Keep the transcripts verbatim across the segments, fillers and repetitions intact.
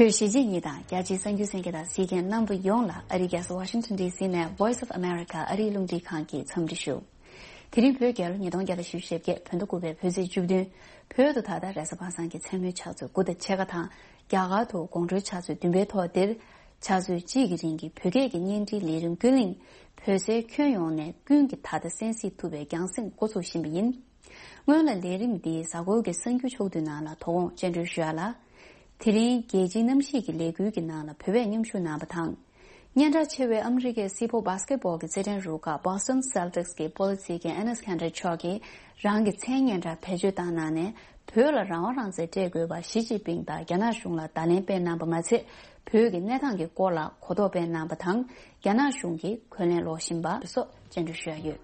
བོད་གཞིས་བྱེས་གཉིས་དང་རྒྱ་ཆེའི་གསར་འགྱུར་གསན་མཁན་དང་གཟིགས་མཁན་རྣམ་པ་ཡོངས་ལ་ཨ་རིའི་རྒྱལ་ས་Washington D C ནས་Voice of America ཨ་རིའི་རླུང་འཕྲིན་ཁང་གི་འཚམས་འདྲི་ཞུ། དེ་རིང་བོད་རྒྱལ་ལོ་ཉིས་སྟོང་བརྒྱ་དང་བཞི་བཅུ་ཞེ་བརྒྱད་བོད་ཟླ་དགུ་པའི་བོད་ཚེས་བཅུ་བདུན། བོད་དུ་ད་ལྟ་རེས་གཟའ་པ་སངས་ཀྱི་མཚན་མོའི་ཕྱག་ཚོད་དགུ་དང་ཕྱེད་ཀ་དང་། རྒྱ་གར་དུ་དགོང་དྲོའི་ཕྱག་ཚོད་བདུན་པའི་ཐོག་འདིར། ཕྱག་ཚོད་གཅིག་གི་རིང་གི་བོད་སྐད་ཀྱི་བརྙན་འཕྲིན་ལས་རིམ་ཀུན་གླིང་བོད་སའི་ཁྱོན་ཡོངས་ནས་ཀུན་གྱིས་ད་ལྟ་གསན་གཟིགས་ཐུབ་པའི་རྒྱང་སྲིང་འགོ་ཚུགས་བཞིན་པ་ཡིན། སྔོན་ལ་ལས་རིམ་འདིའི་གཟའ་འཁོར་གྱི་གསར་འགྱུར་ཕྱོགས་བསྡུས་ནང་ལ་དོ་དགོང་སྤྱན་འབུལ་ཞུ་ཡ་ལ། དེ་རིང་རྒྱལ་སྤྱིའི་གནམ་གཤིས་ཀྱི་ལས་འགུལ་གྱི་ནང་ལ་བོད་པས་མཉམ་ཞུགས་གནང་བ་དང་། སྙན་གྲགས་ཆེ་བའི་ཨ་མི་རི་ཀའི་སེར་པོ་བྷ་སི་ཀེ་ཊི་བྷོལ་གྱི་རྩེད་འགྲན་རུ་ཁག་Boston Celtics གི་སྤོ་ལོ་རྩེད་མཁན་Enes Kanter མཆོག་གིས་རང་གི་མཚན་སྙན་གྲགས་བེད་སྤྱོད་བཏང་གནང་ནས། བོད་ལ་རང་དབང་རང་བཙན་སྤྲད་དགོས་པ་ཞི་ཅིན་ཕིང་དང་རྒྱ་ནག་གཞུང་ལ་བརྡ་ལན་སྤེལ་གནང་པ་མ་ཚད། བོད་ཀྱི་གནས་སྟངས་ཀྱི་སྐོར་ལ་གོ་རྟོགས་སྤེལ་གནང་པ་དང་། རྒྱ་ནག་གཞུང་གིས་འཁོན་ལན་སློག་བཞིན་པ་སོགས་སྤྱན་འབུལ་ཞུ་ཡ་ཡོད།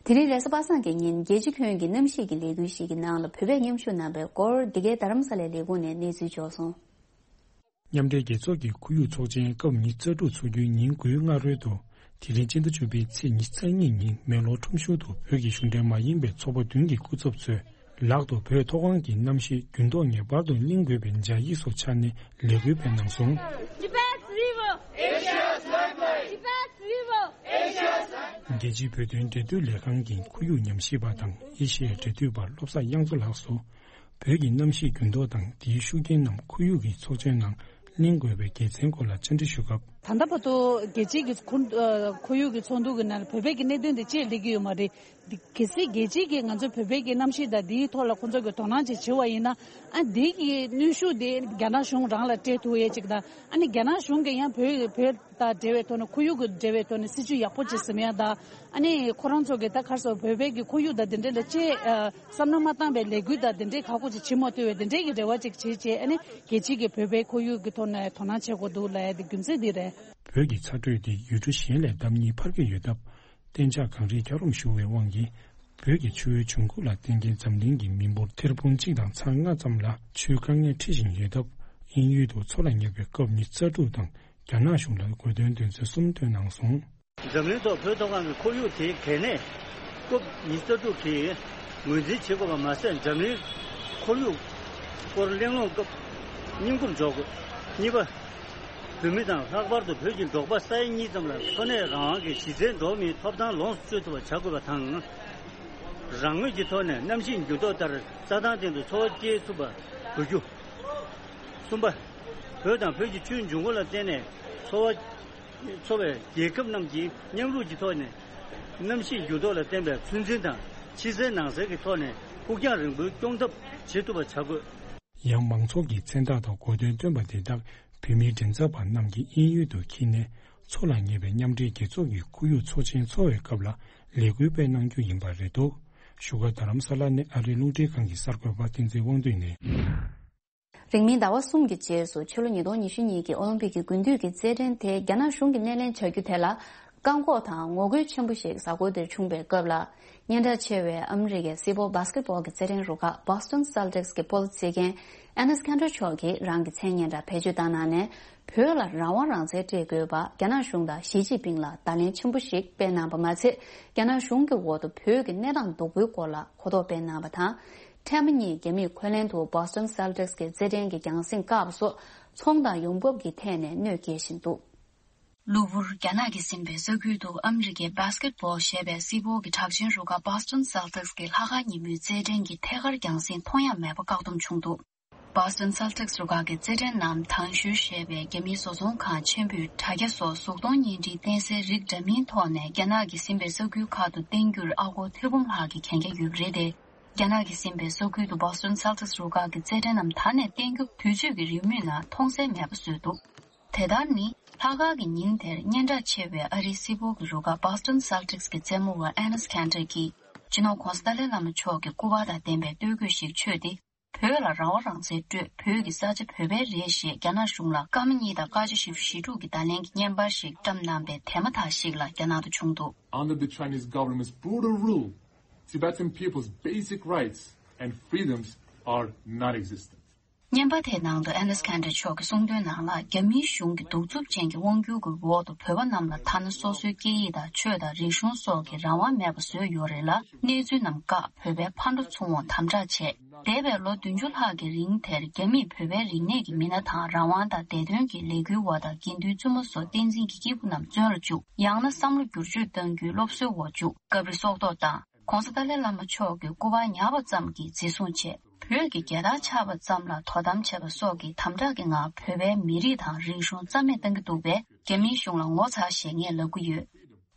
དེ་རིང་རེས་གཟའ་པ་སངས་ཀྱི་ཉིན་རྒྱལ་སྤྱི་ཁྱོན་གྱི་གནམ་གཤིས་ཀྱི་ལས་འགུལ་ཞིག་གི་ནང་ལ་བོད་པས་མཉམ་ཞུགས་གནང་པའི་སྐོར་འདི་གའི་རྡ་རམ་ས་ལའི་ལས་ཁུངས་ནས་གནས་ཚུལ་འབྱོར་སོང་། མཉམ་འབྲེལ་རྒྱལ་ཚོགས་ཀྱི་ཁོར་ཡུག་ཚོགས་ཆེན་སྐབས་ཉི་ཤུ་རྩ་དྲུག་འཚོགས་རྒྱུའི་ཉིན་དགུའི་སྔ་རོལ་དུ། དེ་རིང་སྤྱི་ཟླ་བཅུ་པའི་ཚེས་ཉི་ཤུ་རྩ་གཉིས་ཉིན་མེག་ལོར་ཁྲོམ་གཞུང་དུ་བོད་ཀྱི་གཞུང་འབྲེལ་མ་ཡིན་པའི་ཚོགས་པ་བདུན་གྱི་སྐུ་ཚབ་ཚོས་ལག་ཏུ་བོད་མཐོ་སྒང་གི་གནམ་གཤིས་འགྱུར་ལྡོག་ངེས་པར་དུ་གླེང་དགོས་པའི་སྦྱར་ཡིག་སོགས་འཕྱར་ནས་ལས་འགུལ་སྤེལ་གནང་སོང་། Tibet's river, Asia's lifeline. Tibet's river, Asia's lifeline. རྒྱལ་སྤྱིའི་བོད་དོན་འབྲེལ་མཐུད་ལས་ཁང་གི་ཁོར་ཡུག་ཉམས་ཞིབ་པ་དང་ཨེ་ཤི་ཡའི་འབྲེལ་མཐུད་པ་བློ་བཟང་དབྱངས་མཚོ་ལགས་སུ། བོད་ཀྱི་གནམ་གཤིས་འགྱུར་ལྡོག་དང་དེའི་ཤུགས་རྐྱེན་རྣམས་ཁོར་ཡུག་གི་ཚོགས་ཆེན་ནང་གླེང་དགོས་པའི་དགེ་མཚན་སྐོར་ལ་བཅར་འདྲི་ཞུ་སྐབས། ད་ལྟ་བར་དུ་རྒྱལ་སྤྱིའི་གི་ཁོར་ཨ་ཁོར་ཡུག་གི་ཚོགས་འདུ་གི་ནང་ལ་བོད་པའི་གི་གནད་དོན་དེ་ཅིག་སླེབས་ཀྱི་ཡོད་མ་རེད། འདི་གལ་སྲིད་རྒྱལ་སྤྱིའི་གི་ང་ཚོའི་བོད་པའི་གི་གནམ་གཤིས་དང་དེའི་ཐོག་ལ་ཁོང་ཚོ་གི་དོ་སྣང་ཅིག་བྱེད་པ་ཡིན་ན། ཨ་འདི་གི་གནོན་ཤུགས་དེ་རྒྱ་ནག་གཞུང་རང་ལ་སྤྲད་ཐུབ་ཡས་ཅིག་དང་། ཨ་ནི་རྒྱ་ནག་གཞུང་གིས་ཡང་བོད་བོད་དང་འབྲེལ་བའི་ཐོག་ནས་ཁོར་ཡུག་གི་འབྲེལ་བའི་ཐོག་ནས་སྲིད་ཇུས་ཡག་པོ་ཅིག་ཟིན་ཡ་དང་། ཨ་ནི་ཁོ་རང་ཚོ་གི་ད་ག་རེ་ཟེར་བོད་པའི་གི་ཁོར་ཡུག་དང་དེ་འདྲའི་ལ་ཅིག་ཨ་བསམ་བློ་མ་བཏང་བའི་ལས་འགུལ་དང་དེ་འདྲའི་ཁག་པོ་ཅིག་བྱེད་མ་ཐུབ་པའི་དེ་འདྲའི་གི་རེ་བ་ཅིག་བྱེད་བྱས། ཨ་ནི་རྒྱལ་སྤྱིའི་གི་བོད་པའི་ཁོར་ཡུག་གི་ཐོག་ནས་དོ་སྣང་བྱེད་དགོས་འདུག་ལབ་ཡ་དེ་རྒྱུ་མཚན་འདི་རེད། བོད་ཀྱི་ཚ་དྲོད་དེ་ཡུལ་གྲུ་གཞན་ལས་ལྡབ་གཉིས་འཕར་གྱི་ཡོད་སྟབས། གཏན་འཇགས་གངས་རིའི་འཁྱགས་རོམ་ཤུགས་པའི་དབང་གིས། བོད་ཀྱི་ཆུ་བོའི་བྱུང་ཁུངས་ལ་བརྟེན་མཁན་འཛམ་གླིང་གི་མི་འབོར་ཐེར་འབུམ་གཅིག་དང་ཚེག་ལྔ་ཙམ་ལ་ཆུའི་དཀའ་ངལ་འཕྲད་བཞིན་ཡོད་སྟབས། དབྱིན་ཡུལ་དུ་མཚོ་ལ་ཉེ་བའི་སྐབས་ཉི་ཤུ་རྩ་དྲུག་དང་རྒྱ་ནག་གཞུང་ལ་དགོས་དོན་དོན་ཚན་གསུམ་བཏོན་གནང་སོང་། འཛམ་གླིང་ཐོག་བོད་མཐོ་སྒང་གི་ཁོར་ཡུག་དེའི་གལ་གནད་སྐབས་ཉི་ཤུ་རྩ་དྲུག་གིས་ངོས་འཛིན་བྱེད་དགོས་པ་མ་ཟད། འཛམ་གླིང་ཁོར་ཡུག་སྐོར་གླེང་སློང་སྐབས་སྙིང་ཁུར་འཇོག་དགོས། གཉིས་པ། བོད་མི་དང་ལྷག་པར་དུ་བོད་ཀྱི་འབྲོག་པ་ས་ཡ་གཉིས་ཙམ་ལ་འཚོ་གནས་རང་དབང་གི་གཞི་རྩའི་འགྲོ་བ་མིའི་ཐོབ་ཐང་ལོངས་སུ་སྤྱོད་ཐུབ་པ་བྱ་དགོས་པ་དང་། རང་མོས་ཀྱི་ཐོག་ནས་གནམ་གཤིས་འགྱུར་ལྡོག་ལྟར་རྩྭ་ཐང་སྟེང་དུ་འཚོ་བ་སྐྱེལ་ཐུབ་པ་དགོས་རྒྱུ། གསུམ་པ། བོད་དང་བོད་ཀྱི་ཆུའི་འབྱུང་ཁུངས་ལ་བརྟེན་ནས་འཚོ་བ་འཚོ་བའི་རྒྱལ་ཁབ་རྣམས་ཀྱིས་མཉམ་རུབ་ཀྱི་ཐོག་ནས་གནམ་གཤིས་འགྱུར་ལྡོག་ལ་བརྟེན་པའི་ཚོད་འཛིན་དང་ཕྱི་གསལ་ནང་གསལ་གྱི་ཐོག་ནས་ཕུགས་རྒྱང་རིང་པོའི་སྐྱོང་ཐབས་བྱེད་ཐུབ་པ་བྱ་དགོས། ཡང་མང་ཚོགས་ཀྱི་མཚན་རྟགས་དང་གོ་དོན་བཏོན་པ་དེ་དག་བོད་མིའི་མགྲིན་ཚབ་པ་རྣམས་ཀྱིས་དབྱིན་ཡུལ་དུ་འཁྱེར་ནས་མཚོ་ལ་ཉེ་བའི་མཉམ་འབྲེལ་རྒྱལ་ཚོགས་ཀྱི་ཁོར་ཡུག་ཚོགས་ཆེན་འཚོགས་པའི་སྐབས་ལ་ལས་འགུལ་སྤེལ་གནང་རྒྱུ་ཡིན་པ་རེད་འདུག་བཞུགས་སྒར་རྡ་རམ་ས་ལ་ནས་ཨ་རིའི་རླུང་འཕྲིན་ཁང་གི་གསར་འགོད་པ་བསྟན་འཛིན་དབང་འདུས་ནས། རིང་མིན་ཟླ་བ་གསུམ་གྱི་རྗེས་སུ་ཕྱི་ལོ་ཉིས་སྟོང་ཉི་ཤུ་གཉིས་ཀྱི་ཨོ་ལིམ་པིག་གི་དགུན་དུས་ཀྱི་རྩེད་འགྲན་དེ་རྒྱ་ནག་གཞུང་གིས་སྣེ་ལེན་བྱ་རྒྱུ་དེ་ལ། བཀག་འགོག་དང་ངོ་རྒོལ་ཆེན་པོ་ཞིག་གཟའ་འཁོར་འདིར་བྱུང་བའི་སྐབས་ལ། སྙན་གྲགས་ཆེ་བའི་ཨ་མི་རི་ཀའི་སེར་པོ་བྷ་སི་ཀེ་ཊི་བྷོལ་གྱི་རྩེད་འགྲན་རུ་ཁག་Boston Celtics གི་སྤོ་ལོ་རྩེད་མཁན་Enes Kanter མཆོག་གིས་རང་གི་མཚན་སྙན་གྲགས་བེད་སྤྱོད་བཏང་གནང་ནས། བོད་ལ་རང་དབང་རང་བཙན་སྤྲད་དགོས་པ་རྒྱ་ནག་གཞུང་དང་ཞི་ཅིན་ཕིང་ལ་བརྡ་ལན་ཆེན་པོ་ཞིག་སྤེལ་གནང་པ་མ་ཚད། རྒྱ་ནག་གཞུང་གི་འོག་ཏུ་བོད་ཀྱི་གནས་སྟངས་སྡུག་པོའི་སྐོར་ལ་གོ་རྟོགས་སྤེལ་གནང་པ་དང་། ཕྲན་བུ་གཉིས་རྒྱ་མིས་འཁོན་ལན་དུ་Boston Celtics གི་རྩེད་འགྲན་གྱི་རྒྱང་སྲིང་བཀག་པ་སོགས་ཚོང་དང་ཡོང་འབབ་ཀྱི་ཐད་ནས་གནོད་སྐྱེལ་བཞིན་འདུག་གློ་བུར་རྒྱ་ནག་གིས་ཟིན་པའི་ས་ཁུལ་དུ་ཨ་མི་རི་ཀའི་Basketball ཞེས་པའི་སེར་པོ་གི་གྲགས་ཅན་རུ་ཁག་Boston Celtics གི་ལྷག་དཀར་ཉིན་མོའི་རྩེད་འགྲན་གྱི་ཐད་ཀར་རྒྱང་སྲིང་མཐོང་ཡ་མེད་པ་བཀག་སྡོམ་བྱུང་འདུག Boston Celtics རུ་ཁག་གི་རྩེད་འགྲན་ནམ་དང་ཞུ་ཞེས་པའི་རྒྱ་མིའི་བཟོ་ཚོང་ཁང་ཆེན་པོས་དྲ་རྒྱ་སོགས་གཟུགས་མཐོང་བརྙན་འཕྲིན་བསྟན་སའི་རིགས་འདྲ་མིན་ཐོག་ནས་རྒྱ་ནག་གིས་ཟིན་པའི་ས་ཁུལ་ཁག་ཏུ་བསྟན་རྒྱུར་ཨ་སྒོར་ཐེར་འབུམ་ལྷག་གི་གན་རྒྱ་ཡོད་པ་རེད་དེ། རྒྱ་ནག་གིས་ཟིན་པའི་ས་ཁུལ་དུ་Boston Celtics རུ་ཁག་གི་རྩེད་འགྲན་ནམ་ད་ནས་བསྟན་རྒྱུ་དུས་ཚོད་ཀྱི་རེའུ་མིག་ནང་མཐོང་གསལ་མེད་པ་བཟོས་འདུག་དེ་ལྟར་ནི། ལྷག་དཀར་གྱི་ཉིན་དེར་སྙན་གྲགས་ཆེ་བའི་ཨ་རིའི་སེར་པོ་གི་རུ་ཁག་Boston Celtics གི་རྩེད་མོ་བ་Enes Kanter གྱིས་སྤྱི་ནོར་༧གོང་ས་ཏཱ་ལའི་བླ་མ་མཆོག་གི་སྐུ་པར་དང་ལྡན་པའི་སྟོད་གོས་ཤིག་མཆོད་དེ། བོད་ལ་རང་དབང་རང་བཙན་སྤྲོད། བོད་ཀྱི་ས་ཆ་བོད་པའི་རེད་ཞེས་རྒྱ་ནག་གཞུང་ལ་སྐར་མ་གཉིས་དང་སྐར་ཆ་བཞི་བཅུ་ཞེ་དྲུག་གི་བརྡ་ལན་གྱི་བརྙན་པར་ཞིག་བཀྲམ་གནང་པའི་དེ་མ་ཐག་ཞིག་ལ་རྒྱ་ནག་ཏུ་བྱུང་འདུག Under the Chinese government's brutal rule, Tibetan people's basic rights and freedoms are non-existent. བརྙན་པར་དེའི་ནང་དུ་ཨེ་ནེས་ཁན་ཏྲེ་མཆོག་གིས་གསུངས་དོན་ནང་ལ། རྒྱ་མིའི་གཞུང་གིས་གདུག་རྩུབ་ཅན་གྱི་དབང་སྒྱུར་གྱི་འོག་ཏུ་བོད་པ་རྣམས་ལ་ཐ་ན་སོ་སོའི་སྐད་ཡིག་དང་ཆོས་དང་རིག་གཞུང་སོགས་ཀྱི་རང་དབང་མེད་པ་བཟོས་ཡོད་རེད་ལ། གནས་ཚུལ་རྣམས་བཀག་བོད་པའི་ཕར་འགྲོ་ཚུར་འོང་དམ་དྲག་བྱས། འདས་པའི་ལོ་བདུན་ཅུ་ལྷག་གི་རིང་དེར་རྒྱ་མིས་བོད་པའི་རིག་གནས་ཀྱི་མི་སྣ་དང་རང་དབང་དང་བདེ་དོན་གྱི་ལས་འགུལ་བ་དང་དགེ་འདུན་བཙུན་མ་སོགས་བསྟན་འཛིན་གྱི་སྐྱེས་བུ་རྣམས་བཙོན་ལ་བཅུག་ཡང་ན་བསམ་བློ་བསྒྱུར་བཅོས་གཏང་རྒྱུའི་སློབ་གསོའི་འོག་བཅུག་སྐབས་རེ་སྲོག་ཐོག་བཏང་། ྋགོང་ས་ཏཱ་ལའི་བླ་མ་མཆོག་གི་སྐུ་པར་ཉར་བ་ཙམ་གྱིས་འཛིན་བཟུང་བྱས། བོད་ཀྱི་རྒྱལ་དར་འཕྱར་བ་ཙམ་ལ་དོ་དམ་བྱས་པ་སོགས་ཀྱི་དམ་དྲག་གི་ངང་བོད་པའི་མི་རིགས་དང་རིག་གཞུང་རྩ་མེད་གཏང་གི་འདུག་པས། རྒྱ་མིའི་གཞུང་ལ་ངོ་ཚ་ཞེས་ངས་ལབ་ཀྱི་ཡོད།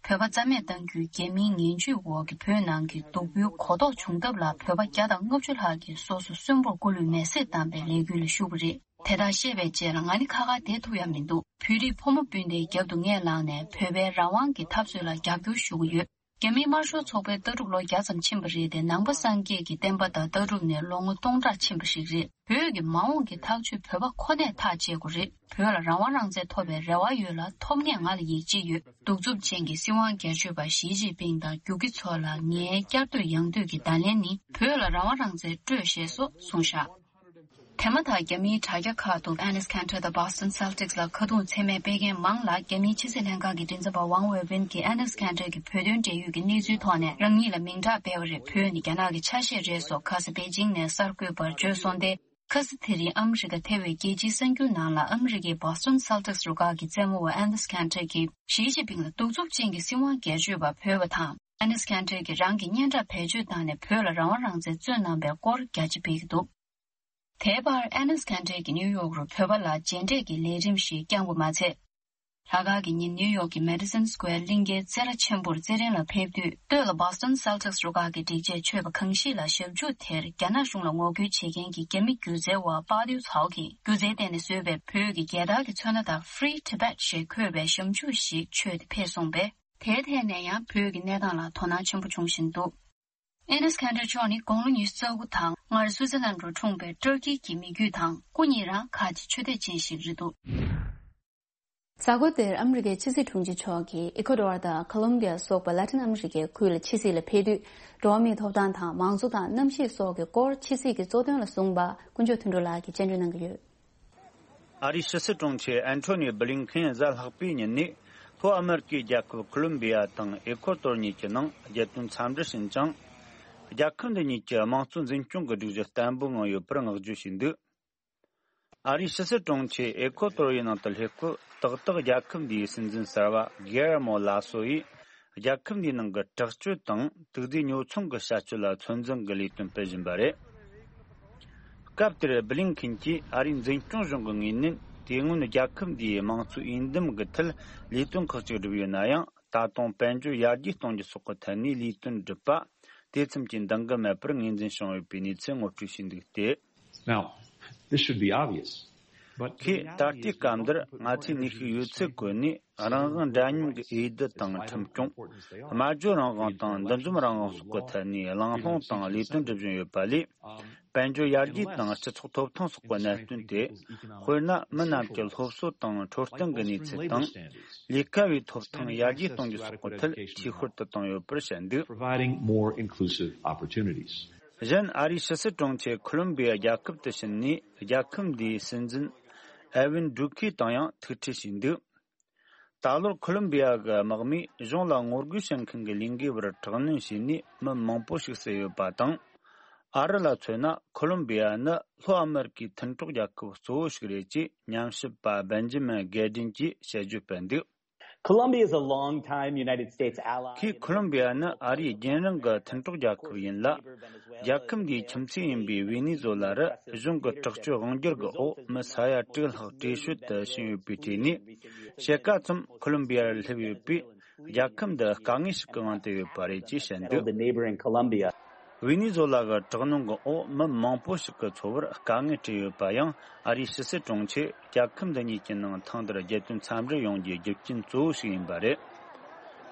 བོད་པ་རྩ་མེད་གཏང་རྒྱུའི་རྒྱ་མིའི་ངན་ཇུས་འོག་གི་བོད་ནང་གི་སྡུག་པོའི་གོ་རྟོགས་བྱུང་སྟབས་ལ། བོད་པ་བརྒྱ་དང་ལྔ་བཅུ་ལྷག་གིས་སོ་སོ་གསོན་པོར་སྐུ་ལུས་མེ་བསྲེགས་བཏང་པའི་ལས་འགུལ་ལ་ཞུགས་པ་རེད། དེ་དག་ཤེས་པའི་རྗེས་ལ་ང་ནི་ཁ་ཁ་བསྡད་ཐུབ་ཡ་མི་འདུག་བོད་རིགས་ཕོ་མོ་སྤུན་ཟླའི་རྒྱབ་ཏུ་ངས་ལངས་ནས་བོད་པའི་རང་དབང་གི་འཐབ་རྩོད་ལ་རྒྱབ་སྐྱོར་ཞུ་གི་ཡོད། རྒྱ་མིའི་དམར་ཤོག་ཚོགས་པའི་ལྟ་གྲུབ་ལོ་བརྒྱ་ཙམ་ཕྱིན་པ་རེད་དེ། ནང་པ་སངས་རྒྱས་ཀྱི་བསྟན་པ་དང་ལྟ་གྲུབ་ནས་ལོ་ངོ་སྟོང་ཕྲག་ཕྱིན་པ་ཞིག་རེད། བོད་ཀྱི་མ་འོངས་ཀྱི་ཐག་གཅོད་བོད་པ་ཁོ་ནས་ཐག་བཅད་དགོས་རེད། བོད་ལ་རང་དབང་རང་བཙན་ཐོབ་པའི་རེ་བ་ཡོད་ལ། ཐོབ་ངེས་ང་ལ་ཡིད་ཆེས་ཡོད། གདུག་རྩུབ་ཅན་གྱི་སྲིད་དབང་སྒེར་གཅོད་པ་ཞི་ཅིན་ཕིང་དང་རྒྱུག་ཁྱི་ཚོ་ལ་ངའི་བསྐྱར་ཟློས་ཡང་ཟློས་ཀྱི་བརྡ་ལན་ནི། བོད་ལ་རང་དབང་རང་བཙན་སྤྲོད་ཞེས་སོགས་གསུངས་བཞག་དེ་མ་ཐག་རྒྱ་མིའི་དྲ་རྒྱ་ཁག་ཏུ་ཨེ་ནེས་ཁན་ཏྲེ་དང་Boston Celtics་ལ་ཁ་རྡུང་མཚན་སྨད་སྤེལ་མཁན་མང་ལ། རྒྱ་མིའི་ཕྱི་སྲིད་ལྷན་ཁང་གི་མགྲིན་ཚབ་པ་ཝང་ཝེ་ཝིན་གྱིས་ཨེ་ནེས་ཁན་ཏྲེ་གི་བོད་དོན་འབྲེལ་ཡོད་ཀྱི་གནས་ཚུལ་ཐོག་ནས་རང་ཉིད་ལ་མིང་གྲགས་སྤེལ་བ་རེད། བོད་ནི་རྒྱ་ནག་གི་ཆ་ཤས་རེད་སོགས་ཁ་ས་པེ་ཅིང་ནས་གསར་འགོད་པར་བརྗོད་སོང་སྟེ། ཁ་ས་དེ་རིང་ཨ་མི་རི་ཀ་ཐེ་བའི་རྒྱལ་སྤྱིའི་གསར་འགྱུར་ནང་ལ། ཨ་མི་རི་ཀའི་Boston Celtics་རུ་ཁག་གི་རྩེད་མོ་བ་ཨེ་ནེས་ཁན་ཏྲེ་གིས་ཞི་ཅིན་ཕིང་ལ་གདུག་རྩུབ་ཅན་གྱི་སྲིད་དབང་སྒེར་གཅོད་པ་འབོད་པ་དང་། ཨེ་ནེས་ཁན་ཏྲེ་གིས་རང་གི་སྙན་གྲགས་བེད་སྤྱོད་བཏང་ནས་བོད་ལ་རང་དབང་རང་བཙན་རྩོད་གནང་པའི་སྐོར་རྒྱ་ཆེ་སྤེལ་གྱི་འདུག་དེའི་བར་ཨེ་ནེས་ཁན་ཏྲེ་གིས་ནིའུ་ཡོག་རུ་བོད་པ་ལ་རྗེས་འབྲས་ཀྱི་ལས་རིམ་ཞིག་བསྐྱངས་པ་མ་ཚད། ལྷག་དཀར་གྱི་ཉིན་ནིའུ་ཡོག་གི་Madison Square་གླིང་གའི་རྩེད་ར་ཆེན་པོར་རྩེད་རན་ལ་ཕེབས་དུས། སྟོད་ལ་Boston Celtics་རུ་ཁག་གི་སྒྲིག་ཆས་མཆོད་པ་གང་ཞིག་ལ་ཞབས་ཞུ་དེར་རྒྱ་ནག་གཞུང་ལ་ངོ་རྒོལ་བྱེད་མཁན་གྱི་རྒྱ་མི་སྒྱུ་རྩལ་བ་པཱ་ཏིའུ་ཚའོ་གིས་སྒྱུ་རྩལ་སྟེང་ནས་བཟོས་པའི་བོད་ཀྱི་རྒྱལ་དར་གྱི་ཚོན་སྣ་དང་Free Tibet་ཞེས་འཁོད་པའི་ཞབས་ཞུ་ཞིག་མཆོད་དེ་ཕེབས་སོང་པས། དེའི་ཐད་ནས་ཡང་བོད་ཀྱི་གནས་སྟངས་ལ་དོ་སྣང་ཆེན་པོ་བྱུང་བཞིན་འདུག་ཨེ་ནེས་ཁན་ཏྲེ་མཆོག་ནི་དགུང་ལོ་ཉི་ཤུ་རྩ་དགུ་དང་སྔར་སུའུ་ཙེར་ལན་རུ་འཁྲུངས་པའི་ཏུར་ཀི་གི་མི་རྒྱུད་དང་སྐུ་ཉིད་རང་ཁ་ཆེ་ཆོས་དད་ཅན་ཞིག་རེད་འདུག་གཟའ་འཁོར་འདིར་ཨ་མི་རི་ཀའི་ཕྱི་སྲིད་དྲུང་ཆེ་མཆོག་གིས་ཨི་ཁོ་ཏོར་དང་ཁོ་ལོམ་བི་ཡ་སོགས་པ་ལ་ཏིན་ཨ་མི་རི་ཀའི་ཁུལ་ལ་ཕྱི་སྲིད་ལ་ཕེབས་དུས། འགྲོ་བ་མིའི་ཐོབ་ཐང་དང་མང་གཙོ་དང་གནམ་གཤིས་སོགས་ཀྱི་སྐོར་ཕྱི་སྲིད་ཀྱི་གཙོ་དོན་ལ་གསུངས་པ་དཀོན་མཆོག་དོན་གྲུབ་ལགས་ཀྱིས་སྙན་སྒྲོན་གནང་གི་ཡོད། ཨ་རིའི་ཕྱི་སྲིད་དྲུང་ཆེ་ཨན་ཐོ་ནི་བྷི་ལིན་ཁེན་གཟའ་ལྷག་པའི་ཉིན་ནས་ལྷོ་ཨ་མེ་རི་ཀའི་རྒྱལ་ཁབ་ཁོ་ལོམ་བི་ཡ་དང་ཨེ་ཁོ་ཏོར་གཉིས་ཀྱི་ནང་རྒྱལ་དོན་འཚམས་འདྲི་ཕྱིན་ཅིང་། རྒྱལ་ཁབ་འདི་གཉིས་ཀྱི་དམངས་གཙོ་འཛིན་སྐྱོང་གི་སྒྲིག་གཞི་བརྟན་པོ་ངང་ཡོད་པར་བསྔགས་བརྗོད་བྱས་འདུག་ཨ་རིའི་ཕྱི་སྲིད་དྲུང་ཆེ་ཨེ་ཁོ་ཏོར་ཡི་ནང་དུ་སླེབས་སྐབས། ཏག་ཏག་རྒྱལ་ཁབ་འདིའི་སྲིད་འཛིན་གསར་པ་གི་ཡར་མོ་ལ་སོ་ཡིས་རྒྱལ་ཁབ་འདིའི་ནང་གི་དྲག་སྤྱོད་དང་དུག་རྫས་ཉོ་ཚོང་གི་བྱ་སྤྱོད་ལ་ཚོད་འཛིན་གྱི་ལས་དོན་སྤེལ་བཞིན་པ་རེད། སྐབས་དེར་བྷི་ལིན་ཁིན་གྱིས་ཨ་རིའི་འཛིན་སྐྱོང་གཞུང་གི་ངོས་ནས། དེ་སྔོན་རྒྱལ་ཁབ་འདིའི་དམངས་གཙོའི་འོས་འདེམས་ཀྱི་ཐད་ལས་དོན་ཁག་ཅིག་བསྒྲུབས་ཡོད་ན་ཡང་། ད་དུང་དཔལ་འབྱོར་ཡར་རྒྱས་གཏོང་རྒྱུ་སོགས་ཀྱི་ཐད་ནས་ལས་དོན་བསྒྲུབས་པ། དེ་ཙམ་གྱིས་འདང་གི་མེད་པར་ངོས་འཛིན་བྱུང་ཡོད་པའི་གནས་ཚུལ་ངོ་སྤྲོད་བྱས་འདུག་སྟེ། Now, this should be obvious. But ཁོས་ད་ལྟའི་སྐབས་འདིར་ང་ཚོས་ནུས་ཤུགས་ཡོད་ཚད་བཀོལ་ནས། རང་དབང་འདྲ་མཉམ་གྱི་འོས་བསྡུ་དང་ཁྲིམས་སྐྱོང་། སྨྲ་བརྗོད་རང་དབང་དང་འདུ་འཛོམས་རང་དབང་སོགས་ཀྱི་ཐད་ནས་གླེང་སློང་དང་ལས་དོན་སྒྲུབ་བཞིན་ཡོད་པ་ལས། དཔལ་འབྱོར་ཡར་རྒྱས་དང་སྤྱི་ཚོགས་ཐོབ་ཐང་སོགས་ཀྱི་གནད་དོན་དེ། དཔེར་ན། མི་རྣམས་ཀྱི་སློབ་གསོ་དང་འཕྲོད་བསྟེན་གྱི་གནས་ཚུལ་དང་། ལས་ཀ་བའི་ཐོབ་ཐང་ཡར་རྒྱས་གཏོང་རྒྱུ་སོགས་ཀྱི་ཐད་འཐུས་ཤོར་དུ་བཏང་ཡོད་པར་བཤད་འདུག Providing more inclusive opportunities. གཞན། ཨ་རིའི་ཕྱི་སྲིད་དྲུང་ཆེ་ཁོ་ལོམ་བི་ཡ་རྒྱལ་ཁབ་ཏུ་ཕྱིན་ནས། རྒྱལ་ཁབ་འདིའི་སྲིད་འཛིན་ཨེ་ཝིན་ཌུ་ཁི་དང་ཡང་ཐུག་འཕྲད་བྱས་འདུག་ད་ལོར་ཁོ་ལོམ་བི་ཡ་གི་དམག་མིས་གཞུང་ལ་ངོ་རྒོལ་བྱེད་མཁན་གྱི་ལས་འགུལ་བར་དྲག་གནོན་བྱས་ནས་མི་མང་པོ་ཞིག་བསད་ཡོད་པ་དང་། ཨ་རི་ལ་མཚོན་ན། ཁོ་ལོམ་བི་ཡ་ནི་ལྷོ་ཨ་མེ་རི་ཀའི་མཐུན་གྲོགས་རྒྱལ་ཁབ་གཙོ་བོ་ཞིག་རེད་ཅེས་ཉམས་ཞིབ་པ་སྦེན་ཇི་མིན་གེ་ཌིན་གྱིས་དཔྱད་བརྗོད་སྤེལ་འདུག Colombia is a long time United States ally. ཁོས་ཁོ་ལོམ་བི་ཡ་ནི་ཨ་རིའི་རྒྱུན་རིང་གི་མཐུན་གྲོགས་རྒྱལ་ཁབ་ཡིན་ལ། རྒྱལ་ཁབ་འདིའི་ཁྱིམ་མཚེས་ཡིན་པའི་ཝེ་ནེ་ཛོ་ལ་རུ་གཞུང་གི་དྲག་སྤྱོད་དབང་སྒྱུར་གྱི་འོག་མི་ས་ཡ་དྲུག་ལྷག་བྲོས་བྱོལ་དུ་ཕྱིན་ཡོད་པའི་གྲས་ནས། ཕྱེད་ཀ་ཙམ་ཁོ་ལོམ་བི་ཡར་སླེབས་ཡོད་པས། རྒྱལ་ཁབ་འདི་དཀའ་ངལ་ཞིག་གི་དབང་དུ་ཡོད་པ་རེད་ཅེས་བཤད་འདུག The neighboring Colombia. ཝེ་ནེ་ཛོ་ལ་གི་དྲག་གནོན་གྱི་འོག་མི་མང་པོ་ཞིག་གི་འཚོ་བར་དཀའ་ངལ་འཕྲད་ཡོད་པ་ཡང་། ཨ་རིའི་ཕྱི་སྲིད་དྲུང་ཆེ་རྒྱལ་ཁབ་འདི་གཉིས་ཀྱི་ནང་ཐེངས་འདིར་རྒྱལ་དོན་འཚམས་འདྲི་ཡོང་རྒྱུའི་རྒྱུ་རྐྱེན་གཙོ་བོ་ཞིག་ཡིན་པ་རེད།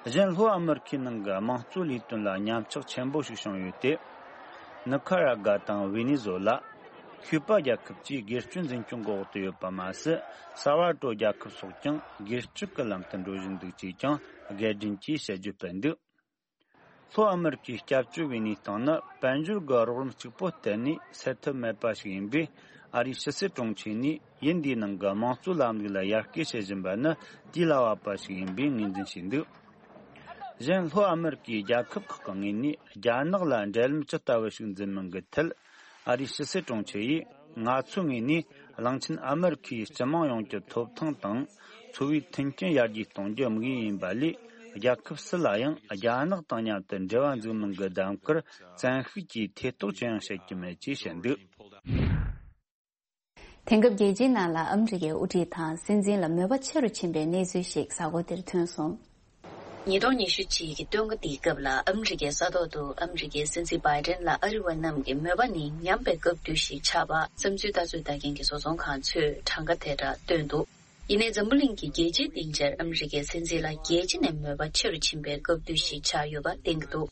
གཞན། ལྷོ་ཨ་མེ་རི་ཁའི་ནང་གི་དམངས་གཙོ་ལས་དོན་ལ་ཉམས་ཆག་ཆེན་པོ་ཞིག་བྱུང་ཡོད་དེ། ནི་ཁ་ར་ག་དང་ཝེ་ནེ་ཛོ་ལ། ཁྱུ་པ་རྒྱལ་ཁབ་བཅས་སྒེར་གཅོད་འཛིན་སྐྱོང་གི་འོག་ཏུ་ཡོད་པ་མ་ཟད། སལ་ཝ་ཏོར་རྒྱལ་ཁབ་སོགས་ཀྱང་སྒེར་གཅོད་ཀྱི་ལམ་དུ་འགྲོ་བཞིན་འདུག་ཅེས་ཀྱང་གེ་ཌིན་གྱིས་དཔྱད་བརྗོད་སྤེལ་འདུག་ལྷོ་ཨ་མེ་རི་ཀའི་སྐྱབས་བཅོལ་བའི་གནས་སྟངས་ནི་དཔལ་འབྱོར་གྱི་རོགས་རམ་གཅིག་པོ་གཏན་ནས་སེལ་ཐབས་མེད་པ་ཞིག་ཡིན་པས། ཨ་རིའི་ཕྱི་སྲིད་དྲུང་ཆེ་ནས་ཡུལ་འདིའི་ནང་གི་དམངས་གཙོའི་ལམ་ལུགས་ལ་ཡར་སྐུལ་བྱེད་བཞིན་པ་ནི་དུས་ལ་བབ་པ་ཞིག་ཡིན་པའི་ངོས་འཛིན་བྱས་འདུག་གཞན་ལྷོ་ཨ་མི་རི་ཀའི་རྒྱལ་ཁབ་ཁག་གི་ངོས་ནས་རྒྱ་ནག་ལ་འབྲེལ་ལམ་ཇི་ལྟ་བུ་ཞིག་འཛིན་མིན་གྱི་ཐད། ཨ་རིའི་ཕྱི་སྲིད་དྲུང་ཆེ་ཡིས། ང་ཚོའི་ངོས་ནས་གླིང་ཆེན་ཨ་མི་རི་ཁའི་སྤྱི་དམངས་ཡོངས་ཀྱི་ཐོབ་ཐང་དང་། འཚོ་བའི་མཐུན་རྐྱེན་ཡར་རྒྱས་གཏོང་རྒྱུ་དམིགས་ཡུལ་ཡིན་པ་ལས། རྒྱལ་ཁབ་སུ་ལ་ཡང་རྒྱ་ནག་དང་མཉམ་དུ་འབྲེལ་བ་འཛུགས་མིན་གྱི་གདམ་གར་བཙན་ཤུགས་ཀྱིས་ཐེ་གཏོགས་ཅི་ཡང་བྱེད་ཀྱི་མེད་ཅེས་བཤད་འདུག་དེང་སྐབས་རྒྱལ་སྤྱིའི་ནང་ལ་ཨ་མི་རི་ཀའི་དབུ་ཁྲིད་དང་སྲིད་འཛིན་ལ་མོས་པ་ཆེ་རུ་ཕྱིན་པའི་གནས་ཚུལ་ཞིག་གཟའ་འཁོར་འདིར་ཐོན་སོང་། ཉིས་སྟོང་ཉི་ཤུ་གཅིག་གི་སྟོན་ཁ་འདིའི་སྐབས་ལ་ཨ་མི་རི་ཀའི་ས་ཐོག་ཏུ་ཨ་མི་རི་ཀའི་སྲིད་འཛིན་བྷའི་ཌེན་ལ་ཨ་རི་བ་རྣམས་ཀྱི་མོས་པ་ནི་ཉམས་པའི་སྐབས་དུས་ཤིག་ཆགས་པ་བསམ་ཚུལ་ལྟ་ཚོད་ལྟ་མཁན་གྱི་བཟོ་ཚོང་ཁང་ཚོས་གྲངས་ཀ་དེ་འདྲ་བཏོན་འདུག་ཡིན་ནའི་འཛམ་བུ་གླིང་གི་རྒྱལ་སྤྱིའི་སྡིངས་ཆར་ཨ་མི་རི་ཀའི་སྲིད་འཛིན་ལ་རྒྱལ་སྤྱི་ནས་མོས་པ་ཆེ་རུ་ཕྱིན་པའི་སྐབས་དུས་ཤིག་ཆགས་ཡོད་པ་བསྟན་གྱི་འདུག་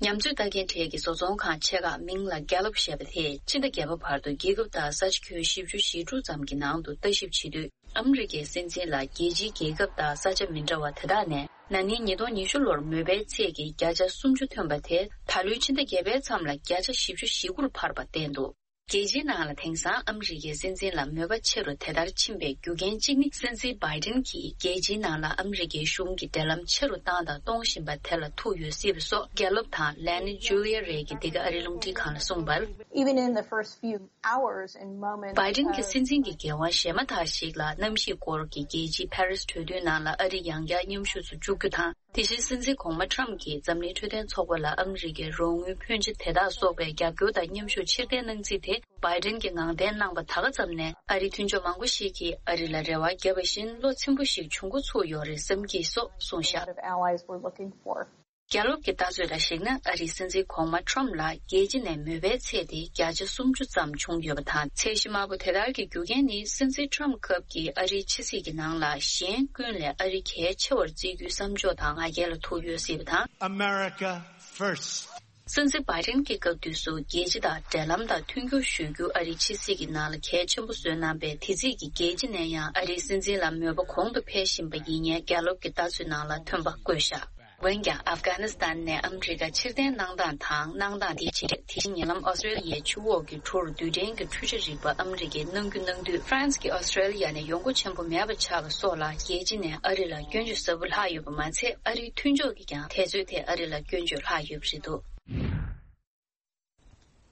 ཉམས་ཚོད་ལྟ་མཁན་གྲས་ཀྱི་བཟོ་ཚོང་ཁང་ཆེ་ཁག་མིང་ལ་གྷེ་ལོབ་ཞེས་པ་དེས་ཕྱི་ཟླ་བརྒྱད་པ་བར་དུ་རྒྱལ་ཁབ་དང་ས་ཆ་ཁྱོན་བཞི་བཅུ་ཞེ་དྲུག་ཙམ་གྱི་ནང་དུ་ལྟ་ཞིབ་བྱེད་དུས། ཨ་མི་རི་ཀའི་སྲིད་འཛིན་ལ་རྒྱལ་སྤྱིའི་རྒྱལ་ཁབ་དང་ས་ཆ་མི་འདྲ་བ་དེ་དག་ནས་ན་ནིང་ཉིས་སྟོང་ཉི་ཤུ་ལོར་མོས་པའི་ཚད་ཀྱི་བརྒྱ་ཆ་སུམ་ཅུ་ཐོན་པ་དེ་ད་ལོའི་ཕྱི་ཟླ་བརྒྱད་པའི་མཚམས་ལ་བརྒྱ་ཆ་བཞི་བཅུ་ཞེ་དགུ་ལ་འཕར་བ་བསྟན་འདུག་རྒྱལ་སྤྱིའི་ནང་ལ་དེང་སང་ཨ་མི་རི་ཀའི་སྲིད་འཛིན་ལ་མོས་པ་ཆེ་རུ་དེ་ལྟར་ཕྱིན་པའི་རྒྱུ་རྐྱེན་གཅིག་ནི། སྲིད་འཛིན་བྷའི་ཌེན་གྱིས་རྒྱལ་སྤྱིའི་ནང་ལ་ཨ་མི་རི་ཀའི་གཞུང་གི་འབྲེལ་ལམ་ཆེ་རུ་བཏང་དང་གཏོང་བཞིན་པ་དེ་ལ་ཐུག་ཡོད་སྲིད་པ་སོགས་གྷེ་ལོབ་དང་ལེ་ནི་ཇུ་ལི་ཡ་རེད་ཀྱིས་འདི་ག་ཨ་རིའི་རླུང་འཕྲིན་ཁང་ལ་གསུངས་པར། Even in the first few hours and moments བྷའི་ཌེན་གྱི་of སྲིད་འཛིན་གྱི་འགན་དབང་གཞན་མ་དག་ཞིག་ལ་གནམ་གཤིས་སྐོར་གྱི་རྒྱལ་སྤྱིའི་ཕ་རི་སི་གྲོས་མཐུན་ནང་ལ་ཨ་རི་ཡང་བསྐྱར་མཉམ་ཞུགས་སུ་འཇུག་རྒྱུ་དང་། དེ་བཞིན་སྲིད་འཛིན་གོང་མ་ཊམ་གྱིས་འཛམ་གླིང་འཕྲོད་བསྟེན་ཚོགས་པ་ལ་ཨ་མི་རི་ཀའི་རོགས་དངུལ་ཕོན་ཆེ་དེ་དག་སོགས་པའི་རྒྱབ་སྐྱོར་དང་མཉམ་ཞུགས་ཕྱིར་འཐེན་གནང་རྩིས་དེ་བྷའི་ཌེན་གྱིས་ངང་འཐེན་གནང་པ་ད་ག་ཙམ་ནས། ཨ་རིའི་མཐུན་ཕྱོགས་མང་པོ་ཞིག་གིས་ཨ་རི་ལ་རེ་བ་བརྒྱབ་པ་བཞིན་བློ་ཚིམ་པོ་ཞིག་བྱུང་འགོ་ཚུགས་ཡོད་རེད་བསམ་གྱི་སོགས་གསུངས་བཞག A lot of allies were looking for. རྒྱ་ལོབ་ཀྱི་ལྟ་ཚུལ་ལ་གཞིགས་ན། ཨ་རིའི་སྲིད་འཛིན་གོང་མ་ཁྲོམ་ལ་རྒྱལ་སྤྱི་ནས་མོས་པའི་ཚད་དེ་བརྒྱ་ཆ་སུམ་ཅུ་ཙམ་བྱུང་ཡོད་པ་དང་། ཚད་གཞི་དམའ་པོ་དེ་ལྟར་གྱི་རྒྱུ་རྐྱེན་ནི། སྲིད་འཛིན་ཁྲོམ་སྐབས་ཀྱི་ཨ་རིའི་ཕྱི་སྲིད་ཀྱི་ནང་ལ་གཞན་ཀུན་ལས་ཨ་རི་གལ་ཆེ་བར་བརྩི་རྒྱུའི་བསམ་ཕྱོགས་དང་ང་རྒྱལ་ལ་ཐུག་ཡོད་སྲིད་པ་དང་། America first. སྲིད་འཛིན་བྷའི་ཌེན་གྱི་སྐབས་དུས་སུ་རྒྱལ་སྤྱི་དང་འབྲེལ་ལམ་དང་མཐུན་འགྱུར་ཞུ་རྒྱུ་ཨ་རིའི་ཕྱི་སྲིད་ཀྱི་ནང་ལ་གལ་ཆེན་པོ་བཟོས་གནང་པས། དེ་རྩིས་ཀྱིས་རྒྱལ་སྤྱི་ནས་ཡང་ཨ་རིའི་སྲིད་འཛིན་ལ་མོས་པ་གོང་དུ་འཕེལ་བཞིན་པ་ཡིན་ངེས་གྷེ་ལོབ་ཀྱི་ལྟ་ཚུལ་ནང་ལ་ཐོན་པ་བཀོད་བཞག་འོན་ཀྱང་། ཨབ་གྷ་ནི་སི་ཐན་ནས་ཨ་མི་རི་ཀ་ཕྱིར་འཐེན་གནང་སྟངས་དང་། གནང་སྟངས་དེའི་རྗེས། དེ་བཞིན་ཉེ་ལམ་ཨོ་སི་ཀྲེ་ལི་ཡའི་ཆུ་འོག་གི་གྲུར་རྡུལ་ཕྲན་གྱི་འཕྲུལ་ཆས་རིག་པ་ཨ་མི་རི་ཀས་གནང་རྒྱུ་གནང་དུས། ཧྥ་རན་སི་གིས་ཨོ་སི་ཀྲེ་ལི་ཡ་ནས་ཡོང་སྒོ་ཆེན་པོ་མེད་པ་ཆགས་པ་སོགས་ལ། རྒྱལ་སྤྱི་ནས་ཨ་རི་ལ་སྐྱོན་བརྗོད་ཟབ་པོ་ལྷག་ཡོད་པ་མ་ཚད། ཨ་རིའི་མཐུན་ཕྱོགས་ཀྱིས་ཀྱང་དེ་ཚོས་དེ་ཨ་རི་ལ་སྐྱོན་བརྗོད་ལྷག་ཡོད་པ་རེད་འདུག་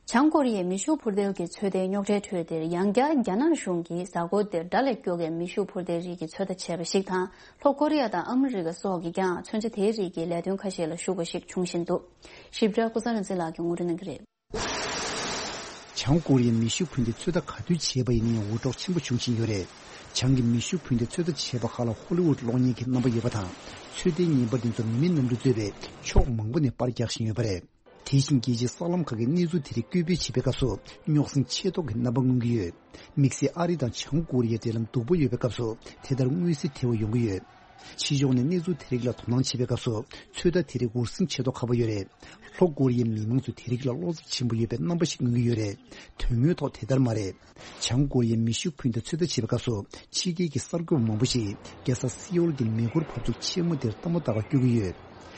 བྱང་ཀོ་རི་ཡའི་མེ་ཤུགས་འཕུར་མདེལ་གྱི་ཚོད་ལྟའི་རྙོག་དྲའི་ཁྲོད་འདིར། ཡང་བསྐྱར་རྒྱ་ནག་གཞུང་གིས་གཟའ་འཁོར་འདིར་དགྲ་ལས་སྐྱོ་གའི་མེ་ཤུགས་འཕུར་མདེལ་རིགས་ཀྱི་ཚོད་ལྟ་བྱས་པ་ཞིག་དང་། ལྷོ་ཀོ་རི་ཡ་དང་ཨ་མི་རི་ཀ་སོགས་ཀྱིས་ཀྱང་མཚོན་ཆ་དེའི་རིགས་ཀྱི་ལས་དོན་ཁ་ཤས་ལ་ཞུགས་པ་ཞིག་འབྱུང་བཞིན་འདུག་ཞིབ་ཕྲ་ཀུན་བཟང་རིག་འཛིན་ལགས་ཀྱིས་ངོ་སྤྲོད་གནང་གི་རེད། བྱང་ཀོ་རི་ཡའི་མེ་ཤུགས་འཕུར་མདེལ་ཚོད་ལྟ་ག་དུས་བྱས་པ་ཡིན་ན་ཡང་འུར་སྒྲོག་ཆེན་པོ་བྱུང་བཞིན་ཡོད་རེད། བྱང་གི་མེ་ཤུགས་འཕུར་མདེལ་ཚོད་ལྟ་བྱས་པ་ཁག་ལ་ཧོ་ལི་ཝུད་གློག་བརྙན་གྱི་རྣམ་པ་ཡོད་པ་དང་། ཚོད་ལྟའི་བརྙན་པར་དེ་ཚོར་མི་མེད་གནམ་གྲུས་གཙོས་པའི་ཕྱོགས་མང་པོ་ནས་པར་རྒྱག་བཞིན་ཡོད་པ་རེད། དེ་བཞིན་རྒྱལ་སྤྱིའི་གསར་ལམ་ཁག་གིས་གནས་ཚུལ་དེ་རིགས་བཀོད་སྤེལ་བྱེད་པའི་སྐབས་སུ། རྙོག་ཟིང་ཆེ་མདོག་གི་རྣམ་པ་མངོན་གྱི་ཡོད། དམིགས་བསལ་ཨ་རི་དང་བྱང་ཀོ་རི་ཡའི་འབྲེལ་ལམ་སྡུག་པོ་ཡོད་པའི་སྐབས་སུ་དེ་ལྟར་མངོན་གསལ་དོད་པོ་ཡོང་གི་ཡོད། ཕྱི་ཕྱོགས་ནས་གནས་ཚུལ་དེ་རིགས་ལ་དོ་སྣང་བྱེད་པའི་སྐབས་སུ། ཚོད་ལྟ་དེ་རིགས་འུར་ཟིང་ཆེ་མདོག་ཁ་པོ་ཡོད་རེད། ལྷོ་ཀོ་རི་ཡའི་མི་མང་ཚོས་དེ་རིགས་ལ་བློ་འཚབ་ཆེན་པོ་ཡོད་པའི་རྣམ་པ་ཞིག་མངོན་གྱི་ཡོད་རེད། དོན་དངོས་ཐོག་དེ་ལྟར་མ་རེད། བྱང་ཀོ་རི་ཡའི་མེ་ཤུགས་འཕུར་མདའ་ཚོད་ལྟ་བྱེད་པའི་སྐབས་སུ། ཕྱི་རྒྱལ་གྱི་གསར་འགོད་པ་མང་པོ་ཞིག་རྒྱལ་ས་སེའུལ་གྱི་མེ་འཁོར་འབབ་ཚུགས་ཆེན་མོ་དེར་ལྟད་མོ་ལྟ་བར་བསྐྱོད་ཀྱི་ཡོད།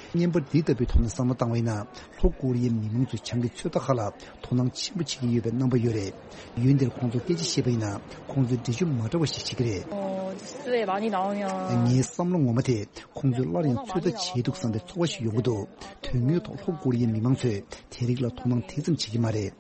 བརྙན་པར་འདི་ལྟ་བུའི་ཐོག་ནས་བསམ་བློ་བཏང་བ་ཡིན་ན། ལྷོ་ཀོ་རི་ཡའི་མི་མང་ཚོས་བྱང་གི་ཚོད་ལྟ་ཁག་ལ་དོ་སྣང་ཆེན་པོ་བྱེད་ཀྱི་ཡོད་པའི་རྣམ་པ་ཡོད་རེད། ཡུལ་འདིར་ཁོང་ཚོར་སྐད་ཆ་བཤད་པ་ཡིན་ན། ཁོང་ཚོས་འགྲེལ་བརྗོད་མ་འདྲ་བ་ཞིག་བྱེད་ཀྱི་རེད། ངའི་བསམ་བློ་ངོ་མ་དེ། ཁོང་ཚོས་སླར་ཡང་ཚོད་ལྟ་བྱས་འདུག་བསམ་པའི་ཚོར་བ་ཞིག་ཡོང་གི་འདུག་དོན་དངོས་ཐོག་ལྷོ་ཀོ་རི་ཡའི་མི་མང་ཚོས་དེ་རིགས་ལ་དོ་སྣང་དེ་ཙམ་བྱེད་ཀྱི་མ་རེད།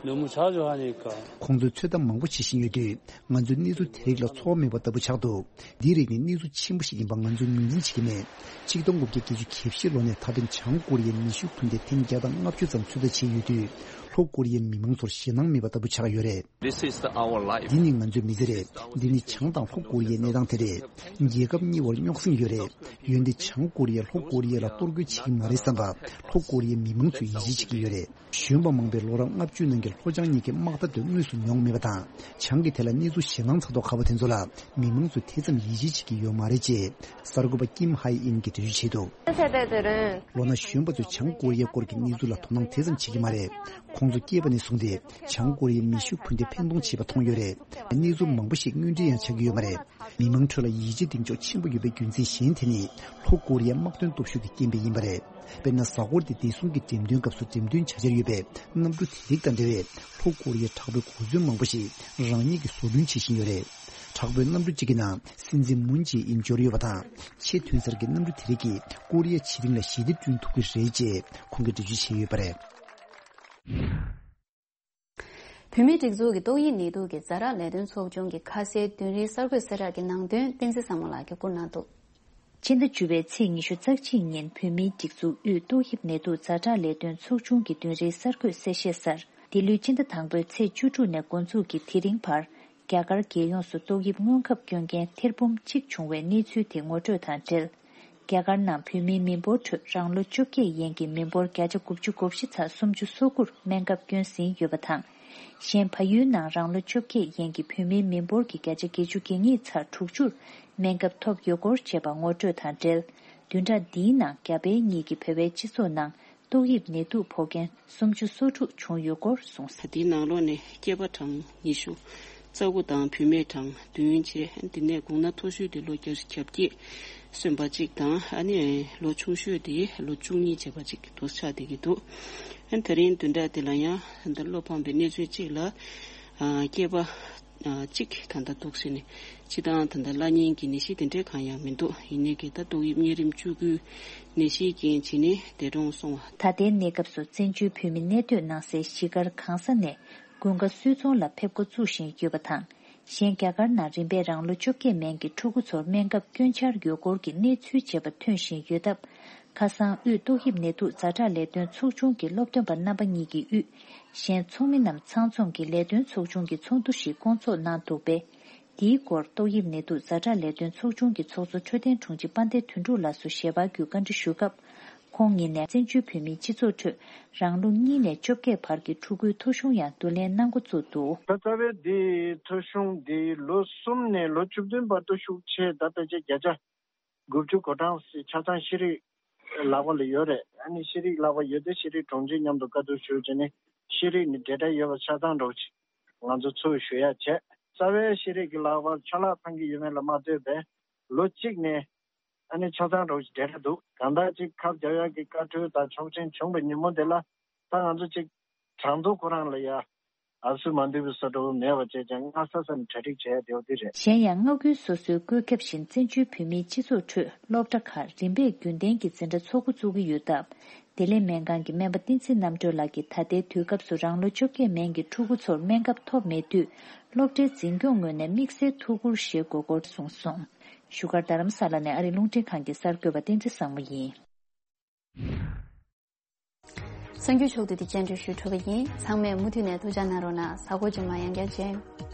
ཁོང་ཚོས་ཚོད་ལྟ་མང་པོ་བྱེད་བཞིན་ཡོད་དུས། ང་ཚོས་གནས་ཚུལ་དེ་རིགས་ལ་ཚོར་བ་མེད་པ་ལྟ་བུ་ཆགས་འདུག་འདིའི་རིགས་ནི་གནས་ཚུལ་ཆེན་པོ་ཞིག་ཡིན་པ་ང་ཚོས་ངོས་འཛིན་བྱེད་ཀྱི་མེད། ཆིག་སྟོང་དགུ་བརྒྱ་བརྒྱད་ཅུ་གྱ་བཞི་ལོ་ནས་ད་ཕན་བྱང་ཀོ་རི་ཡའི་མེ་ཤུགས་འཕུར་མདའ་ཐེངས་བརྒྱ་དང་ལྔ་བཅུ་ཙམ་ཚོད་ལྟ་བྱས་ཡོད་དུས། ལྷོ་ཀོ་རི་ཡའི་མི་མང་ཚོར་ཞེད་སྣང་མེད་པ་ལྟ་བུ་ཆགས་ཡོད་རེད། This is the, our life. འདི་ནི་ང་ཚོའི་མི་ཚེ་རེད། འདི་ནི་བྱང་དང་ལྷོ་ཀོ་རི་ཡའི་གནས་སྟངས་དེ་རེད། རྒྱལ་ཁབ་གཉིས་བར་རྙོག་ཟིང་ཡོད་རེད། འོན་ཏེ་བྱང་ཀོ་རི་ཡས་ལྷོ་ཀོ་རི་ཡ་ལ་གཏོར་རྒོལ་བྱེད་ཀྱི་མ་རེད་བསམ་པ། ལྷོ་ཀོ་རི་ཡའི་མི་མང་ཚོས་ཡིད་ཆེས་བྱེད་ཀྱི་ཡོད་རེད། གཞོན་པ་མང་པོས་ལོ་རབས་ལྔ་བཅུ་ནང་གི་ལྷོ་བྱང་གཉིས་ཀྱི་དམག་འཐབ་དེ་དངོས་སུ་མྱོང་མེད་པ་དང་། བྱང་གི་ཐད་ལ་གནས་ཚུལ་ཞེད་སྣང་ཚ་མདོག་ཁ་པོ་དེ་ཚོ་ལ་མི་མང་ཚོས་དེ་ཙམ་ཡིད་ཆེས་བྱེད་ཀྱི་ཡོད་མ་རེད་ཅེས་གསར་འགོད་པ་ཀིམ་ཧའེ་ཨིན་གྱིས་འགྲེལ་བརྗོད་བྱས་འདུག་ལོ་ན་གཞོན་པ་ཚོས་བྱང་ཀོ་རི་ཡའི་སྐོར་གྱི་གནས་ཚུལ་ལ་དོ་སྣང་དེ་ཙམ་བྱེད་ཀྱི་མ་རེད། ཁོང་ཚོ་སྐྱེས་པ་ནས་བཟུང་སྟེ་བྱང་ཀོ་རི་ཡའི་མེ་ཤུགས་འཕུར་མདེལ་འཕེན་གཏོང་བྱེད་པ་མཐོང་ཡོད་རེད། གནས་ཚུལ་མང་པོ་ཞིག་དངོས་འབྲེལ་ཡང་ཆགས་ཀྱི་ཡོད་མ་རེད། མི་མང་ཁྲོད་ལ་ཡིད་ཆེས་གདེང་འཇོག་ཆེན་པོ་ཡོད་པའི་རྒྱུ་མཚན་གཞན་དེ་ནི། ལྷོ་ཀོ་རི་ཡའི་དམག་དོན་སྟོབས་ཤུགས་ཀྱི་རྐྱེན་པས་ཡིན་པ་རེད། དཔེར་ན། གཟའ་འཁོར་འདིའི་བདེ་སྲུང་གི་འགྲེམས་སྟོན་སྐབས་སུ་འགྲེམས་སྟོན་བྱ་འཆར་ཡོད་པའི་གནམ་གྲུ་དེ་རིགས་དང་འབྲེལ་བའི་ལྷོ་ཀོ་རི་ཡའི་དྲག་པོའི་གོ་མཚོན་མང་པོ་ཞིག་རང་ཉིད་ཀྱིས་བཟོ་སྐྲུན་བྱེད་བཞིན་ཡོད་རེད། དྲག་པོའི་གནམ་གྲུ་གཅིག་གི་ནང་སྲིད་འཛིན་མུན་ཇེ་ཨིན་འབྱོར་ཡོད་པ་དང་། ཆེས་ཐོན་གསར་གྱི་གནམ་གྲུ་དེ་རིགས་ཀྱིས་ཀོ་རི་ཡ་ཕྱེད་གླིང་ལ་ཞི་བདེ་བསྐྲུན་ཐུབ་ཀྱི་རེད་ཅེས་ཁོང་གིས་འགྲེལ་བརྗོད་བྱས་ཡོད་པ་རེད། བོད་མིའི་སྒྲིག་འཛུགས་ཀྱི་ཏོག་དབྱིབས་ནད་དུག་གི་ཛ་དྲག་ལས་དོན་ཚོགས་ཆུང་གི་ཁ་གསལ་བདུན་རེའི་གསར་འགོད་གསལ་བསྒྲགས་ཀྱི་ནང་དོན་བསྟན་འཛིན་བཟང་མོ་ལགས་ཀྱིས་བསྐུར་གནང་འདུག། ཕྱི་ཟླ་བཅུ་པའི་ཚེས་ཉི་ཤུ་རྩ་གཅིག་ཉིན་བོད་མིའི་སྒྲིག་འཛུགས་དབུས་ཏོག་དབྱིབས་ནད་དུག་ཛ་དྲག་ལས་དོན་ཚོགས་ཆུང་གི་བདུན་རེའི་གསར་འགོད་གསལ་བཤད་གསར། འདི་ལོའི་ཕྱི་ཟླ་དང་པོའི་ཚེས་བཅུ་དྲུག་ནས་འགོ་འཛུགས་ཀྱིས་དེ་རིང་བར། རྒྱ་གར་རྒྱལ་ཡོངས་སུ་ཏོག་དབྱིབས་སྔོན་ཁབ་སྐྱོན་མཁན་ཐེར་འབུམ་གཅིག་བྱུང་བའི་གནས་ཚུལ་དེ་ངོ་སྤྲོད་དང་འབྲེལ། རྒྱ་གར་ནང་བོད་མིའི་མི་འབོར་ཁྲོད་རང་ལོ་བཅོ་བརྒྱད་ཡན་གྱི་མི་འབོར་བརྒྱ་ཆ་དགུ་བཅུ་གོ་བཞི་ཚེག་སུམ་ཅུ་སོ་དགུར་སྨན་ཁབ་སྐྱོན་ཟིན་ཡོད་པ་དང་། གཞན་ཕ་ཡུལ་ནང་རང་ལོ་བཅོ་བརྒྱད་ཡན་གྱི་བོད་མིའི་མི་འབོར་གྱི་བརྒྱ་ཆ་བརྒྱད་ཅུ་གྱ་གཉིས་ཚེག་དྲུག་ཅུར་སྨན་ཁབ་ཐོབ་ཡོད་སྐོར་བཅས་པ་ངོ་སྤྲོད་དང་འབྲེལ། བདུན་ཕྲག་འདིའི་ནང་རྒྱ་བལ་གཉིས་ཀྱི་བོད་པའི་སྤྱི་ཚོགས་ནང་ཏོག་དབྱིབས་ནད་དུག་ཕོག་མཁན་སུམ་ཅུ་སོ་དྲུག་བྱུང་ཡོད་སྐོར་གསུངས། དེའི་ནང་ལོགས་ནས་སྐྱེས་པ་གྲངས་ཉི་ཤུ་རྩ་དགུ་དང་བུད་མེད་གྲངས་བདུན་བྱས། དེ་ནས་དགུང་ན་མཐོ་ཤོས་དེ་ལོ་བརྒྱད་ཅུ་གྱ་བརྒྱད་སོན་པ་གཅིག་དང་། ཨ་ནི་ལོ་ཆུང་ཤོས་དེ་ལོ་བཅུ་གཉིས་བྱས་པ་གཅིག་དུ་ཆགས་བསྡད་ཀྱི་འདུག། ཨ་ནི་དེ་རིང་བདུན་ཕྲག་འདི་ལ་ཡང་ད་བློ་ཕམ་པའི་གནས་ཚུལ་གཅིག་ལ། ཨ་སྐྱེས་པ་ཨ་གཅིག་ད་ལྟ་འདུག་ཟེར་ནས། སྤྱིར་བཏང་ད་ལྟ་བརླག་ཉེན་གྱི་ནད་གཞི་དེ་འདྲའི་གང་ཡང་མི་འདུག། ཡིན་ནའི་གི་ད་ཏོག་དབྱིབས་གཉན་རིམས་བཅུ་དགུའི་ནད་གཞིའི་རྐྱེན་བྱས་ནས་འདས་གྲོངས་སོང་བ། ད་ལྟའི་གནས་སྐབས་སུ་བཙན་བྱོལ་བོད་མི་གནས་སྡོད་གནང་སའི་གཞིས་སྒར་གང་ས་ནས་དགུན་ཁ་སུད་ཚོང་ལ་ཕེབས་འགོ་བཙུགས་བཞིན་ཡོད་པ་དང་། གཞན་རྒྱ་གར་ནང་རིམ་པས་རང་ལོ་བཅོ་བརྒྱད་མན་གྱི་ཕྲུ་གུ་ཚོར་སྨན་ཁབ་སྐྱོན་འཆར་ཡོད་སྐོར་གྱི་གནས་ཚུལ་བྱས་པ་ཐོན་བཞིན་ཡོད་སྟབས། ཁ་སང་དབུས་ཏོག་དབྱིབས་ནད་དུག་ཛ་དྲག་ལས་དོན་ཚོགས་ཆུང་གི་སློབ་སྟོན་པ་རྣམ་པ་གཉིས་ཀྱིས་དབུས་གཞན་ཚོགས་མི་རྣམས་ཚང་འཛོམས་ཀྱིས་ལས་དོན་ཚོགས་ཆུང་གི་ཚོགས་འདུ་ཞིག་བསྐོང་ཚོགས་གནང་འདུག་པས། འདིའི་སྐོར་ཏོག་དབྱིབས་ནད་དུག་ཛ་དྲག་ལས་དོན་ཚོགས་ཆུང་གི་ཚོགས་གཙོ་འཕྲོད་བསྟེན་དྲུང་ཆེ་དཔལ་ལྡན་དོན་གྲུབ་ལགས་སུ་ཞལ་པར་བརྒྱུད་བཀའ་འདྲི་ཞུ་སྐབས། ཁོང་ཉིད་ནས་བཙན་བྱོལ་བོད་མིའི་སྤྱི་ཚོགས་ཁྲོད་རང་ལོ་གཉིས་ནས་བཅོ་བརྒྱད་བར་གྱི་ཕྲུ་གུའི་ཐོ་གཞུང་ཡང་བསྡུ་ལེན་གནང་འགོ་བཙུགས་འདུག། ད་རྩ་བའི་འདི་ཐོ་གཞུང་འདི་ལོ་གསུམ་ནས་ལོ་བཅུ་བདུན་བར་དུ་ཤུགས་ཆེ། ད་ཕལ་ཆེར་བརྒྱ་ཆ་དགུ་བཅུ་གོ་གྲངས་ཆ་ཚང་ཤེས་རིག་ལག་པ་ལ་ཡོད་རེད། ཨ་ནི་ཤེས་རིག་ལག་པ་ཡོད་དུས་ཤེས་རིག་དྲུང་ཆེ་མཉམ་དུ་བཀའ་བསྡུར་ཞུས་བྱས་ནས་ཤེས་རིག་ནི་འབྲེལ་སྒྲ་ཡོད་པ་ཆ་ཚང་འགྲོ་ཆེད་ང་ཚོ་ཚུར་ཞུ་ཡ་བྱས། རྩ་བའི་ཤེས་རིག་གི་ལག་པར་ཆ་ལག་ཚང་གི་ཡོད་མེད་ལ་མ་ལྟོས་པའི་ལོ་གཅིག་ནས་ཨ་ནི་ཆ་ཚང་འགྲོ་ཆེད་འབྲེལ་སྒྲ་འདུག། གང་ལྟར་ཅིག་ཁབ་རྒྱག་ཡག་གི་བཀའ་འཁྲོལ་དང་ཆོག་མཆན་བྱུང་བའི་ཉིན་མོ་དེ་ལ་ད་ང་ཚོ་ཅིག་གྲངས་ཐོ་ཁོ་རང་ལ་ཡ། ཨ་སུ་མ་འདུས་པའི་ས་འགྲོ་མེད་པ་བྱས་ཀྱང་སྔ་ས་ས་ནས་གྲ་སྒྲིག་བྱས་བསྡད་པ་འདི་རེད། གཞན་ཡང་མངའ་ཁུལ་སོ་སོའི་བཀོད་ཁྱབ་བཞིན་བཙན་བྱོལ་བོད་མིའི་སྤྱི་ཚོགས་ཁྲོད་སློབ་གྲྭ་ཁག་རིམ་པས་རྒྱུན་ལྡན་གྱི་འཛིན་གྲྭ་འཚོགས་འགོ་བཙུགས་ཀྱི་ཡོད་སྟབས། བདེ་ལེགས་སྨན་ཁང་གི་སྨན་པ་བསྟན་འཛིན་རྣམ་གྲོལ་ལགས་ཀྱིས་ད་ལྟའི་དུས་སྐབས་སུ་རང་ལོ་བཅོ་བརྒྱད་མན་གྱི་ཕྲུ་གུ་ཚོར་སྨན་ཁབ་ཐོབ་མེད་དུས། སློབ་གྲྭའི་འཛིན་སྐྱོང་ངོས་ནས་དམིགས་བསལ་ཐུགས་ཁུར་བཞེས་དགོས་སྐོར་གསུངས་སོང་། བཞུགས་སྒར་རྡ་རམ་ས་ལ་ནས་ཨ་རིའི་རླུང་འཕྲིན་ཁང་གི་གསར་འགོད་པ་བསྟན་འཛིན་བཟང་མོ་ཡིན། གསར་འགྱུར་ཕྱོགས་བསྡུས་དེ་སྙན་སྒྲོན་ཞུས་གྲུབ་པ་ཡིན། ཚང་མས་མུ་མཐུད་ནས་ཐུགས་འཇགས་གནང་རོགས་གནང་། གཟའ་འཁོར་རྗེས་མ་ཡང་བསྐྱར་མཇལ།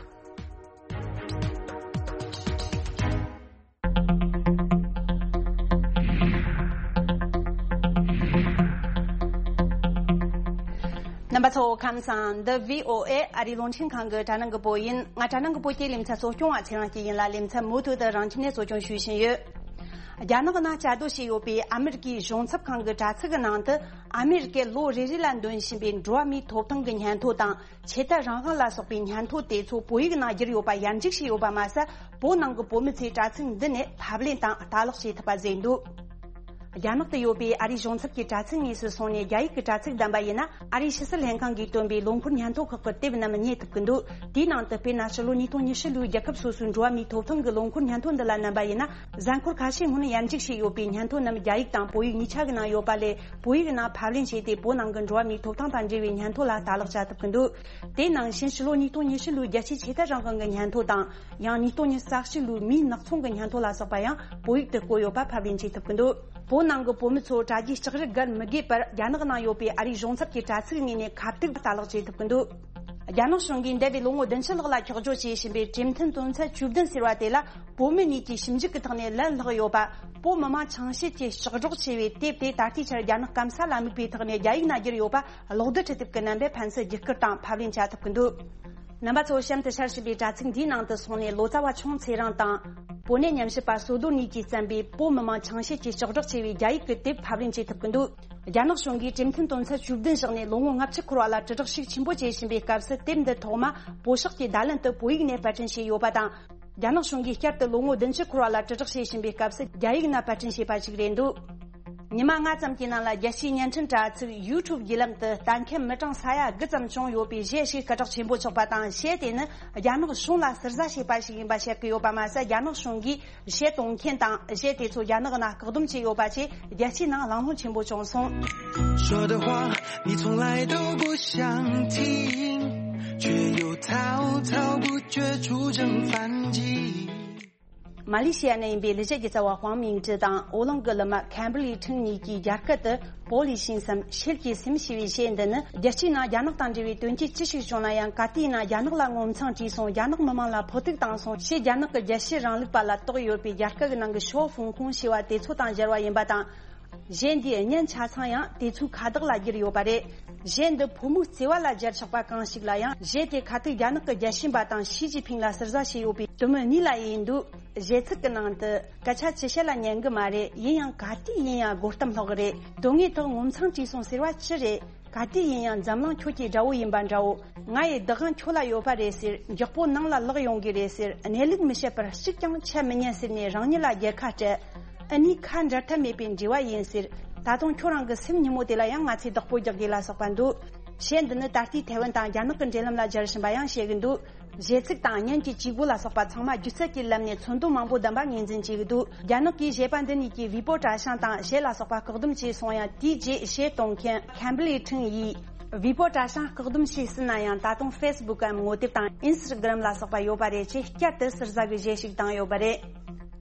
རྣམ་པ་ཚོ་ཁམས་བཟང་། འདི་བྷི་ཨོ་ཨེ་ཨ་རིའི་རླུང་འཕྲིན་ཁང་གི་དྲ་སྣང་གི་པོ་ཡིན། ང་དྲ་སྣང་གི་པོ་སྐྱེད་ལས་ཚན་གཙོ་སྐྱོང་བ་ཚེ་རིང་སྐྱིད་ཡིན་ལ། ལས་ཚན་མུ་མཐུད་དུ་རང་ཁྱིམ་ནས་གཙོ་སྐྱོང་ཞུས་བཞིན་ཡོད། རྒྱ་ནག་ནང་བཅའ་སྡོད་བྱས་ཡོད་པའི་ཨ་མེ་རི་ཀའི་གཞུང་ཚབ་ཁང་གི་དྲ་ཚིགས་ཀྱི་ནང་དུ། ཨ་མེ་རི་ཀས་ལོ་རེ་རེ་ལ་འདོན་བཞིན་པའི་འགྲོ་བ་མིའི་ཐོབ་ཐང་གི་སྙན་ཐོ་དང་། ཆོས་དད་རང་དབང་ལ་སོགས་པའི་སྙན་ཐོ་དེ་ཚོ་བོད་ཡིག་ནང་བསྒྱུར་ཡོད་པ་ཡར་འཇུག་བྱས་ཡོད་པ་མ་ཟད། བོད་ནང་གི་བོད་མི་ཚོས་དྲ་ཚིགས་འདི་ནས་ཕབ་ལེན་དང་ལྟ་ཀློག་བྱེད་ཐུབ་པ་བཟོས་འདུག། རྒྱ་ནག་ཏུ་ཡོད་པའི་ཨ་རིའི་གཞུང་ཚབ་ཀྱི་དྲ་ཚིགས་དངོས་སུ་སོང་ནས་རྒྱ་ཡིག་གི་དྲ་ཚིགས་བདམས་པ་ཡིན་ན། ཨ་རིའི་ཕྱི་སྲིད་ལྷན་ཁང་གིས་བཏོན་པའི་ལོ་འཁོར་སྙན་ཐོ་ཁག་གི་དེབ་རྣམས་རྙེད་ཐུབ་ཀྱི་འདུག། དེའི་ནང་དུ་དཔེར་ན། ཕྱི་ལོ་ཉིས་སྟོང་ཉི་ཤུ་ལོའི་རྒྱལ་ཁབ་སོ་སོའི་འགྲོ་བ་མིའི་ཐོབ་ཐང་གི་ལོ་འཁོར་སྙན་ཐོ་འདི་ལ་མནན་པ་ཡིན་ན། གཟའ་འཁོར་ཁ་ཤས་སྔོན་ཡར་འཇུག་བྱས་ཡོད་པའི་སྙན་ཐོ་རྣམས་རྒྱ་ཡིག་དང་བོད་ཡིག་གཉིས་ཆ་གི་ནང་ཡོད་པ་ལས། བོད་ཡིག་ནང་ཕབ་ལེན་བྱས་ཏེ། བོད་ནང་གི་འགྲོ་བ་མིའི་ཐོབ་ཐང་དང་འབྲེལ་བའི་སྙན་ཐོ་ལ་ལྟ་ཀློག་བྱ་ཐུབ་ཀྱི་འདུག། དེ་ནང་བཞིན་ཕྱི་ལོ་ཉིས་སྟོང་ཉི་ཤུ་ལོའི་རྒྱལ་སྤྱིའི་ཆོས་དད་རང་དབང་གི་སྙན་ཐོ་དང་། ཡང་ཉིས་སྟོང་ཉི་ཤུ་རྩ་གཅིག་ལོའི་མིའི་ནག་ཚོང་གི་སྙན་ཐོ་ལ་སོགས་པ་ཡང་བོད་ཡིག་ཏུ་བཀོད་ཡོད་པ་ཕབ་ལེན་བྱེད་ཐུབ་ཀྱི་འདུག། བོད་ནང་གི་བོད་མི་ཚོ་དྲ་རྒྱའི་ལྕགས་རི་བརྒལ་མི་དགོས་པར། རྒྱ་ནག་ནང་ཡོད་པའི་ཨ་རིའི་གཞུང་ཚབ་ཀྱི་དྲ་ཚིགས་ངོས་ནས་ཁ་ཐུག་ལྟ་ཀློག་བྱེད་ཐུབ་ཀྱི་འདུག། རྒྱ་ནག་གཞུང་གིས་འདས་པའི་ལོ་ངོ་བདུན་ཅུ་ལྷག་ལ་འཁྱོག་བརྗོད་བྱས་བཞིན་པའི་གྲོས་མཐུན་དོན་ཚན་བཅུ་བདུན་ཟེར་བ་དེ་ལ། བོད་མི་གཉིས་ཀྱིས་ཞིབ་འཇུག་གི་ཐོག་ནས་ལན་བསླེགས་ཡོད་པ། བོད་མི་མང་ཆང་བཤད་ཀྱིས་ལྕགས་སྒྲོག་བྱས་པའི་དེབ་དེ་ད་ལྟའི་ཆར་རྒྱ་ནག་སྐམ་ས་ལ་དམིགས་པའི་ཐོག་ནས་རྒྱ་ཡིག་ནང་བསྒྱུར་ཡོད་པ། གློག་རྡུལ་འཕྲུལ་དེབ་ཀྱི་རྣམ་པས་ཕན་ཚུན་བརྒྱུད་བསྐུར་དང་ཕབ་ལེན་བྱ་ཐུབ་ཀྱི་འདུག། རྣམ་པ་ཚོ་གཤམ་དུ་ཤར་བཞིན་པའི་དྲ་ཚིགས་འདིའི་ནང་དུ་སོང་ནས། ལོ་ཙཱ་བ་ཆུང་ཚེ་རིང་དང་། བོད་གནས་ཉམས་ཞིབ་པ་བསོད་རྡོར་གཉིས་ཀྱིས་བརྩམས་པའི་བོད་མི་མང་ཆང་བཤད་ཀྱི་ལྕགས་སྒྲོག་ཅེས་པའི་རྒྱ་ཡིག་གི་དེབ་ཕབ་ལེན་བྱེད་ཐུབ་ཀྱི་འདུག་རྒྱ་ནག་གཞུང་གིས་གྲོས་མཐུན་དོན་ཚན་བཅུ་བདུན་བཞག་ནས་ལོ་ངོ་ལྔ་བཅུ་འཁོར་བ་ལ་དྲིལ་བསྒྲགས་ཤུགས་ཆེན་པོ་བྱེད་བཞིན་པའི་སྐབས་སུ། དེབ་འདི་ཐོག་མ་བོད་ཤོག་གི་བརྡ་ལན་དུ་བོད་ཡིག་ནས་པར་སྐྲུན་བྱས་ཡོད་པ་དང་། རྒྱ་ནག་གཞུང་གིས་བསྐྱར་དུ་ལོ་ངོ་བདུན་ཅུ་འཁོར་བ་ལ་དྲིལ་བསྒྲགས་བྱེད་བཞིན་པའི་སྐབས་སུ། རྒྱ་ཡིག་ནང་པར་སྐྲུན་བྱས་པ་ཞིག་རེད་འདུག་ཉི་མ་ལྔ་ཙམ་གྱི་ནང་ལ། རྒྱལ་སྤྱིའི་བརྙན་འཕྲིན་དྲ་ཚིགས་ཡུ་ཊུབ་བརྒྱུད་ལམ་དུ་ལྟ་མཁན་མི་གྲངས་ས་ཡ་དགུ་ཙམ་བྱུང་ཡོད་པའི་གཞས་ཤིག་སྐད་གྲགས་ཆེན་པོ་ཆགས་པ་དང་། གཞས་དེ་ནི་རྒྱ་ནག་གཞུང་ལ་ཟུར་ཟ་བྱས་པ་ཞིག་ཡིན་པ་བཤད་ཀྱི་ཡོད་པ་མ་ཟད། རྒྱ་ནག་གཞུང་གིས་གཞས་གཏོང་མཁན་དང་གཞས་དེ་ཚོ་རྒྱ་ནག་ནང་བཀག་སྡོམ་བྱས་ཡོད་པ་བཅས། རྒྱལ་སྤྱིའི་ནང་གླེང་སློང་ཆེན་པོ་བྱུང་སོང་། 说的话，你从来都不想听，却又滔滔不绝出征反击。 མ་ལེ་ཤི་ཡ་ནས་ཡིན་པའི་ལི་ཤི་གི་རྩ་བ་ཧུའང་མིང་ཀྲི་དང་ཨོ་གླིང་གི་ལི་མ་ཁེམ་བྷི་ལི་ཁྲིན་གཉིས་ཀྱིས་རྒྱ་སྐད་དུ། བོད་ལ་ཕྱིན་སམ་ཤེལ་གྱི་སེམས་ཞེས་པའི་གཞས་འདི་ནི། རྒྱལ་སྤྱིའི་ནང་རྒྱ་ནག་དང་འབྲེལ་བའི་དོན་རྐྱེན་ཅི་ཞིག་བྱུང་ན་ཡང་། ག་དུས་ཡིན་ན་རྒྱ་ནག་ལ་ངོ་མཚང་བྲིས་སོང་། རྒྱ་ནག་མི་དམངས་ལ་ཕོག་ཐུག་བཏང་སོང་ཞེས། རྒྱ་ནག་གི་རྒྱལ་གཅེས་རིང་ལུགས་པ་ལ་གཏོགས་ཡོད་པའི་རྒྱ་སྐད་ཀྱི་ནང་གི་ཞའོ་ཧྥུང་ཧུང་ཞེས་པ་དེ་ཚོ་དང་སྦྱར་བ་ཡིན་པ་དང་། གཞས་འདིའི་བརྙན་ཆ་ཚང་ཡང་དེ་ཚོའི་ཁ་བརྡ་ལ་བསྒྱུར་ཡོད་པ་རེད། གཞས་འདི་ཕོ་མོའི་བརྩེ་བ་ལ་སྦྱར་ཆོག་པ་གང་ཞིག་ལ་ཡང་། གཞས་དེ་ཁ་ཐུག་རྒྱ་ནག་གི་རྒྱལ་གཅེས་པ་དང་ཞི་ཅིན་ཕིང་ལ་ཟུར་ཟ་བྱས་ཡོད་པའི་དེ་མོ་གཉིས་ལ་ཡིན་འདུག་གཞས་ཚིག་གི་ནང་དུ། སྐད་ཆ་ཅི་བཤད་ལ་ཉན་གི་མ་རེད། ཡིན་ཡང་ག་དུས་ཡིན་ཡང་སྒོ་གཏམ་ལྷག་གི་རེད། དོན་དངོས་ཐོག་ངོ་མཚང་བྲིས་སོང་ཟེར་བ་ཅི་རེད། ག་དུས་ཡིན་ཡང་འཛམ་གླིང་ཁྱོད་ཀྱི་དགྲ་བོ་ཡིན་པ་འདྲ་བོ། ང་ཡི་བདག་དབང་ཁྱོད་ལ་ཡོད་པ་རེད་ཟེར། མགྱོགས་པོ་ནང་ལ་ལོག་ཡོང་གི་རེད་ཟེར། གནས་ལུགས་མི་བཤད་པར་གཅིག་ཀྱང་འཆད་མི་ཉན་ཟེར་ནས་རང་ཉིད་ལ་རྒྱལ་ཁ་སྤྲད། ཨ་ནི་ཁ་འབྲལ་ཐབས་མེད་པའི་འབྲེལ་བ་ཡིན་ཟེར། ད་དུང་ཁྱོད་རང་གི་སེམས་ཉིན་མོ་དེ་ལ་ཡང་ང་ཚོས་བདག་པོ་རྒྱག་དགོས་ལ་སོགས་པ་འདུག་གཞས་འདི་ནི་ད་ལྟའི་ཐའེ་ཝན་དང་རྒྱ་ནག་གི་འབྲེལ་ལམ་ལ་སྦྱར་བཞིན་པ་ཡང་བཤད་ཀྱི་འདུག་གཞས་ཚིག་དང་བརྙན་གྱི་བྱེད་སྒོ་ལ་སོགས་པ་ཚང་མ་སྒྱུ་རྩལ་གྱི་ལམ་ནས་ཚོར་འདུ་མང་པོ་ལྡན་པ་ངོས་འཛིན་བྱེད་ཀྱི་འདུག་རྒྱ་ནག་གིས་གཞས་པ་འདི་གཉིས་ཀྱི་ཝི་པོ་གྲྭ་ཤང་དང་གཞས་ལ་སོགས་པ་བཀག་སྡོམ་བྱས་སོང་ཡང་། དེའི་རྗེས་གཞས་གཏོང་མཁན་ཁེམ་བྷི་ལི་ཁྲིན་ཡིས། ཝི་པོ་གྲྭ་ཤང་བཀག་སྡོམ་བྱས་ཟིན་ན་ཡང་། ད་དུང་ཧྥེ་སི་བུག་གམ་ངོ་དེབ་དང་ཨིན་སི་ཊ་གྷི་རམ་ལ་སོགས་པ་ཡོད་པ་རེད་ཅེས། བསྐྱར་དུ་ཟུར་ཟ་གི་གཞས་ཤིག་བཏང་ཡོད་པ་རེད།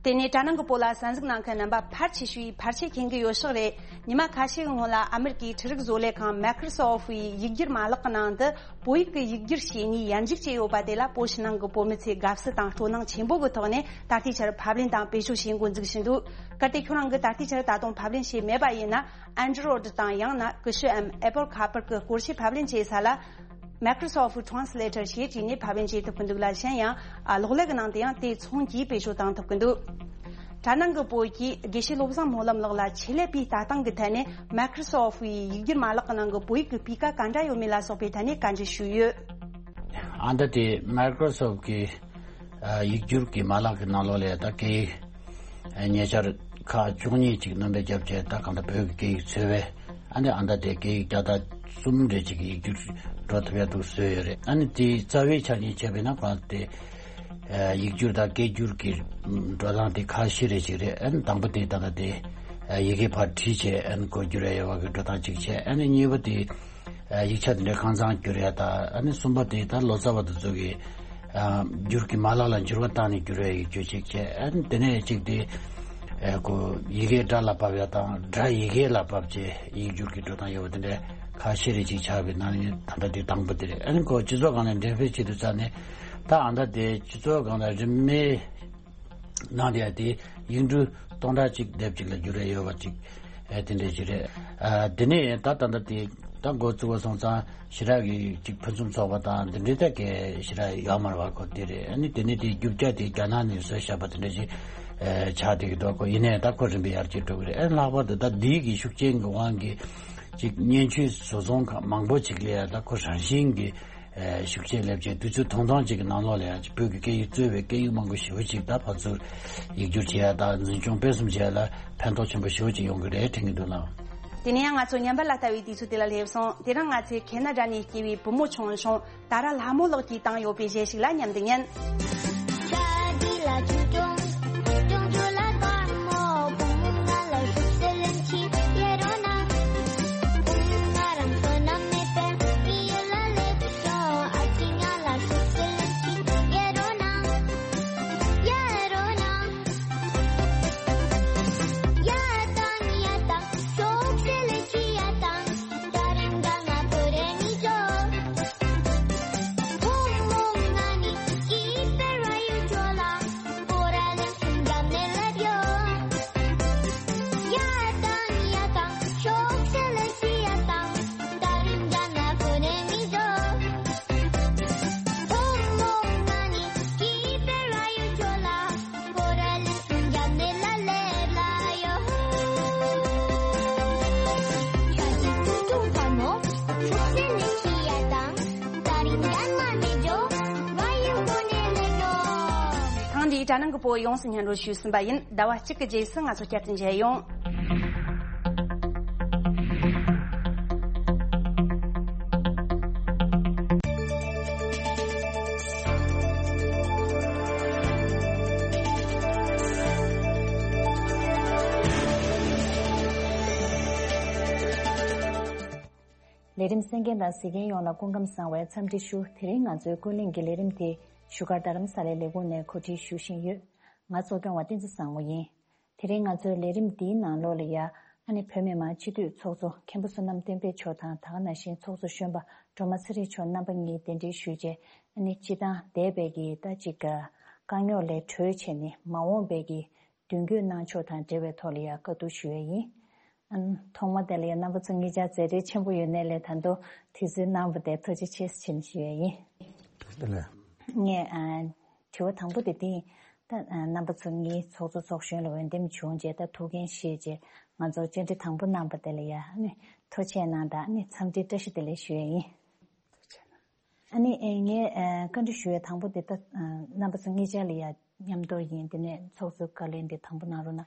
དེ་ནས་དྲ་ནང་གི་བོད་ལ་གསན་གཟིགས་གནང་མཁན་རྣམ་པ་ཕལ་ཆེ་ཤོས་ཕལ་ཆེར་མཁྱེན་གྱི་ཡོད་ཤག་རེད། ཉི་མ་ཁ་ཤས་ཀྱི་སྔོན་ལ་ཨ་མེ་རི་ཀའི་འཕྲུལ་རིག་བཟོ་ལས་ཁང་Microsoft ཡི་ཡིག་སྒྱུར་མ་ལག་གི་ནང་དུ་བོད་ཡིག་གི་ཡིག་སྒྱུར་བྱེད་ནུས་ཡར་འཇུག་བྱས་ཡོད་པ་དེ་ལ་བོད་ཕྱི་ནང་གི་བོད་མི་ཚོས་དགའ་བསུ་དང་སྤྲོ་སྣང་ཆེན་པོ་གི་ཐོག་ནས་ད་ལྟའི་ཆར་ཕབ་ལེན་དང་བེད་སྤྱོད་བྱེད་འགོ་འཛུགས་བཞིན་འདུག་གལ་ཏེ་ཁྱོད་རང་གིས་ད་ལྟའི་ཆར་ད་དུང་ཕབ་ལེན་བྱས་མེད་པ་ཡིན་ན། Android དང་ཡང་ན་ཀུ་ཤུ་འམ་Apple ཁ་པར་གྱི་སྐོར་ཞིག་ཕབ་ལེན་བྱེད་ས་ལ། Microsoft Translator ཞེས་བྲིས་ནས་ཕབ་ལེན་བྱེད་ཐུབ་ཀྱི་འདུག་ལ། གཞན་ཡང་ཨ་གློག་ཀླད་ཀྱི་ནང་དུ་ཡང་དེ་མཚུངས་ཀྱིས་བེད་སྤྱོད་བཏང་ཐུབ་ཀྱི་འདུག་དྲ་ནང་གི་བོད་ཀྱི་དགེ་བཤེས་བློ་བཟང་སྨོན་ལམ་ལགས་ལ་ཆེད་ལས་པའི་ལྟ་སྟངས་ཀྱི་ཐད་ནས་Microsoft ཡི་ཡིག་སྒྱུར་མ་ལག་གི་ནང་གི་བོད་ཡིག་གི་སྤུས་ཀ་ག་འདྲ་ཡོད་མེད་ལ་སོགས་པའི་ཐད་ནས་བཀའ་འདྲི་ཞུས་ཡོད། ཨ་ད་དེ་Microsoft གི་ཨ་ཡིག་སྒྱུར་གྱི་མ་ལག་གི་ནང་ལོགས་ལ་ད་སྐད་ཡིག་ཉེ་ཆར་ཁག་བཅུ་གཉིས་ཅིག་སྣོན་པ་བརྒྱབ་བྱས། ད་གང་ལྟར་བོད་ཀྱི་སྐད་ཡིག་འཚོལ་བས། ཨ་ནི་ཨ་ད་དེ་སྐད་ཡིག་བརྒྱ་དང་གསུམ་རེ་ཅིག་གི་ཡིག་སྒྱུར་འགྲོ་ཐུབ་ཡ་འདུག་བཟོས་ཡོད་རེད། ཨ་ནི་དེའི་རྩ་བའི་ཆ་ནས་བྱས་པས་ན་ཁོ་རང་དེ་ཡིག་སྒྱུར་དང་སྐད་སྒྱུར་གྱི་འགྲོ་སྟངས་དེ་ཁག་བཞི་རེ་ཅིག་རེད། ཨ་ནི་དང་པོ་དེ་ད་ལྟ་དེ་ཡི་གེ་ཕར་བྲིས་བྱས་ཨ་ནི་སྒོ་སྒྱུར་ཡ་ཡོད་པ་གི་འགྲོ་སྟངས་ཅིག་བྱས། ཨ་ནི་གཉིས་པ་དེ་ཡིག་ཆ་དེ་འདྲ་གང་ཚང་བསྒྱུར་ཡ་དང་། ཨ་ནི་གསུམ་པ་དེ་ད་ལོ་ཙཱ་བ་དེ་ཚོ་གི་ཨ་སྒྱུར་གྱི་མ་ལག་ལ་འགྱུར་བ་བཏང་ནས་སྒྱུར་བའི་ཡིག་སྒྱུར་ཅིག་བྱས། ཨ་ནི་དེ་ནས་གཅིག་དེ་ཨ་ཁོ་ཡི་གེ་སྒྲ་ལ་ཕབ་ཡ་དང་། སྒྲ་ཡི་གེ་ལ་ཕབ་བྱས་ཡིག་སྒྱུར་གྱི་འགྲོ་སྟངས་ཡོད་པ་དེ་འདྲ་ཁག་བཞི་རེ་ཅིག་ཆགས་པའི་ནང་ནས་ད་ལྟ་དེ་དང་པོ་དེ་རེད། ཨ་ནི་ཁོ་སྤྱི་ཚོགས་སྒང་ནས་འགྲེམས་སྤེལ་བྱེད་དུས་ཙང་ནས་ད་ཨ་ད་དེ་སྤྱི་ཚོགས་སྒང་ལ་རིན་མེད་ནང་དེ་ཡ་དེ་ཡིག་འབྲུ་སྟོང་ཕྲག་གཅིག་དེབ་གཅིག་ལ་འགྱུར་རེ་ཡོད་པ་ཅིག་ཨེ་དེ་འདྲས་ཅིག་རེད། ཨ་དེ་ནས་ད་ད་ལྟ་དེ་ད་འགོ་བཙུགས་པ་སོང་ཙང་ཞེ་དྲག་གི་ཅིག་ཕུན་སུམ་ཚོགས་པ་དང་དེ་འདྲས་ད་གས་ཞེ་དྲག་ཡོད་མ་རེད་པ། ཁོ་དེ་རེད། ཨ་ནི་དེ་ནས་དེ་རྒྱུ་ཆ་དེ་རྒྱ་ནག་ནས་བཟོས་བཞག་པ་དེ་འདྲས་ཅིག་ཨེ་ཆགས་བསྡད་ཀྱི་འདུག་ཁོ་ཡིན་ནའི་ད་ཁོ་རིམ་པས་ཡར་རྒྱས་འགྲོ་གི་རེད། ཨེ་ལྷག་པར་དུ་ད་འདི་གི་ཤུགས་རྐྱེན་གྱི་དབང་གིས་ཅིག་སྙན་ཆོས་བཟོ་ཚོང་ཁང་མང་པོ་ཅིག་ལ་ཡ་ད་ཁོ་རང་བཞིན་གྱི་ཨེ་ཤུགས་ཆེ་སླེབས་བྱས། དུས་ཚོད་ཐུང་ཐུང་ཅིག་གི་ནང་ལོགས་ལ་ཡང་བོད་ཀྱི་སྐད་ཡིག་གཙོས་པའི་སྐད་ཡིག་མང་པོ་ཞེ་པོ་ཅིག་ད་ཕར་ཚུར་ཡིག་སྒྱུར་བྱེད་ཡ་དང་འཛིན་སྐྱོང་སྤེལ་གསུམ་བྱེད་ཡ་ལ་ཕན་ཐོགས་ཆེན་པོ་ཞེ་པོ་ཅིག་ཡོང་གི་རེད་དྲན་གྱི་འདུག་ལགས། དེ་ནས་ཡང་ང་ཚོ་ཉམས་པ་ལ་ལྟ་བའི་དུས་ཚོད་དེ་ལ་སླེབས་སོང་། དེ་རིང་ང་ཚོས་ཁེ་ན་ཌ་ནས་སྐྱེས་པའི་བུ་མོ་ཆུང་ཆུང་ཏཱ་ར་ལྷ་མོ་ལགས་ཀྱིས་བཏང་ཡོད་པའི་གཞས་ཤིག་ལ་མཉམ་དུ་ཉན། དྲ་ནང་གི་བོད་ཡོངས་སུ་སྙན་སྒྲོན་ཞུས་ཟིན་པ་ཡིན། ཟླ་བ་གཅིག་གི་རྗེས་སུ་ང་ཚོ་བསྐྱར་དུ་མཇལ་ཡོང་། ལས་རིམ་གསན་མཁན་དང་གཟིགས་མཁན་ཡོངས་ལ་སྐུ་ཁམས་བཟང་བའི་འཚམས་འདྲི་ཞུ། དེ་རིང་ང་ཚོའི་ཀུན་གླེང་གི་ལས་རིམ་དེ་བཞུགས་སྒར་རྡ་རམ་ས་ལའི་ལས་ཁུངས་ནས་གོ་སྒྲིག་ཞུ་བཞིན་ཡོད། ང་གཙོ་སྐྱོང་བ་བསྟན་འཛིན་བཟང་མོ་ཡིན། དེ་རིང་ང་ཚོའི་ལས་རིམ་འདིའི་ནང་ལོགས་ལ་ཡ། ཨ་ནི་བོད་མི་མང་སྤྱི་འཐུས་ཚོགས་གཙོ་མཁན་པོ་བསོད་ནམས་བསྟན་འཕེལ་མཆོག་དང་། ད་ག་ནང་བཞིན་ཚོགས་གཙོ་གཞོན་པ་སྒྲོལ་མ་ཚེ་རིང་མཆོག་རྣམ་པ་གཉིས་གདན་འདྲེན་ཞུས་རྗེས། ཨ་ནི་སྤྱི་བཏང་འདས་པའི་གི་ད་ཅིག་དཀའ་རྙོག་ལས་གྲོལ་བྱས་ནས་མ་འོངས་པའི་གི་མདུན་སྐྱོད་གནང་ཕྱོགས་དང་འབྲེལ་བའི་ཐོག་ལ་ཡ་བཀའ་བསྡུར་ཞུ་ཡས་ཡིན། ཨ། ཐོག་མ་དེ་ལ་ཡ་རྣམ་པ་ཚོ་གཉིས་ཆར་མཛད་རྗེས་ཆེན་པོ་ཡོད་ནའི་ལས་ད་དུང་དུས་ཚོད་གནང་བ་དེ་ཐུགས་རྗེ་ཆེ་ཞུ་ཞུ་ཡས་ཡིན། བཀྲ་ཤིས་བདེ་ལེགས། ངས་ཨ། དྲི་བ་དང་པོ་དེ་འདི་ཡིན། ད་ཨ། རྣམ་པ་ཚོ་གཉིས་ཚོགས་གཙོ་ཚོགས་གཞོན་ལ་འོས་འདེམས་བྱུང་རྗེས་ད་ཐུགས་འགན་བཞེས་རྗེས་ང་ཚོར་བཅར་འདྲི་དང་པོ་གནང་བ་དེ་ལ་ཡ་ཨ་ནི་ཐུགས་རྗེ་གནང་དང་ཨ་ནི་འཚམས་འདྲི་བཀྲ་ཤིས་བདེ་ལེགས་ཞུ་ཡས་ཡིན། ཨ་ནི་ཨེ། ངས་ཨེ། བཀའ་འདྲི་ཞུ་ཡས་དང་པོ་དེ་ད་ཨ། རྣམ་པ་ཚོ་གཉིས་ཆར་ལ་ཡ་མཉམ་དུ་ཡིན། དེ་ནས་ཚོགས་གཙོའི་བཀའ་ལན་དེ་དང་པོ་གནང་རོགས་གནང་།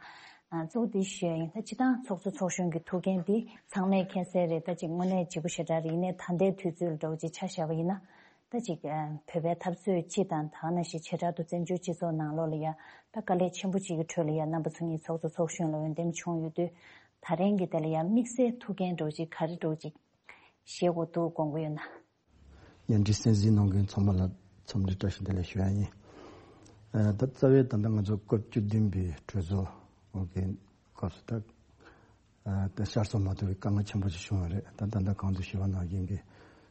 ཨ། གཙོ་བོ་དེ་ཞུ་ཡས་ཡིན། ད་སྤྱི་བཏང་ཚོགས་གཙོ་ཚོགས་གཞོན་གྱི་ཐུགས་འགན་འདི་ཚང་མས་མཁྱེན་གསལ་རེད། ད་ཅིག་དངོས་གནས་ལྗིད་པོ་ཞེ་དྲག་རེད། ཡིན་ནའི་ད་ལྟའི་དུས་ཚོད་ལ་འདྲ་བོ་ཅིག་ཆ་བཞག་པ་ཡིན་ན། ད་ཅིག་ཨ། བོད་པའི་འཐབ་རྩོད་སྤྱི་དང་ད་ག་ནང་བཞིན་བྱེ་བྲག་ཏུ་བཙན་བྱོལ་སྤྱི་ཚོགས་ནང་ལོགས་ལ་ཡ་ད་དཀའ་ལས་ཆེན་པོ་ཅིག་གི་ཁྲོད་ལ་ཡ་རྣམ་པ་ཚོ་གཉིས་ཚོགས་གཙོ་ཚོགས་གཞོན་ལ་འོས་འདེམས་བྱུང་ཡོད་དུས། ད་རིང་གི་དེ་ལ་ཡ་དམིགས་བསལ་ཐུགས་འགན་འདྲ་བོ་ཅིག་ག་རེ་འདྲ་བོ་ཅིག་བཞེས་དགོས་འདུག་དགོངས་ཀྱི་ཡོད་ན། བརྙན་འཕྲིན་གསན་གཟིགས་གནང་མཁན་ཚང་མ་ལ་འཚམས་འདྲི་བཀྲ་ཤིས་བདེ་ལེགས་ཞུ་ཡ་ཡིན། ཨ། ད་རྩ་བའི་ད་ལྟ་ང་ཚོ་སྐབས་བཅུ་བདུན་པའི་གྲོས་ཚོགས་འོག་གི་སྐབས་སུ་ད། ཨ། ད་བསྐྱར་གསོ་མ་ཐུབ་པའི་དཀའ་ངལ་ཆེན་པོ་ཞིག་བྱུང་བ་རེད། ད་ད་ལྟ་གོང་དུ་ཞུས་པ་ནང་བཞིན་གྱི་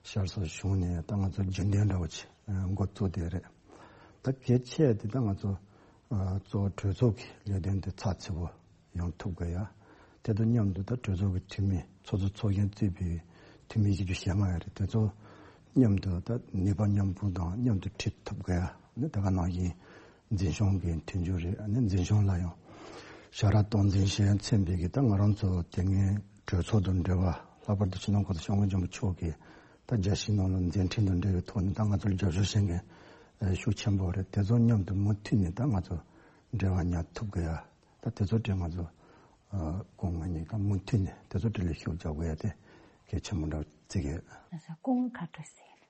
བསྐྱར་གསོ་བྱུང་ནས་ད་ང་ཚོ་རྒྱུན་ལྡན་འདྲ་བོ་ཅིག་འགོ་བཙུགས་བསྡད་རེད། ད་གལ་ཆེ་དེ་ད་ང་ཚོ་ཨ། གཙོ་བོ་གྲོས་ཚོགས་ཀྱི་ལས་དོན་དེ་ཚགས་ཚུད་པོ་ཡོང་ཐུབ་དགོས་ཡ། དེ་དང་མཉམ་དུ་ད་གྲོས་ཚོགས་ཀྱི་འཐུས་མི་ཚོགས་གཙོ་ཚོགས་གཞོན་གཙོས་པའི་འཐུས་མི་བཞི་བཅུ་ཞེ་ལྔ་ཡོད་རེད། དེ་ཚོ་མཉམ་དུ་ད་ནུས་པ་མཉམ་སྤུངས་དང་མཉམ་དུ་ཁྲིད་ཐུབ་དགོས་ཡ། ནི་ད་ག་ནང་བཞིན་འཛིན་སྐྱོང་གི་མཐུན་འགྱུར་རེད། ནི་འཛིན་སྐྱོང་ལ་ཡང་ཞབས་ར་སྟངས་འཛིན་བྱེད་མཚོན་པའི་གི་ད་ང་རང་ཚོ་དེ་སྔའི་གྲོས་ཚོགས་དང་འབྲེལ་བ། ལྷག་པར་དུ་སྤྱི་ནོར་གོང་ས་སྐྱབས་མགོན་ཆེན་པོ་མཆོག་གིས་ད་རྒྱལ་སྤྱིའི་ནང་ལ་མཛད་འཕྲིན་དང་འབྲེལ་བའི་ཐོག་ནས་ད་ང་ཚོར་རྒྱབ་སྐྱོར་བྱེད་མཁན་ཤུགས་ཆེན་པོ་རེད། དེ་ཚོ་མཉམ་དུ་མུ་མཐུད་ནས་ད་ང་ཚོ་འབྲེལ་བ་ཉར་ཐུབ་དགོས་ཡ། ད་དེ་ཚོ་དེ་ང་ཚོ་ཨ། སྐུ་ངོ་གཉིས་ཀ་མུ་མཐུད་ནས་དེ་ཚོ་དེ་ལ་ཤུགས་རྒྱག་དགོས་ཡ་དེ་གལ་ཆེན་པོ་འདྲ་བརྩི་གི་ཡོད། ལགས་སོ། སྐུ་ངོ་ག་འདྲ་ཟེར།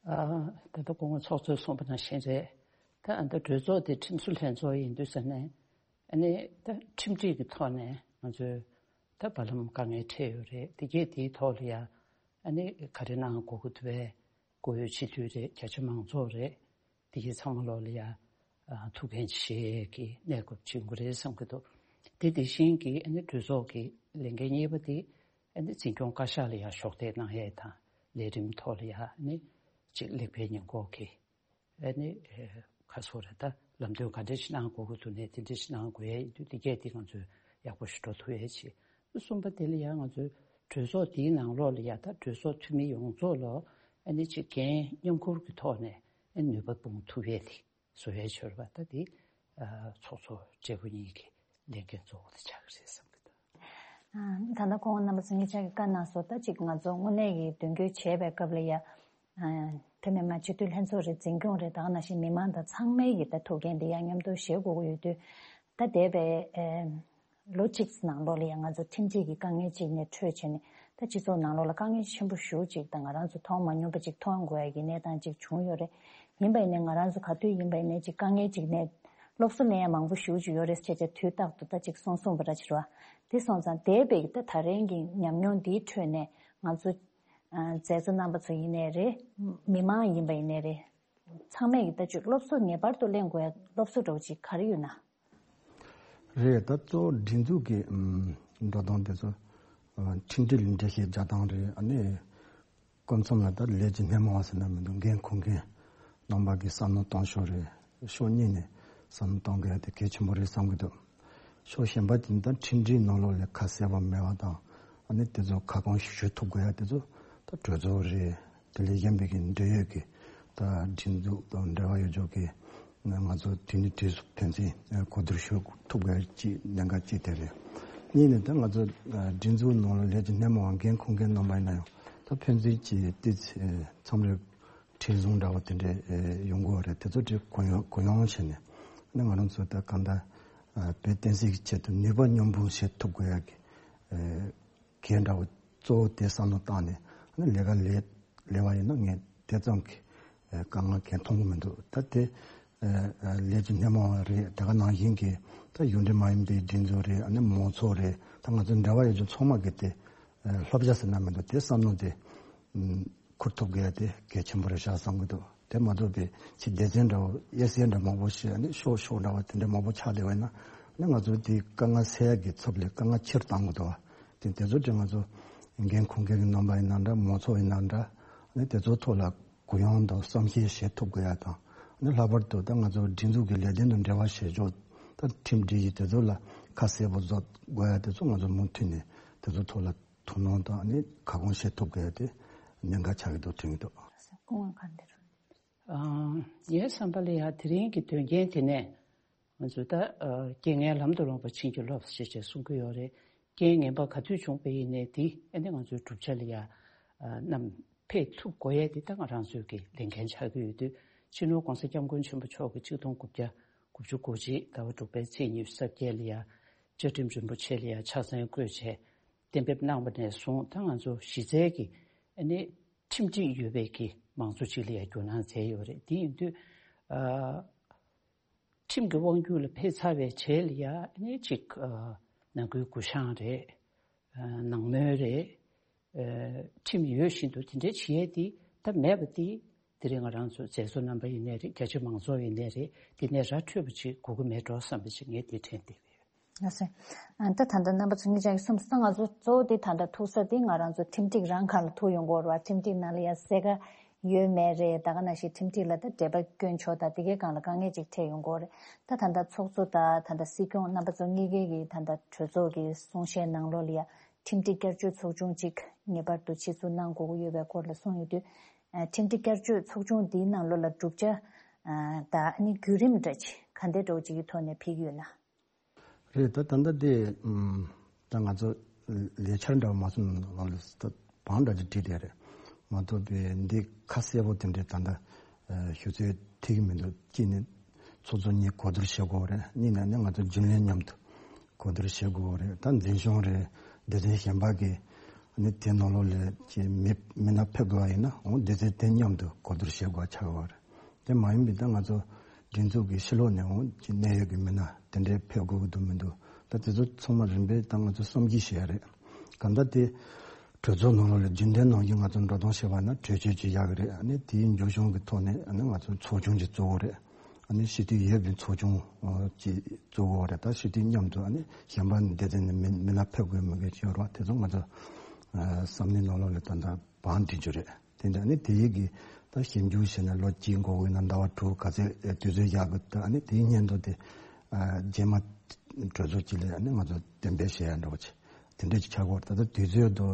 ཨ། ད་ལྟ་སྐུ་ངོ་ཚོགས་གཙོས་གསུངས་པ་ནང་བཞིན་རེད། ད་ཨ། ད་གྲོས་ཚོགས་དེ་ཁྲིམས་བཟོ་ལྷན་ཚོགས་ཡིན་དུས་ཙ་ནས་ཨ་ནི་ད་ཁྲིམས་སྒྲིག་གི་ཐོག་ནས་ང་ཚོས་ད་བར་ལམ་དཀའ་ངལ་འཕྲད་ཡོད་རེད། དེ་གས་དེའི་ཐོག་ལ་ཡ་ཨ་ནི་ག་རེ་གནང་དགོས་ཀྱི་འདུག་པས། གོ་ཡོད་སྤྱི་འཐུས་རེད། རྒྱ་ཆེ་མང་ཚོགས་རེད། དེ་གའི་ཚང་མ་ལོག་ལ་ཡ་ཨ། ཐུགས་འགན་བཞེས་ཀྱི་གནས་སྐབས་ཅིག་ཡོང་གི་རེད་བསམ་གྱི་འདུག་དེ་དེ་བཞིན་གྱི་ཨ་ནི་གྲོས་ཚོགས་ཀྱི་ལས་འགན་གཉིས་པ་དེ་ཨ་ནི་འཛིན་སྐྱོང་བཀའ་ཤག་ལ་ཡ་གཞོགས་འདེགས་གནང་ཡས་དང་ལས་རིམ་ཐོག་ལ་ཡ་ཨ་ནི་ཅིག་ལེགས་སྤེལ་ཉེས་འགོག་གི་ཨ་ནི་ཁ་སོ་རེད། ད་ལམ་སྟོན་ག་འདྲ་ཞིག་གནང་དགོས་ཀྱི་འདུག་ནས་དེ་འདྲ་ཞིག་གནང་དགོས་ཡས་ཡིན་དུས་དེ་གས་དེ་ང་ཚོས་ཡག་པོ་ཞིག་འགྲོ་ཐུབ་ཡས་བྱེད། གསུམ་པ་དེ་ལ་ཡང་ང་ཚོའི་གྲོས་ཚོགས་དེའི་ནང་ལོགས་ལ་ཡ་ད་གྲོས་ཚོགས་འཐུས་མི་ཡོངས་རྫོགས་ལ་ཨ་ནི་ཅིག་འགན་མཉམ་ཁུར་གྱི་ཐོག་ནས་ཨ་ནུས་པ་སྤུངས་ཐུབ་ཡས་དེ་བཟོ་ཡས་ཆོར་བ་ད་དེ་ཚོགས་གཙོ་སྦྲེལ་པོ་གཉིས་ཀྱི་ལས་འགན་གཙོ་བོ་དེ་ཆགས་ཀྱི་རེད་བསམ་གྱི་འདུག་ད་ལྟ་སྐུ་ངོ་རྣམ་པ་ཚོ་གཉིས་ཆ་གིས་བཀའ་གནང་སོང་། ད་ཅིག་ང་ཚོ་དངོས་གནས་ཀྱི་མདུན་སྐྱོད་བྱས་པའི་སྐབས་ལ་ཡ། ཨ། བོད་མི་མང་སྤྱི་འཐུས་ལྷན་ཚོགས་རེད། འཛིན་སྐྱོང་རེད། ད་ག་ནང་བཞིན་མི་མང་དང་ཚང་མའི་གི་ད་ཐུགས་འགན་དེ་ཡང་མཉམ་དུ་བཞེས་དགོས་ཀྱི་ཡོད་དུས། ད་འདས་པའི་ཨ། ལོ་གཅིག་ནང་ལོགས་ལ་ཡང་ང་ཚོ་ཁྲིམས་སྒྲིག་གི་དཀའ་ངལ་ཅིག་ནས་འཕྲོས་བྱས་ནས་ད་སྤྱི་ཚོགས་ནང་ལོགས་ལ་དཀའ་ངལ་ཆེན་པོ་ཞེ་པོ་ཅིག་དང་ང་རང་ཚོ་མཐོང་མ་མྱོང་པ་ཅིག་མཐོང་དགོས་ཡ་གི་གནས་སྟངས་ཅིག་བྱུང་ཡོད་རེད། ཡིན་པ་ཡིན་ནའི་ང་རང་ཚོ་ག་དུས་ཡིན་པ་ཡིན་ནའི་ཅིག་དཀའ་ངལ་ཅིག་ནས་སློབ་གསོ་ལེན་ཡ་མང་པོ་ཞེ་པོ་ཅིག་ཡོད་རེད་ཟེར་བྱས་དུས་རྟག་ཏུ་ད་ཅིག་གསུང་གསུང་བ་འདྲ་ཅིག་རེད་བ། དེ་སོང་ཙང་འདས་པའི་ད་ད་རིང་གི་ཉམས་མྱོང་འདིའི་ཁྲོད་ནས་ང་ཚོ། ཨ། མཛད་གཙོ་རྣམ་པ་ཚོ་ཡིན་ནའི་རེད། མི་མང་ཡིན་པ་ཡིན་ནའི་རེད། ཚང་མས་ཀྱི་ལྟ་སྤྱོད་སློབ་གསོ་ངེས་པར་དུ་ལེན་དགོས་ཡ་སློབ་གསོ་འདྲ་བོ་ཅིག་ག་རེ་ཡོད་ན། རེད། ད་གཙོ་བོ་སྒྲིག་འཛུགས་ཀྱི་ཨམ། འགྲོ་སྟངས་དེ་ཚོ། ཨ། ཁྲིམས་སྒྲིག་ལ་འགྲེལ་བཤད་རྒྱག་སྟངས་རེད། ཨ་ནི། སྐབས་མཚམས་ལ་ད་ལས་ཀྱི་སྣེ་མོ་བ་ཟེར་ན་མི་འདུག་འགན་འཁུར་མཁན་རྣམ་པ་གི་བསམ་བློ་གཏོང་ཕྱོགས་རེད། ཕྱོགས་གཉིས་ནས་བསམ་བློ་གཏོང་དགོས་ཡ་དེ་གལ་ཆེན་པོ་རེད་བསམ་གྱི་འདུག་ཕྱོགས་གཞན་པ་དེ་ད་ཁྲིམས་སྒྲིག་ནང་ལོགས་ལ་ཁ་གསལ་པོ་མེད་པ་དང་། ཨ་ནི་དེ་ཚོ་ཁ་སྐོང་ཞུ་ཐུབ་དགོས་ཡ་དེ་ཚོ་ད་གྲོས་ཚོགས་རེད། དེ་ལས་གཞན་པའི་གི་འབྲེལ་ཡོད་ཀྱི་ད་སྒྲིག་འཛུགས་དང་འབྲེལ་བ་ཡོད་ཕྱོགས་ཀྱི་ང་ཚོ་དུས་ནས་དུས་སུ་ཕན་ཚུན་གོ་བསྡུར་ཞུ་ཐུབ་དགོས་ཡ་གཅིག་གནད་འགག་གཅིག་དེ་རེད། གཉིས་ནས་ད་ང་ཚོ་སྒྲིག་འཛུགས་ནང་ལ་ལས་ཀྱི་སྣེ་མོ་བ་འགན་འཁུར་མཁན་རྣམ་པ་ཡིན་ན་ཡང་ད་ཕན་ཚུན་གྱི་ཏི་ཚེ་མཚམས་རེ་ཁྲིམས་བཟུང་འདྲ་བ་དེ་འདྲས་ཡོང་གི་ཡོད་རེད། དེ་ཚོ་དེ་གུ་ཡངས་གུ་ཡངས་བྱས་ནས་ ནི་ང་རང་ཚོ་ད་གང་ལྟར་ཨ་བོད་བསྟན་སྲིད་ཀྱི་ཆེད་དུ་ནུས་པ་མཉམ་སྤུངས་བྱེད་ཐུབ་དགོས་ཡ་གི་ཨ་གལ་འདྲ་བོ་གཙོ་བོ་དེ་བསམ་བློ་བཏང་ནས་ཨ་ནི་ལས་ཀ་ལས་ལས་པ་ཡིན་ན་ངས་དེ་ཙམ་གྱི་ཨ་དཀའ་ངལ་གང་མཐོང་གི་མི་འདུག་ད་དེ་ཨ་ཨ་ལས་ཀྱི་སྣེ་མོ་བ་རེད། དེ་ག་ནང་བཞིན་གྱི་ད་ཡུལ་འདྲེ་མ་ཡིན་པའི་སྒྲིག་འཛུགས་རེད། ཨ་ནི་མང་ཚོགས་རེད། ད་ང་ཚོ་འབྲེལ་བ་ཡོད་རྒྱུ་ཚང་མ་གི་དེ་ཨ་བསླབ་བྱ་ཟེར་ན་མི་འདུག་དེ་བསམ་བློ་དེ་ཨ་འཁུར་ཐུབ་དགོས་ཡ་དེ་གལ་ཆེན་པོ་རེད་ཤག་བསམ་གི་འདུག་དེ་མ་གཏོགས་པའི་ཕྱི་སྡེ་ཚན་འདྲ་བོ་དབྱེ་གསལ་འདྲ་མང་པོ་ཞིག་ཨ་ནི་ཤོག་ཤོག་འདྲ་བོ་དེ་འདྲ་མང་པོ་ཆགས་བསྡད་པ་ཡིན་ན་ཨ་ནི་ང་ཚོ་དེ་དཀའ་ངལ་སེལ་ཡ་གི་ཚབ་ལས་དཀའ་ངལ་ཆེར་བཏང་གི་འདུག་བ། དེ་དེ་ཚོ་དེ་ང་ཚོ་འགན་འཁུར་མཁན་གྱི་རྣམ་པ་ཡིན་ན་འདྲ། མང་ཚོགས་ཡིན་ན་འདྲ། ཨ་ནི་དེ་ཚོ་ཐོག་ལ་གུ་ཡངས་དང་བསམ་ཤེས་བྱེད་ཐུབ་དགོས་ཡ་དང་། ཨ་ནི་ལྷག་པར་དུ་ད་ང་ཚོ་སྒྲིག་འཛུགས་ཀྱི་ལས་དོན་དང་འབྲེལ་བ་བྱེད་ཕྱོགས་ད་ཁྲིམས་སྒྲིག་གཞི་དེ་ཚོ་ལ་ཁ་གསལ་པོ་བཟོ་དགོས་ཡ་དེ་ཚོ་ང་ཚོ་མུ་མཐུད་ནས་དེ་ཚོ་ཐོག་ལ་ཐུགས་སྣང་དང་ཨ་ནི་ཁ་སྐོང་བྱེད་ཐུབ་དགོས་ཡ་དེ་གནད་འགག་ཆགས་ཀྱི་འདུག་དྲན་གྱི་འདུག་སྐུ་ངོ་ག་འདིར། ཨ། ངའི་བསམ་པ་ལ་ཡ་དེ་རིང་གི་དོན་རྐྱེན་དེ་ནས་ང་ཚོས་ད་ཨ་རྐྱེན་ངན་ལམ་དུ་ལོངས་པ་བྱིན་གྱིས་རློབས་ཞེས་བྱས་གསུང་གི་ཡོད་རེད། རྐྱེན་ངན་པ་ག་དུས་བྱུང་པ་ཡིན་ནའི་དེ་ཨ་ནི་ང་ཚོའི་བསྒྲུབ་བྱ་ལ་ཡ་ཨ་བསྣམས་ཕེབས་ཐུབ་དགོས་ཡས་དེ་ད་ང་རང་ཚོའི་གི་ལས་འགན་ཆགས་ཀྱི་ཡོད་དུས། སྤྱི་ནོར་༸གོང་ས་༸སྐྱབས་མགོན་ཆེན་པོ་མཆོག་གིས་ཆིག་སྟོང་དགུ་བརྒྱ་དགུ་བཅུ་གོ་གཅིག་ཟླ་བ་དྲུག་པའི་ཚེས་ཉི་ཤུ་རྩ་བརྒྱད་ལ་ཡ་བཅའ་ཁྲིམས་རིན་པོ་ཆེ་ལ་ཡ་ཕྱག་མཚན་བཀོད་བྱས་གཏན་འབེབས་གནང་བ་ནས་བཟུང་ད་ང་ཚོ་གཞི་རྩའི་གི་ཨ་ནི་ཁྲིམས་སྒྲིག་ཡོད་པའི་གི་མང་གཙོ་ཅིག་ལ་ཡ་བསྒྱུར་གནང་མཛད་ཡོད་རེད། དེ་ཡིན་དུས་ཨ་ཁྲིམས་ཀྱི་དབང་སྒྱུར་ལ་ཕེབས་ཚར་བའི་རྗེས་ལ་ཡ་ཨ་ནི་གཅིག་ཨ་ནང་ཁུལ་གུ་བཤངས་རེད། ཨ་ནང་མོལ་རེད། ཨ་ཁྲིམས་ཡོད་བཞིན་དུ་དེ་འདྲའི་བྱེད་ཡས་དེ་ད་མེད་པ་དེ་དེ་རིང་ང་རང་ཚོ་མཛད་གཙོ་རྣམ་པ་ཡིན་ནའི་རེད། རྒྱ་ཆེ་མང་ཚོགས་ཡིན་ནའི་རེད། དེ་ནས་ར་འཕྲོད་པ་ཅིག་དགོས་ཀྱི་མེད་འགྲོ་བསམ་པ་ཅིག་ངས་དེ་དྲན་བསྡད་ཡོད། ལགས་སོ། ཨ་ད་ད་ལྟ་རྣམ་པ་ཚོ་གཉིས་ཆ་གིས་གསུངས་སོང་། ང་ཚོ་གཙོ་བོ་དེ་ད་ལྟ་ཐུག་ས་དེ་ང་རང་ཚོ་ཁྲིམས་སྒྲིག་རང་སྒང་ལ་ཐུག་ཡོང་གི་ཡོད་རེད་བ། ཁྲིམས་སྒྲིག་ནང་ལ་ཡ་གསལ་ཁ་ཡོད་མེད་རེད། ད་ག་ནང་བཞིན་ཁྲིམས་སྒྲིག་ལ་ད་འབྲེལ་བ་སྐྱོན་ཕྱོགས་དང་དེ་གའི་སྒང་ལ་དཀའ་ངལ་ཅིག་འཕྲད་ཡོང་གི་ཡོད་རེད། ད་ད་ལྟ་ཚོགས་གཙོ་དང་ད་ལྟ་སྲིད་སྐྱོང་རྣམ་པ་ཚོ་གཉིས་ཀའི་གི་ད་ལྟ་གྲོས་ཚོགས་ཀྱི་གསུང་བཤད་ནང་ལོགས་ལ་ཡ་ཁྲིམས་སྒྲིག་བསྐྱར་བཅོས་ཚོགས་ཆུང་གཅིག་ངེས་པར་དུ་ཆེད་འཛུགས་གནང་དགོས་ཀྱི་ཡོད་པའི་སྐོར་ལ་གསུངས་ཡོད་དུས། ཨ་ཁྲིམས་སྒྲིག་བསྐྱར་བཅོས་ཚོགས་ཆུང་འདིའི་ནང་ལོགས་ལ་བསྒྲུབ་བྱ་ཨ་དང་ཨ་ནི་བརྒྱུད་རིམ་འདྲ་ཅིག་ག་འདྲ་འདྲ་བོ་ཅིག་གི་ཐོག་ནས་ཕེབས་ཀྱི་ཡོད་ན། རེད། ད་ད་ལྟ་དེ་ཨམ་ད་ང་ཚོ་ལས་འཆར་འདྲ་བ་མ་སོང་ནང་ལ་ད་བང་འདྲ་ཅིག་བསྒྲིགས་བསྡད་རེད། མ་གཏོགས་པའི་འདི་ཁ་གསལ་པོ་དེ་འདྲའི་ད་ལྟ་ཨ་ཞུ་ཚོད་ཐིག་གི་མི་འདུག་གཅིག་ནི་ཚོགས་གཙོ་གཉིས་གོ་བསྡུར་བྱེད་དགོས་རེད། གཉིས་ནས་ནི་ང་ཚོ་རྒྱུན་ལས་མཉམ་དུ་གོ་བསྡུར་བྱེད་དགོས་རེད། ད་འཛིན་སྐྱོང་རེད། སྡེ་ཚན་གཞན་པ་གི་ནི་དེ་ནང་ལོགས་ལ་ཅིག་མི་མི་སྣ་ཕེབས་དགོས་པ་ཡིན་ན་འོ་སྡེ་ཚན་དེ་མཉམ་དུ་གོ་བསྡུར་བྱེད་དགོས་པ་ཆགས་ཡོད་རེད། དེ་མ་ཡིན་པའི་ད་ང་ཚོ་སྒྲིག་འཛུགས་ཀྱི་ཕྱི་ལོགས་ནས་འོང་གི་གནད་ཡོད་ཀྱི་མི་སྣ་དེ་འདྲའི་ཕེབས་དགོས་ཀྱི་འདུག་མི་འདུག་ད་དེ་ཚོ་ཚང་མ་རིམ་པས་ད་ང་ཚོ་བསམ་གཞིག་བྱེད་ཡ་རེད། གང་ལྟར་དེ་གྲོས་ཚོགས་ནང་ལོགས་ལ་རྒྱུན་ལྡན་ནང་བཞིན་ང་ཚོ་འགྲོ་སྟངས་བྱས་པ་ན་གྲོས་ཆོད་ཅིག་ཡག་གི་རེད། ཨ་ནི་དེའི་མཇུག་སྐྱོང་གི་ཐོག་ནས་ཨ་ནི་ང་ཚོ་ཚོགས་ཆུང་ཅིག་བཙུགས་དགོས་རེད། ཨ་ནི་སྤྱི་འཐུས་ཡོད་པའི་ཚོགས་ཆུང་ཅིག་བཙུགས་དགོས་རེད། ད་སྤྱི་འཐུས་མཉམ་དུ་ཨ་ནི་གཞན་པ་ནི་སྡེ་ཚན་ནས་མི་མི་སྣ་ཕེབས་དགོས་མི་དགོས་ཅིག་ཡོད་རེད་བ། དེ་ཚོ་ང་ཚོ་བསམ་བློའི་ནང་ལོགས་ལ་ད་ལྟ་བང་སྒྲིག་རྒྱུ་རེད། དེ་འདྲ་ནི་དེ་ཡི་གི་ད་ཞིབ་འཇུག་བྱས་ནས་ལོ་གཅིག་འགོར་དགོས་ན་ཟླ་བ་དྲུག་ག་ཚོད་དུས་ཚོད་ཡག་གི་ད་ནི་དེའི་སྔོན་དུ་དེ་རྗེས་མ་གྲོས་ཚོགས་གཅིག་ལ་ནི་ང་ཚོ་གཏན་འབེབས་བྱེད་ཡ་འདྲ་བོ་ཆེ་དེ་འདྲ་ཅིག་ཆགས་ཀྱི་ཡོད་རེད། ད་ལྟ་དུས་ཚོད་དུ་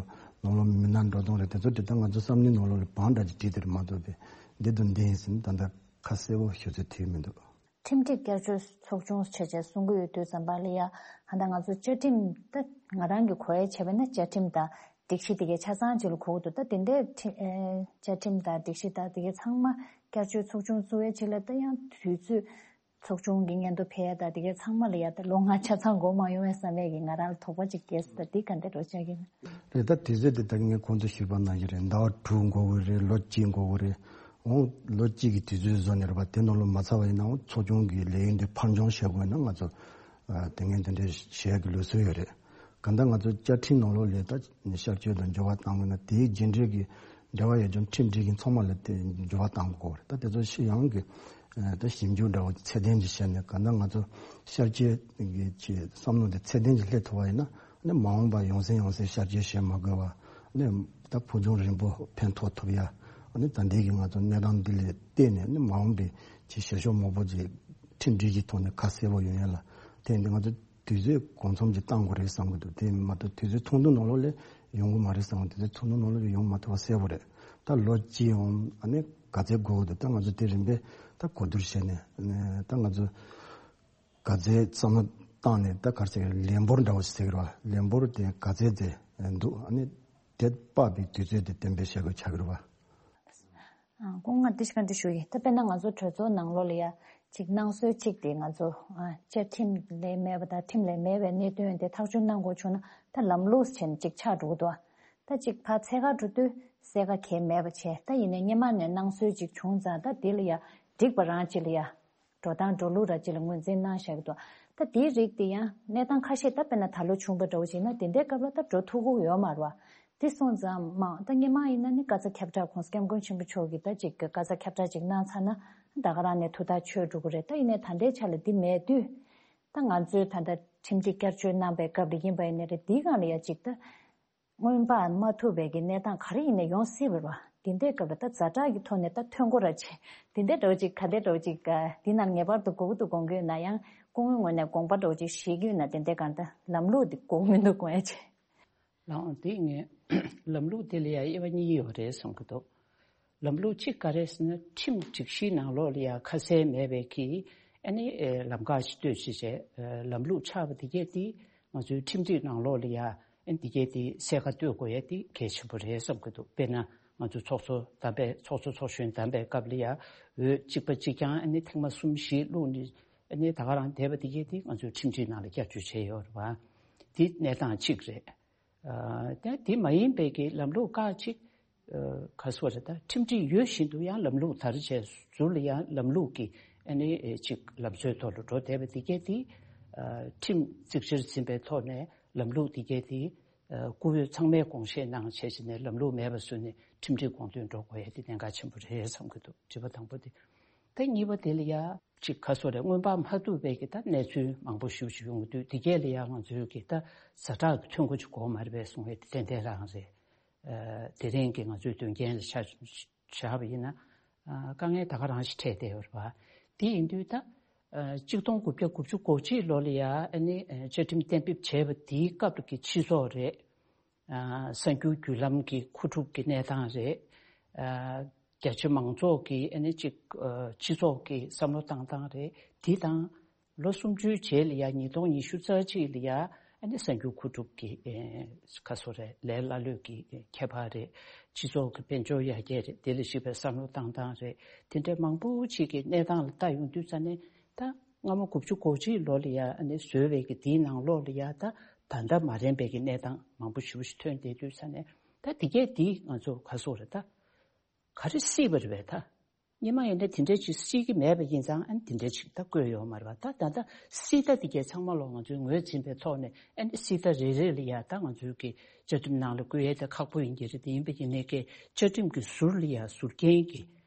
ནང་ལོགས་མི་སྣ་འགྲོ་སྟངས་རེད། དེ་ཚོ་དེ་ད་ང་ཚོ་བསམ་བློའི་ནང་ལོགས་ལ་བང་འདྲ་ཅིག་བསྒྲིགས་དེ་རེད་མ་གཏོགས་པའི་འདི་དང་འདི་ཡིན་ཟེར་ནས་ད་ལྟ་ཁ་གསལ་པོ་ཞུ་ཚོད་ཐིག་མི་འདུག་ཁྲིམས་སྒྲིག་བསྐྱར་བཅོས་ཚོགས་ཆུང་བྱས་བྱས་གསུང་གི་ཡོད་དུས་ཙམ་པ་ལ་ཡ་ཧ་ད་ང་ཚོ་བཅའ་ཁྲིམས་ད་ང་རང་གི་གོ་ཡ་བྱས་པ་ན་བཅའ་ཁྲིམས་དང་སྒྲིག་གཞི་དེ་གའི་ཆ་ཚང་ཅིག་ལ་གོ་གི་འདུག་ད་དེ་འདྲའི་ཁྲི་ཨེ་བཅའ་ཁྲིམས་དང་སྒྲིག་གཞི་དང་དེ་གའི་ཚང་མ་བསྐྱར་བཅོས་ཚོགས་ཆུང་བཙུགས་ཡ་ཅིག་ལ་ད་ཡང་དུས་ཚོད་ཚོགས་ཆུང་གི་སྙན་ཐོ་ཕེབས་ཡ་དང་དེ་གའི་ཚང་མ་ལ་ཡ་ད་ལོ་ལྔ་ཆ་ཚང་འགོར་མ་ཡོང་བས་བསམ་ཡས་ཀྱི་ང་རང་ལ་དོགས་པ་ཅིག་སྐྱེས་སོང་། ད་འདི་ག་འདྲ་འགྲོ་བྱ་གི་ན། རེད། ད་དུས་ཚོད་དེ་ད་ངས་གོང་དུ་ཞུས་པ་ནང་བཞིན་རེད། ཟླ་བ་དྲུག་འགོར་གི་རེད། ལོ་གཅིག་འགོར་གི་རེད། འོང་ལོ་གཅིག་གི་དུས་ཚོད་བཟོ་ནས་རེད་པ། དེ་ནང་ལོ་མ་ཚར་བ་ཡིན་ནའང་ཚོགས་ཆུང་གི་ལས་ཡུན་དེ་ཕར་འགྱངས་བྱེད་དགོས་ན་ང་ཚོ་ཨ་དེ་ངས་དེ་འདྲའི་བྱེད་ཡག་གི་ལུགས་སྲོལ་ཡོད་རེད། གང་ལྟར་ང་ཚོ་བཅའ་ཁྲིམས་ནང་ལོགས་ལ་ད་བསྐྱར་བཅོས་དང་འགྱུར་བ་བཏང་དགོས་ན་དེའི་རྗེས་འབྲེལ་གྱི་འབྲེལ་བ་ཡོད་ཀྱང་ཁྲིམས་སྒྲིག་གཞི་ཚང་མ་ལ་དེ་འགྱུར་བ་བཏང་དགོས་རེད། ད་དེ་ཚོ་ཕྱི་ཡང་གི་ཨ་ད་ཞིབ་འཇུག་འདྲ་བོ་ཚད་ལྡན་ཅིག་བྱས་ནས་གང་ལྟར་ང་ཚོ་བསྐྱར་བཅོས་ཀྱི་ཅིག་བསམ་བློ་དེ་ཚད་ལྡན་ཅིག་སླེབས་ཐུབ་པ་ཡིན་ན། ནི་མ་འོངས་པ་ཡང་སེ་ཡང་སེ་བསྐྱར་བཅོས་བྱེད་མ་དགོས་པ། ནི་ད་ཕུགས་རྒྱང་རིང་པོ་ཕན་ཐོགས་ཐུབ་ཡ། ནི་ད་ལྟའི་གི་ང་ཚོ་གནས་སྟངས་འདི་ལ་བལྟས་ནས་ནི་མ་འོངས་པའི་ཆེས་ཞབས་ཞུ་མང་པོ་ཅིག་ཁྲིམས་སྒྲིག་གཞིའི་ཐོག་ནས་ཁ་གསལ་པོ་ཡོང་ཡ་ལ་བརྟེན་ཏེ་ང་ཚོ་དུས་ཚོད་གང་འཚམ་ཅིག་བཏང་དགོས་རེད་བསམ་གི་འདུག་དེ་མ་གཏོགས་དུས་ཚོད་ཐུང་ཐུང་ནང་ལོགས་ལ་ཡོང་གི་མ་རེད་བསམ་གི་འདུག་དུས་ཚོད་ཐུང་ཐུང་ནང་ལོགས་ལ་ཡོང་མ་ཐུབ་པ་གསལ་པོ་རེད། ད་ལོ་གཅིག་ཡང་ཨ་ནི་ག་ཚད་འགོར་གི་འདུག་ད་ང་ཚོ་དེ་རིམ་པས་ད་གོ་བསྡུར་བྱས་ནས་ད་ང་ཚོ། ག་ཚད་བསམ་བློ་བཏང་ནས་ད་ག་རེ་ཟེར་གི་རེད། ལན་འབོར་འདྲ་བོ་ཞིག་ཟེར་གི་རེད་བ། ལན་འབོར་དེ་ག་ཚད་དེ་འདུག་ཨ་ནི་དེ་དཔག་པའི་དུས་ཚོད་དེ་གཏན་འབེབས་བྱེད་དགོས་ཆགས་ཀྱི་རེད་བ། ཨ་སྐུ་ངོ་ང་འདི་ཞིག་ག་འདྲི་ཞུ་ཡི། ད་དཔེར་ན་ང་ཚོ་གྲོས་ཚོགས་ནང་ལོགས་ལ་ཡ་ ཅིག་གནང་སྲོལ་གཅིག་དེ་ང་ཚོ་ཨ་བཅའ་ཁྲིམས་ལས་མེད་པ་དང་ཁྲིམས་ལས་མེད་པའི་གནད་དོན་དེ་ཐག་གཅོད་གནང་དགོས་བྱུང་ན་ད་ལམ་ལུགས་བྱས་ནས་ཅིག་ཆགས་འགྲོ་གི་འདུག་ད་ཅིག་ཕར་འཚོལ་ག་འགྲོ་དུས་གསལ་ཁ་གང་ཡང་མེད་པ་བྱས། ད་ཡིན་ནའི་སྔོན་མ་ནས་གནང་སྲོལ་ཅིག་བྱུང་ཙང་ད་དེ་ལ་ཡ་འགྲིག་པ་རང་ཅིག་ལ་ཡ་འགྲོ་སྟངས་འགྲོ་ལུགས་ར་ཅིག་ལ་ངོས་འཛིན་གནང་བཞག་གི་འདུག་ད་དེའི་རིགས་དེ་ཡང་གནས་སྟངས་ཁ་ཤས་ད་དཔེར་ན་ད་ལོ་བྱུང་པ་འདྲ་བོ་ཅིག་ཡིན་ན་དེ་འདྲའི་སྐབས་ལ་ད་འགྲོ་ཐུབ་ཀྱི་ཡོད་མ་རེད་བ། དེ་སོང་ཙང་མ་ད་སྔོན་མ་ཡིན་ན་ནི་བཀའ་སྩལ་ཁྱབ་བསྒྲགས་༸གོང་ས་༸སྐྱབས་མགོན་ཆེན་པོ་མཆོག་གིས་ད་ཅིག་བཀའ་སྩལ་ཁྱབ་བསྒྲགས་ཅིག་གནང་ཚར་ན་ད་ག་རང་ནས་ཐུགས་ཐག་ཆོད་འགྲོ་གི་རེད། ད་ཡིན་ནའི་ད་ལྟའི་ཆ་ལ་འདི་མེད་དུས་ད་ང་ཚོས་ད་ལྟ་ཁྲིམས་སྒྲིག་བསྐྱར་བཅོས་གནང་པའི་སྐབས་ལ་ཡིན་པ་ཡིན་ནའི་རེད། འདིའི་སྒང་ལ་ཡ་ཅིག་ད་སྔོན་དཔག་མ་ཐུབ་པའི་གི་གནས་སྟངས་ག་རེ་ཡིན་ནའི་ཡོང་སྲིད་པ་རེད་བ། འདི་འདྲའི་སྐབས་ལ་ད་ཛ་དྲག་གི་ཐོག་ནས་ད་ཐོན་དགོས་ར་ཆེ། འདི་འདྲའི་འདྲ་བོ་ཅིག་ག་འདྲའི་འདྲ་བོ་ཅིག་འདི་ནང་ངེས་པར་དུ་དགོས་ཀྱི་འདུག་དགོངས་ཀྱི་ཡོད་ན་ཡང་སྐུ་ངོའི་ངོས་ནས་དགོངས་པ་འདྲ་བོ་ཅིག་བཞེས་ཀྱི་ཡོད་ན་དེ་འདྲའི་སྒང་ད་ལམ་ལུགས་འདི་དགོས་ཀྱི་མི་འདུག་དགོངས་ཡ་ཆེ། ལགས་འོང་། དེ་ངས་ལམ་ལུགས་དེ་ལ་ཡང་དབྱེ་བ་གཉིས་ཡོད་རེད་བསམ་གྱི་འདུག་ལམ་ལུགས་གཅིག་ག་རེ་ཟེར་ན་ཁྲིམས་སྒྲིག་གཞིའི་ནང་ལོགས་ལ་ཡང་ཁ་གསལ་མེད་པའི་གི་ཨ་ནི་ཨེ་ལམ་ཁ་ཞིག་གཏོད་བྱས་བྱས་ཨེ་ལམ་ལུགས་ཆགས་པ་དེ་གས་དེ་ང་ཚོའི་ཁྲིམས་སྒྲིག་ནང་ལོགས་ལ་ཡང་ཨ་ནི་དེ་གས་དེ་གསལ་ཁ་གཏོད་དགོས་ཡ་དེ་གལ་ཆེན་པོ་རེད་བསམ་གྱི་འདུག་དཔེར་ན་ང་ཚོའི་ཚོགས་གཙོ་དམ་པའི་ཚོགས་གཙོ་ཚོགས་གཞོན་དམ་པའི་སྐབས་ལ་ཡང་འོས་གཅིག་པ་གཅིག་རྐྱང་ཨ་ནི་ཐེངས་མ་གསུམ་བཞི་བླུགས་ནས་ཨ་ནི་ད་ག་རང་བསྡད་པ་དེ་གས་དེ་ང་ཚོའི་ཁྲིམས་སྒྲིག་ནང་ལ་བསྐྱར་བཅོས་བྱས་ཡོད་རེད་བ། དེ་གནས་སྟངས་གཅིག་རེད། ཨ་དེ་དེ་མ་ཡིན་པའི་གི་ལམ་ལུགས་ཁག་ཅིག་ཨ་ག་སོ་རེད། ད་ཁྲིམས་སྒྲིག་ཡོད་བཞིན་དུ་ཡང་ལམ་ལུགས་དར་བྱས་ཟུར་ལ་ཡང་ལམ་ལུགས་ཀྱི་ཨ་ནི་ཅིག་ལམ་སྲོལ་ཐོག་ལ་འགྲོ་བསྡད་པ་དེ་གས་དེ་ཨ་ཁྲིམས་གཙིགས་ཆེར་འཛིན་པའི་ཐོག་ནས་ལམ་ལུགས་དེ་གས་དེ་ཨ་བཀུར་འོས་ཚང་མས་དགོངས་བཞེས་གནང་བྱས་བྱས་ནས་ལམ་ལུགས་མེད་པ་བཟོས་ནས་ཁྲིམས་སྒྲིག་དགོངས་དོན་འགྲོ་དགོས་ཡ་དེ་གནད་འགག་ཆེན་པོ་རེད་བསམ་གྱི་འདུག་དྲི་བ་དང་པོ་དེ། ད་གཉིས་པ་དེ་ལ་ཡ་ཅིག་ག་སོ་རེད། སྔོན་དཔག་མ་ཐུབ་པའི་གི་ད་གནས་ཚུལ་མང་པོ་ཞེ་པོ་ཅིག་ཡོང་གི་འདུག་དེ་གས་ལ་ཡ་ང་ཚོའི་གི་ད་ཛ་དྲག་གི་ཐོན་ཁུངས་ཅིག་དགོས་མ་རེད་པས་གསུང་བའི་དེ་ཏན་ཏན་རང་རེད། ཨ་དེ་རིང་གི་ང་ཚོའི་དོན་རྐྱེན་ལ་ཆ་བཞག་པ་ཡིན་ན་ཨ་དཀའ་ངལ་ད་ག་རང་ཞིག་འཕྲད་བསྡད་ཡོད་རེད་པ། དེ་ཡིན་དུས་ད་ཨ་གཅིག་སྟོང་དགུ་བརྒྱ་དགུ་བཅུ་གོ་གཅིག་ལོ་ལ་ཡ་ཨ་ནི་ཨ་བཅའ་ཁྲིམས་གཏན་འབེབས་བྱས་པ་དེའི་སྐབས་ཀྱི་སྤྱི་ཚོགས་རེད། ཨ་གསར་འགྱུར་བརྒྱུད་ལམ་གྱི་མཁོ་སྒྲུབ་ཀྱི་གནས་སྟངས་རེད། ཨ་རྒྱ་ཆེ་མང་ཚོགས་ཀྱི་ཨ་ནི་གཅིག་ཨ་སྤྱི་ཚོགས་ཀྱི་བསམ་བློ་བཏང་སྟངས་རེད། དེ་དང་ལོ་སུམ་ཅུའི་རྗེས་ལ་ཡ་ཉིས་སྟོང་ཉི་ཤུ་རྩ་གཅིག་ལ་ཡ་ཨ་ནི་གསར་འགྱུར་མཁོ་སྒྲུབ་ཀྱི་ཨེ་ཁ་སོ་རེད། ལས་སླ་ལུས་ཀྱི་ཨེ་ཁྱད་པར་རེད། སྤྱི་ཚོགས་ཀྱི་དཔལ་འབྱོར་ཡར་རྒྱས་རེད། དེ་ལ་གཞིགས་པའི་བསམ་བློ་བཏང་སྟངས་རེད། དེ་འདྲའི་མང་པོ་ཅིག་གི་གནས་སྟངས་ལ་ལྟ་ཡོང་དུས་ཙ་ནས་ད་སྔ་མོ་དགུ་བཅུ་གོ་གཅིག་ལོ་ལ་ཡ་ཨ་ནི་བཟོས་པའི་གི་དེའི་ནང་ལོགས་ལ་ཡ་ད་ད་ལྟ་མ་རན་པའི་གི་གནས་སྟངས་མང་པོ་ཞེ་པོ་ཞིག་ཐོན་བསྡད་དུས་ཙ་ནས་ད་དེ་གས་དེ་ང་ཚོ་ག་སོ་རེད། ད་ག་རེ་སྲིད་པ་རེད་པས། ད་སྔོན་མ་ཡིན་ན་དེ་འདྲ་ཅིག་སྲིད་ཀྱི་མེད་པ་ཡིན་ཙང་ཨ་ནི་དེ་འདྲ་ཅིག་ད་བཀོད་ཡོད་མ་རེད་པ། ད་ད་ལྟ་སྲིད་ད་དེ་གས་ཚང་མ་ལོ་ང་ཚོས་ངོས་འཛིན་པའི་ཐོག་ནས་ཨ་ནི་སྲིད་ད་རེ་རེ་ལ་ཡ་ད་ང་ཚོའི་གི་བཅའ་ཁྲིམས་ནང་ལ་བཀོད་ཡས་ད་ཁག་པོ་ཡིན་གྱི་རེད། དེ་ཡིན་པ་ཡིན་ནའི་གི་བཅའ་ཁྲིམས་ཀྱི་ཟུར་ལ་ཡ་ཟུར་རྒྱན་གྱི་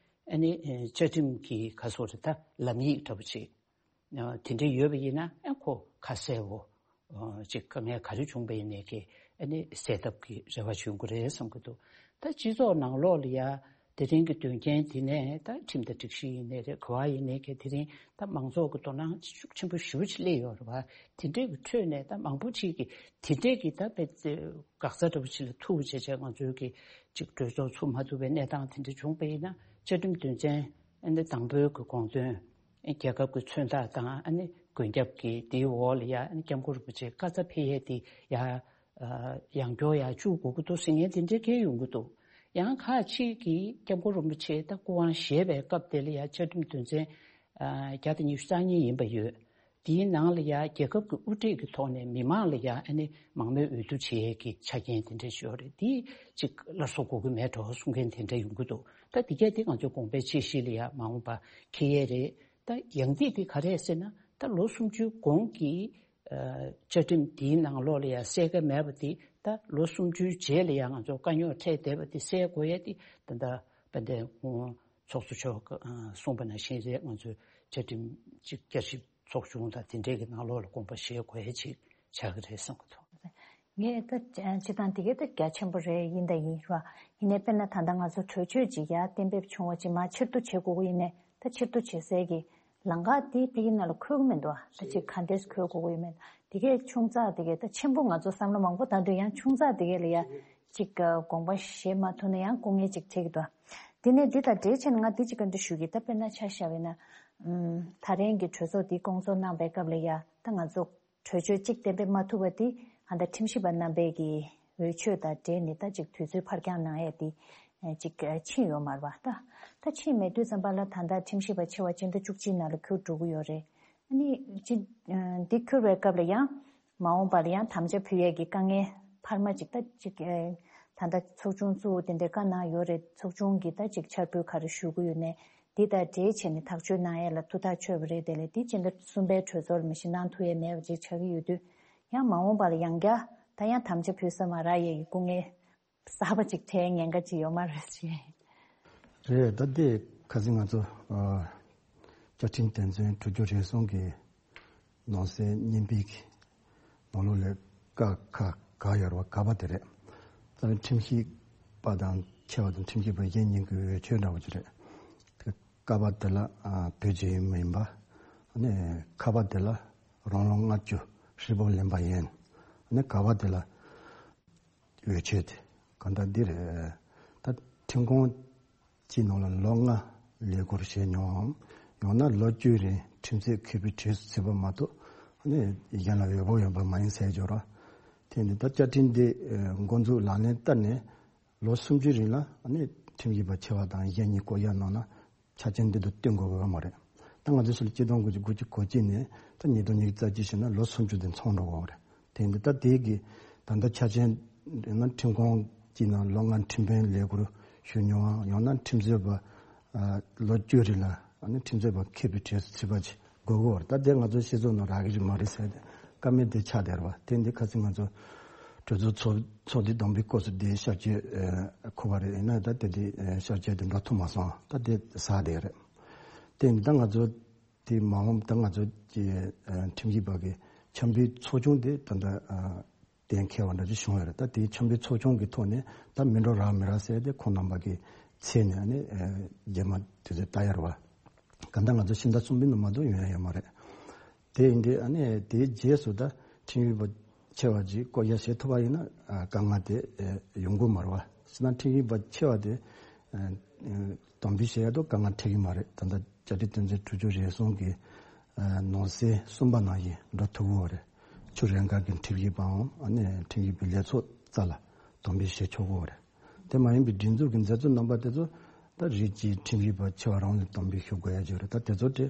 ཨ་ནི་ཨེ་བཅའ་ཁྲིམས་ཀྱི་ག་སོ་རེད། ད་ལམ་ཡིག་འདྲ་པོ་ཅིག་ཨ་དེ་འདྲ་ཡོད་པ་ཡིན་ན་ཨ་ཁོ་ཁ་གསལ་བོ་ཨ་ཅིག་དཀའ་ངལ་ག་རེ་བྱུང་པ་ཡིན་ནའི་གི་ཨ་ནི་སེལ་ཐབས་ཀྱི་རེ་བ་བྱུང་གི་རེད་བསམ་གྱི་འདུག་ད་སྤྱི་ཚོགས་ནང་ལོགས་ལ་ཡ་དེ་རིང་གི་དོན་རྐྱེན་དེ་ནས་ད་ཁྲིམས་དང་སྒྲིག་གཞི་ཡིན་ནའི་རེད། ག་བ་ཡིན་ནའི་གི་དེ་རིང་ད་མང་ཚོགས་ཀྱི་དོ་སྣང་ཤུགས་ཆེན་པོ་ཞེ་པོ་ཅིག་སླེབས་ཡོད་རེད་བ། དེ་འདྲའི་གི་ཁྲོད་ནས་ད་མང་པོ་ཅིག་གིས་དེ་འདྲའི་གི་ད་དཔེ་དགག་རྩ་འདྲ་པོ་ཅིག་ལ་ཐུག་བྱས་བྱས་ང་ཚོའི་གི་ཅིག་གྲོས་ཚོགས་ཚུགས་མ་ཐུབ་པའི་གནས་སྟངས་དེ་འདྲ་བྱུང་པ་ཡིན་ན་བཅའ་ཁྲིམས་དོན་ཚན་ཨ་ནི་དང་པོའི་གི་དགོངས་དོན་རྒྱལ་ཁབ་ཀྱི་མཚོན་རྟགས་དང་ཨ་ནི་མགོན་སྐྱབས་ཀྱི་དེའི་འོག་ལ་ཡ་ཨ་ནི་སྐྱབས་མགོན་རིན་པོ་ཆེ་བཀའ་སྩལ་ཕེབས་ཡས་དེ་ཡ་ཡང་སྐྱར་ཡ་བཅུག་དགོས་ཀྱི་འདུག་ཟེར་མཁན་དེ་འདྲའི་སྐད་ཡོང་གི་འདུག་ཡང་ཁག་ཅིག་གིས་སྐྱབས་མགོན་རིན་པོ་ཆེ་ད་སྐུ་དབང་བཞེས་པའི་སྐབས་དེ་ལ་ཡ་བཅའ་ཁྲིམས་དོན་ཚན་བརྒྱ་དང་ཉི་ཤུ་རྩ་གཉིས་ཡིན་པ་ཡོད། དེའི་ནང་ལ་ཡ་རྒྱལ་ཁབ་ཀྱི་དབུ་ཁྲིད་ཀྱི་ཐོག་ནས་མི་མང་ལ་ཡ་ཨ་ནི་མང་མོས་འོས་བསྡུ་བྱེད་ཡས་ཀྱི་ཆ་རྐྱེན་དེ་འདྲ་ཞིག་ཡོད་རེད། དེ་ཅིག་སླར་གསོ་དགོས་ཀྱི་མེད་འགྲོ་གསུང་མཁན་དེ་འདྲ་ཡོང་གི་འདུག་ད་དེ་གས་དེ་ང་ཚོའི་དགོངས་པའི་དཔྱད་གཞི་ལ་ཡ་མ་འོངས་པ་འཁེལ་ཡས་རེད། ད་ཡང་སྡིག་དེ་ག་རེད་ཟེར་ན་ད་ལོ་སུམ་ཅུའི་གོང་གི་ཨ་བཅའ་ཁྲིམས་དེའི་ནང་ལོགས་ལ་ཡ་གསལ་ཁ་མེད་པ་དེ་ད་ལོ་སུམ་ཅུའི་རྗེས་ལ་ཡ་ང་ཚོ་དཀའ་རྙོག་འཕྲད་བསྡད་པ་དེ་སེལ་དགོས་ཡས་དེ་ད་ལྟ་དཔལ་ལྡན་སྐུ་ངོ་ཚོགས་གཙོ་མཆོག་གིས་ཨ་གསུངས་པ་ནང་བཞིན་རེད། ང་ཚོས་བཅའ་ཁྲིམས་ཅིག་བསྐྱར་ཞིབ་ཚོགས་ཆུང་དང་དེ་འདྲས་ཀྱི་ནང་ལོགས་ལ་དགོངས་པ་བཞེས་དགོས་ཡས་ཅིག་ཆགས་ཀྱི་རེད་བསམ་གྱི་འདུག་ངས་ད་སྤྱིར་བཏང་དེ་གས་ད་རྒྱ་ཆེན་པོ་རེད་ཡིན་ད་ཡིན་ར། ཡིན་ནའི་དཔེར་ན་ད་ལྟ་ང་ཚོ་གྲོས་ཆོད་ཅིག་ཡར་གཏན་འབེབས་བྱུང་བ་ཅིག་མར་ཕྱིར་བསྡུ་བྱེད་དགོས་ཀྱི་ཡིན་ནའི་ད་ཕྱིར་བསྡུ་བྱེད་སའི་གི་ལམ་ཁ་དེ་ཕ་གི་ནང་ལ་འཁོད་ཀྱི་མི་འདུག་ད་ཅིག་ག་འདྲས་འཁོད་དགོས་ཀྱི་ཡོད་མེད་དེ་གས་ཆུང་ཙག་དེ་གས་ད་ཆེན་པོ་ང་ཚོ་བསམ་བློ་མང་པོ་བཏང་དུས་ཡང་ཆུང་ཙག་དེ་གས་ལ་ཡ་ཅིག་དགོངས་པ་བཞེས་མ་ཐུབ་ན་ཡང་སྐུ་ངལ་ཅིག་འཕྲད་ཀྱི་འདུག་དེ་ནས་འདི་དང་འབྲེལ་བྱས་ནས་ང་འདི་ཅིག་ག་འདྲ་ཞུ་གི་ད་དཔེར་ན་ཆ་བཞག་པ་ཡིན་ན་ད་རིང་གི་གྲོས་ཚོགས་འདི་སྐོང་ཚོགས་གནང་པའི་སྐབས་ལ་ཡ་ད་ང་ཚོ་གྲོས་ཆོད་གཅིག་གཏན་འབེབས་མ་ཐུབ་པ་དེ་ཨ་ད་ཁྲིམས་ཞིབ་པ་རྣམ་པས་ཀྱི་འོས་ཆོས་དང་འབྲེལ་ནས་ད་ཅིག་དུས་ཚོད་ཕར་འགྱངས་གནང་ཡས་དེ་ ཅིག་ཕྱིན་ཡོད་མ་རེད་པ། ད་ད་ཕྱིན་མེད་དུས་ཙམ་པ་ལ་ད་ལྟ་ཁྲིམས་ཞིབ་པ་ཆེ་བ་སྤྱི་ཟླ་བཅུ་གཅིག་ནང་ལ་འཁྱུར་འགྲོ་གི་ཡོད་རེད། ཨ་ནི་ཅི་འདི་འཁྱུར་བའི་སྐབས་ལ་ཡང་མ་འོངས་པ་ལ་ཡང་དམ་བཅའ་ཕུལ་ཡས་ཀྱི་དཀའ་ངལ་འཕར་མ་ཅིག་ད་ཅིག་ད་ལྟ་ཚོགས་ཆུང་བཙུགས་དེ་འདྲའི་བཀའ་གནང་ཡོད་རེད། ཚོགས་ཆུང་གིས་ད་ཅིག་འཆར་འབུལ་ག་རེ་ཞུ་གི་ཡོད་ནས་འདི་དང་འབྲེལ་བྱས་ནས་ཐག་གཅོད་གནང་ཡས་ལ་ཐུགས་ཐག་ཆོད་པ་རེད། དེ་ལས་འདི་སྤྱི་ཟླ་གསུམ་པའི་གྲོས་ཚོགས་ལ་མ་གཞི་གནང་ཐུབ་ཡས་མེད་པ་ཅིག་ཆགས་ཀྱི་ཡོད་དུས་ཡང་མ་འོངས་པ་ལ་ཡང་བསྐྱར་ད་ཡང་དམ་བཅའ་ཕུལ་ས་མ་རག་ཡས་ཀྱི་སྐུ་ངལ་གསར་པ་ཅིག་འཕྲད་ཉེན་ཁ་ཅིག་ཡོད་མ་རེད་ཅེས། རེད། ད་ལྟའི་ཁ་སང་ང་ཚོ་ཨ་བཅའ་ཁྲིམས་དོན་ཚན་དྲུག་ཅུ་རེ་གསུམ་གྱི་ནང་གསེས་གཉིས་པའི་གི་ནང་ལོགས་ལ་ཀ་ཁ་ག་ཡོད་རེད་པ། ག་པ་དེ་རེད། རྩ་བའི་ཁྲིམས་ཞིབ་པ་དང་ཆེ་བ་དང་ཁྲིམས་ཞིབ་པ་གཞན་གཉིས་ཀྱི་འོས་ཆོས་འདྲ་བོ་ཅིག་རེད། དེ་ཀ་པ་དེ་ལ་ཨ་བོད་ཀྱི་ཡུལ་མི་ཡིན་པ། ཨ་ནི་ཁ་པ་དེ་ལ་རང་ལོ་ལྔ་བཅུ་ཧྲིལ་པོ་ལོན་པ་ཡིན། ཨ་ནི་ག་པ་དེ་ལ་འོས་ཆོས་དེ་གང་ལྟར་འདི་རེད། ད་ཁྲིམས་ཁང་གཅིག་ནང་ལ་ལོ་ལྔ་ལས་ཀ་བྱས་མྱོང་ངམ། ཡང་ན་ལོ་བཅུའི་རིང་ཁྲིམས་རྩོད་མཁས་པའི་གྲས་སུ་ཚུད་པ་མ་གཏོགས་ཨ་ནི་གཞན་ལ་འོས་པ་ཡོད་པ་མ་ཡིན་ཟེར་ཡོད་རེད། དེ་ནི་ད་བཅའ་ཁྲིམས་འདི་འགོ་འཛུགས་ལག་ལེན་བསྟར་ནས་ལོ་སུམ་ཅུའི་རིང་ལ་ཨ་ནི་ཁྲིམས་ཞིབ་པ་ཆེ་བ་དང་གཞན་གཉིས་བསྐོ་གཞག་གནང་ན་ཆ་རྐྱེན་འདི་དག་བསྟུན་དགོས་པ་མ་རེད། ད་ང་ཚོའི་སྲོལ་ཆིག་སྟོང་དགུ་བརྒྱ་དགུ་བཅུ་གོ་གཅིག་ནས་ད་ཉིས་སྟོང་ཉི་ཤུ་རྩ་གཅིག་བྱས་ན་ལོ་སུམ་ཅུ་དེ་ཚང་འགྲོ་དགོས་པ་རེད། དེ་འདི་ད་དེ་གི་ད་ལྟ་ཆ་རྐྱེན་ན་ཁྲིམས་ཁང་གཅིག་ནང་ལོ་ལྔ་ཁྲིམས་དཔོན་ལས་ཁུར་ཞུ་མྱོང་བ། ཡང་ན་ཁྲིམས་རྩོད་པ་ལོ་བཅུ་རིང་ལ་ཨ་ནི་ཁྲིམས་རྩོད་པ་མཁས་པའི་གྲས་སུ་ཚུད་པ་ཅིག་དགོས་ཀྱི་ཡོད་རེད། ད་དེ་ང་ཚོའི་སྤྱི་ཚོགས་ནང་རག་གི་རེད་མ་རེད་ཟེར་ཏེ་བཀའ་མོལ་དེ་ཆགས་བསྡད་རེད་པ། དེ་འདི་ཁ་སང་ང་ཚོ་གྲོས་ཚོགས་ཚོགས་ཚོགས་འདུ་དང་པོའི་སྐབས་སུ་དེ་བསྐྱར་བཅོས་ཨ་འཁོར་བ་རེད། ཡིན་ན་ད་དེ་དེ་ཨ་བསྐྱར་བཅོས་དེ་འགྲོ་ཐུབ་མ་སོང་། ད་དེ་ཟག་བསྡད་རེད། དེ་འདི་ད་ང་ཚོ་དེ་མ་འོངས་ད་ང་ཚོ་གི་ཨ་ཁྲིམས་ཞིབ་པ་གི་འཆམ་མཐུན་ཚོགས་ཆུང་དེ་ད་ལྟ་ཨ་གཏན་འཁེལ་བ་འདྲ་ཅིག་བྱུང་ཡོད་རེད། ད་དེའི་འཆམ་མཐུན་ཚོགས་ཆུང་གི་ཐོག་ནས་ད་མི་འགྲོ་རག་མི་རག་ཟེར་ཏེ་ཁོང་རྣམ་པ་གི་ཚད་ནས་ཨ་ནི་ཨ་རྗེས་མ་དུས་ཚོད་ལྟ་ཡ་རེད་པ། གང་ལྟར་ང་ཚོ་ཕྱི་ཟླ་གསུམ་པའི་ནང་མ་གཏོགས་ཡོང་ཡ་ཡོད་མ་རེད། དེ་ཡིན་དུས་ཨ་ནི་དེའི་རྗེས་སུ་ད་ཁྲིམས་ཞིབ་པ་ཆེ་བ་ཅིག་བསྐོ་གཞག་བྱེད་ཐུབ་པ་ཡིན་ན་ཨ་དཀའ་ངལ་དེ་ཨ་ཡོང་གི་མ་རེད་པ། ཕྱི་ནང་ཁྲིམས་ཞིབ་པ་ཆེ་བ་དེ་ཨ་དམ་འབུལ་བྱེད་ཡ་དུ་དཀའ་ངལ་འཕྲད་ཀྱི་མ་རེད། ད་ལྟ་བཅའ་ཁྲིམས་དོན་ཚན་དྲུག་ཅུ་རེ་གསུམ་གྱི་ཨ་ནང་གསེས་གསུམ་པ་ནང་བཞིན་འགྲོ་ཐུབ་ཀྱི་ཡོད་རེད། ཆུ་རན་ཁ་གི་ཁྲིམས་ཞིབ་པའམ་ཨ་ནི་ཁྲིམས་ཞིབ་པའི་ལས་ཚོགས་རྩ་ལ་དམ་འབུལ་བྱེད་ཆོག་གི་ཡོད་རེད། དེ་མ་ཡིན་པའི་སྒྲིག་འཛུགས་ཀྱི་མཛད་གཙོ་རྣམ་པ་དེ་ཚོ་ད་རིགས་གཅིག་ཁྲིམས་ཞིབ་པ་ཆེ་བ་རང་ལ་དམ་འབུལ་ཞུ་དགོས་ཡ་ཅིག་རེད། ད་དེ་ཚོ་དེ་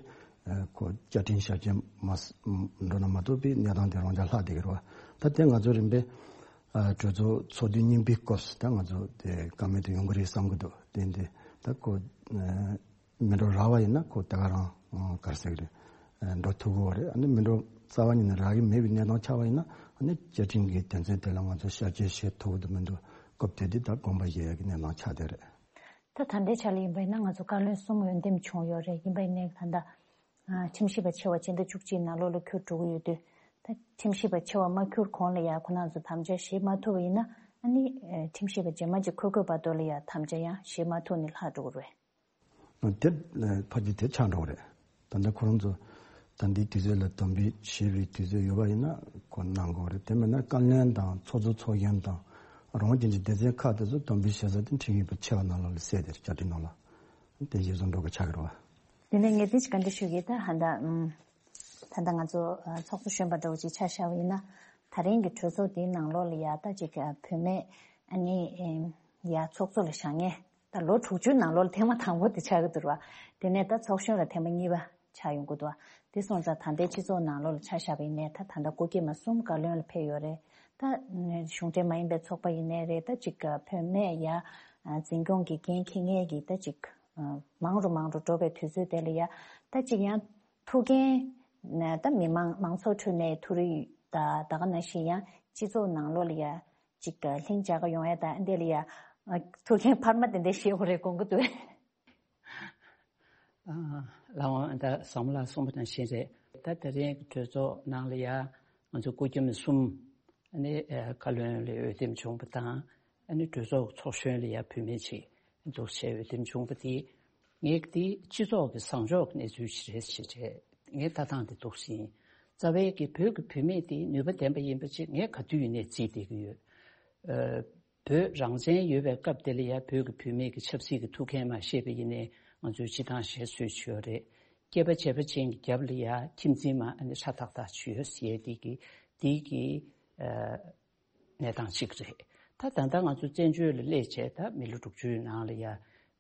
ཁོ་བཅའ་ཁྲིམས་ཞབས་ཕྱི་མ་འགྲོ་ན་མ་གཏོགས་པའི་གནས་སྟངས་དེ་རང་ཅག་ལྷག་བསྡད་ཀྱི་རེད་པ། ད་དེ་ང་ཚོ་རིམ་པས་གྲོས་ཚོགས་ཚོགས་དུས་རྙིང་པའི་སྐབས་སུ་ད་ང་ཚོ་དེ་བཀའ་མོལ་དེ་ཡོང་གི་རེད་བསམ་གྱི་འདུག་དེ་འདི་ད་ཁོ་མི་འགྲོ་རག་པ་ཡིན་ན་ཁོ་ད་ག་རང་ག་རེ་ཟེར་གི་རེད། འགྲོ་ཐུབ་ཀྱི་ཡོད་རེད། ཨ་ནི་མི་འགྲོ་རྩ་བ་ཉིད་ནས་རག་གི་མེད་པའི་གནས་སྟངས་ཆགས་པ་ཡིན་ན་ཨ་ནི་བཅའ་ཁྲིམས་ཀྱི་དོན་ཚན་དེ་ལ་ང་ཚོ་བསྐྱར་བཅོས་བྱེད་ཐུབ་ཀྱི་མི་འདུག་སྐབས་དེ་དུས་ད་དགོངས་པ་བཞེས་ཡག་གི་གནས་སྟངས་ཆགས་བསྡད་རེད། ད་ད་ལྟའི་ཆ་ལ་ཡིན་པ་ཡིན་ན་ང་ཚོ་བཀའ་བློན་གསུམ་འོས་འདེམས་བྱུང་ཡོད་རེད། ཡིན་པ་ཡིན་ནའི་ད་ལྟ་ཁྲིམས་ཞིབ་པ་ཆེ་བ་སྤྱི་ཟླ་བཅུ་གཅིག་ནང་ལོགས་ལ་འཁྱུར་འགྲོ་གི་ཡོད་དུས་ད་ཁྲིམས་ཞིབ་པ་ཆེ་བ་མ་འཁྱུར་གོང་ལ་ཡ་ཁོ་རང་ཚོ་དམ་བཅའ་བཞེས་མ་ཐུབ་པ་ཡིན་ན་ཨ་ནི་ཁྲིམས་ཞིབ་པ་རྗེས་མ་ཅིག་འཁོད་དགོས་བར་དུ་ལ་ཡ་དམ་བཅའ་ཡང་བཞེས་མ་ཐུབ་ནས་ལྷག་འགྲོ་གི་རེད། དེ་ཕལ་ཆེར་དེ་ཆགས་འགྲོ་གི་རེད། ད་ལྟ་ཁོ་རང་ཚོ་ད་འདིའི་དུས་ཚོད་ལ་དམ་འབུལ་བྱེད་པའི་དུས་ཚོད་ཡོད་པ་ཡིན་ན་ཁོ་གནང་དགོས་རེད། དེ་མིན་ན་བཀའ་བློན་དང་ཚོགས་གཙོ་ཚོགས་གཞོན་དང་རང་དབང་ཅན་གྱི་སྡེ་ཚན་ཁག་དེ་ཚོ་དམ་འབུལ་བྱེད་ས་དེ་ཁྲིམས་ཞིབ་པ་ཆེ་བ་ནང་ལོགས་ལ་གསལ་དེ་རེད། བཅའ་ཁྲིམས་ནང་ལ་དེ་གཞིར་བཟུང་འགྲོ་དགོས་ཆགས་ཀྱི་རེད་བ། དེ་ནས་ངས་འདི་ཅིག་བཀའ་འདྲི་ཞུ་གི། ད་ཧ་ད་ཨམ། ད་ལྟ་ང་ཚོ་ཨ་ཚོགས་གཙོ་གཞོན་པ་འདྲ་བོ་ཅིག་ཆ་བཞག་པ་ཡིན་ན་ད་རིང་གི་གྲོས་ཚོགས་འདིའི་ནང་ལོགས་ལ་ཡ་ད་ཅིག་ཨ་བུད་མེད་ཨ་ནི་ཨེམ་ཡ་ཚོགས་གཙོ་ལ་བཞེངས་མཁན་ད་ལོ་དྲུག་ཅུའི་ནང་ལོགས་ལ་ཐེངས་མ་དང་པོ་དེ་ཆགས་ཀྱི་འདུག་ར། དེ་ནས་ད་ཚོགས་གཞོན་ལ་ཐེངས་མ་གཉིས་པ་ཆགས་ཡོང་གི་འདུག་དེ་སོང་ཙང་ད་ལྟའི་སྤྱི་ཚོགས་ནང་ལོགས་ལ་ཆ་བཞག་པ་ཡིན་ནའི་ད་ད་ལྟ་སྐུ་སྐྱེས་མ་གསུམ་བཀའ་བློན་ལ་ཕེབས་ཡོད་རེད། ད་གཞུང་འབྲེལ་མ་ཡིན་པའི་ཚོགས་པ་ཡིན་ནའི་རེད། ད་ཅིག་བུད་མེད་ཡ་འཛིན་སྐྱོང་གི་འགན་འཁྱེར་མཁན་གྱི་ད་ཅིག་མང་རུ་མང་རུ་འགྲོ་བའི་དུས་ཚོད་དེ་ལ་ཡ་ད་ཅིག་ཡང་ཐུགས་འགན་ད་མི་མང་མང་ཚོགས་ཁྲོད་ནས་ཐུགས་རེ་ད་ད་ག་ནང་བཞིན་ཡང་སྤྱི་ཚོགས་ནང་ལོགས་ལ་ཡ་ཅིག་ལྷིང་འཇགས་ཀ་ཡོང་ཡ་ད་འདི་ལ་ཡ་ཐུགས་འགན་འཕར་མ་དེ་འདྲ་བཞེས་དགོས་རེད་དགོངས་ཀྱི་འདུག་ལགས་འོང་། ད་བསམ་བློ་གསུངས་པ་དང་བཞིན་རེད། ད་དེ་རིང་གི་གྲོས་ཚོགས་ནང་ལ་ཡ་ང་ཚོ་སྐུ་མཁྱེན་གསུམ་ཨ་ནི་བཀའ་བློན་ལ་འོས་འདེམས་བྱུང་བ་དང་ཨ་ནི་གྲོས་ཚོགས་ཚོགས་གཞོན་ལ་ཡ་བུད་མེད་ཅིག་འདུག་བྱས་འོས་འདེམས་བྱུང་བ་དེ་ངས་དེ་སྤྱི་ཚོགས་ཀྱི་བཟང་ཕྱོགས་ཀྱི་གནས་ཚུལ་ཞིག་རེད་ཞེས་བྱས་ངས་ལྟ་སྟངས་དེ་འདུག་ཟིན། རྩ་བའི་གི་བོད་ཀྱི་བུད་མེད་དེ་ནུས་པ་ལྡན་པ་ཡིན་པ་ཅིག་ངས་ག་དུས་ཡིན་ནའི་བརྩིས་བསྡད་ཀྱི་ཡོད། བོད་རང་བཙན་ཡོད་པའི་སྐབས་དེ་ལ་ཡ་བོད་ཀྱི་བུད་མེད་ཀྱི་ཆབ་སྲིད་ཀྱི་ཐུགས་འགན་མ་བཞེས་པ་ཡིན་ནའི་ང་ཚོའི་སྤྱི་བཏང་བཞེས་སྲོལ་ཅིག་ཡོད་རེད། སྐྱེས་པ་བྱས་པ་ཅན་གྱི་རྒྱབ་ལ་ཡ་ཁྱིམ་འཛིན་མ་ཨ་ནི་ཧྲ་ཐག་ཐག་ཅིག་ཡོད་ཟེར་ཡས་དེ་གི་དེ་གི་ཨ་གནས་སྟངས་གཅིག་རེད། ད་ད་ལྟ་ང་ཚོ་བཙན་བྱོལ་ལ་སླེབས་བྱས་ད་མི་ལོ་དྲུག་ཅུའི་ནང་ལ་ཡ་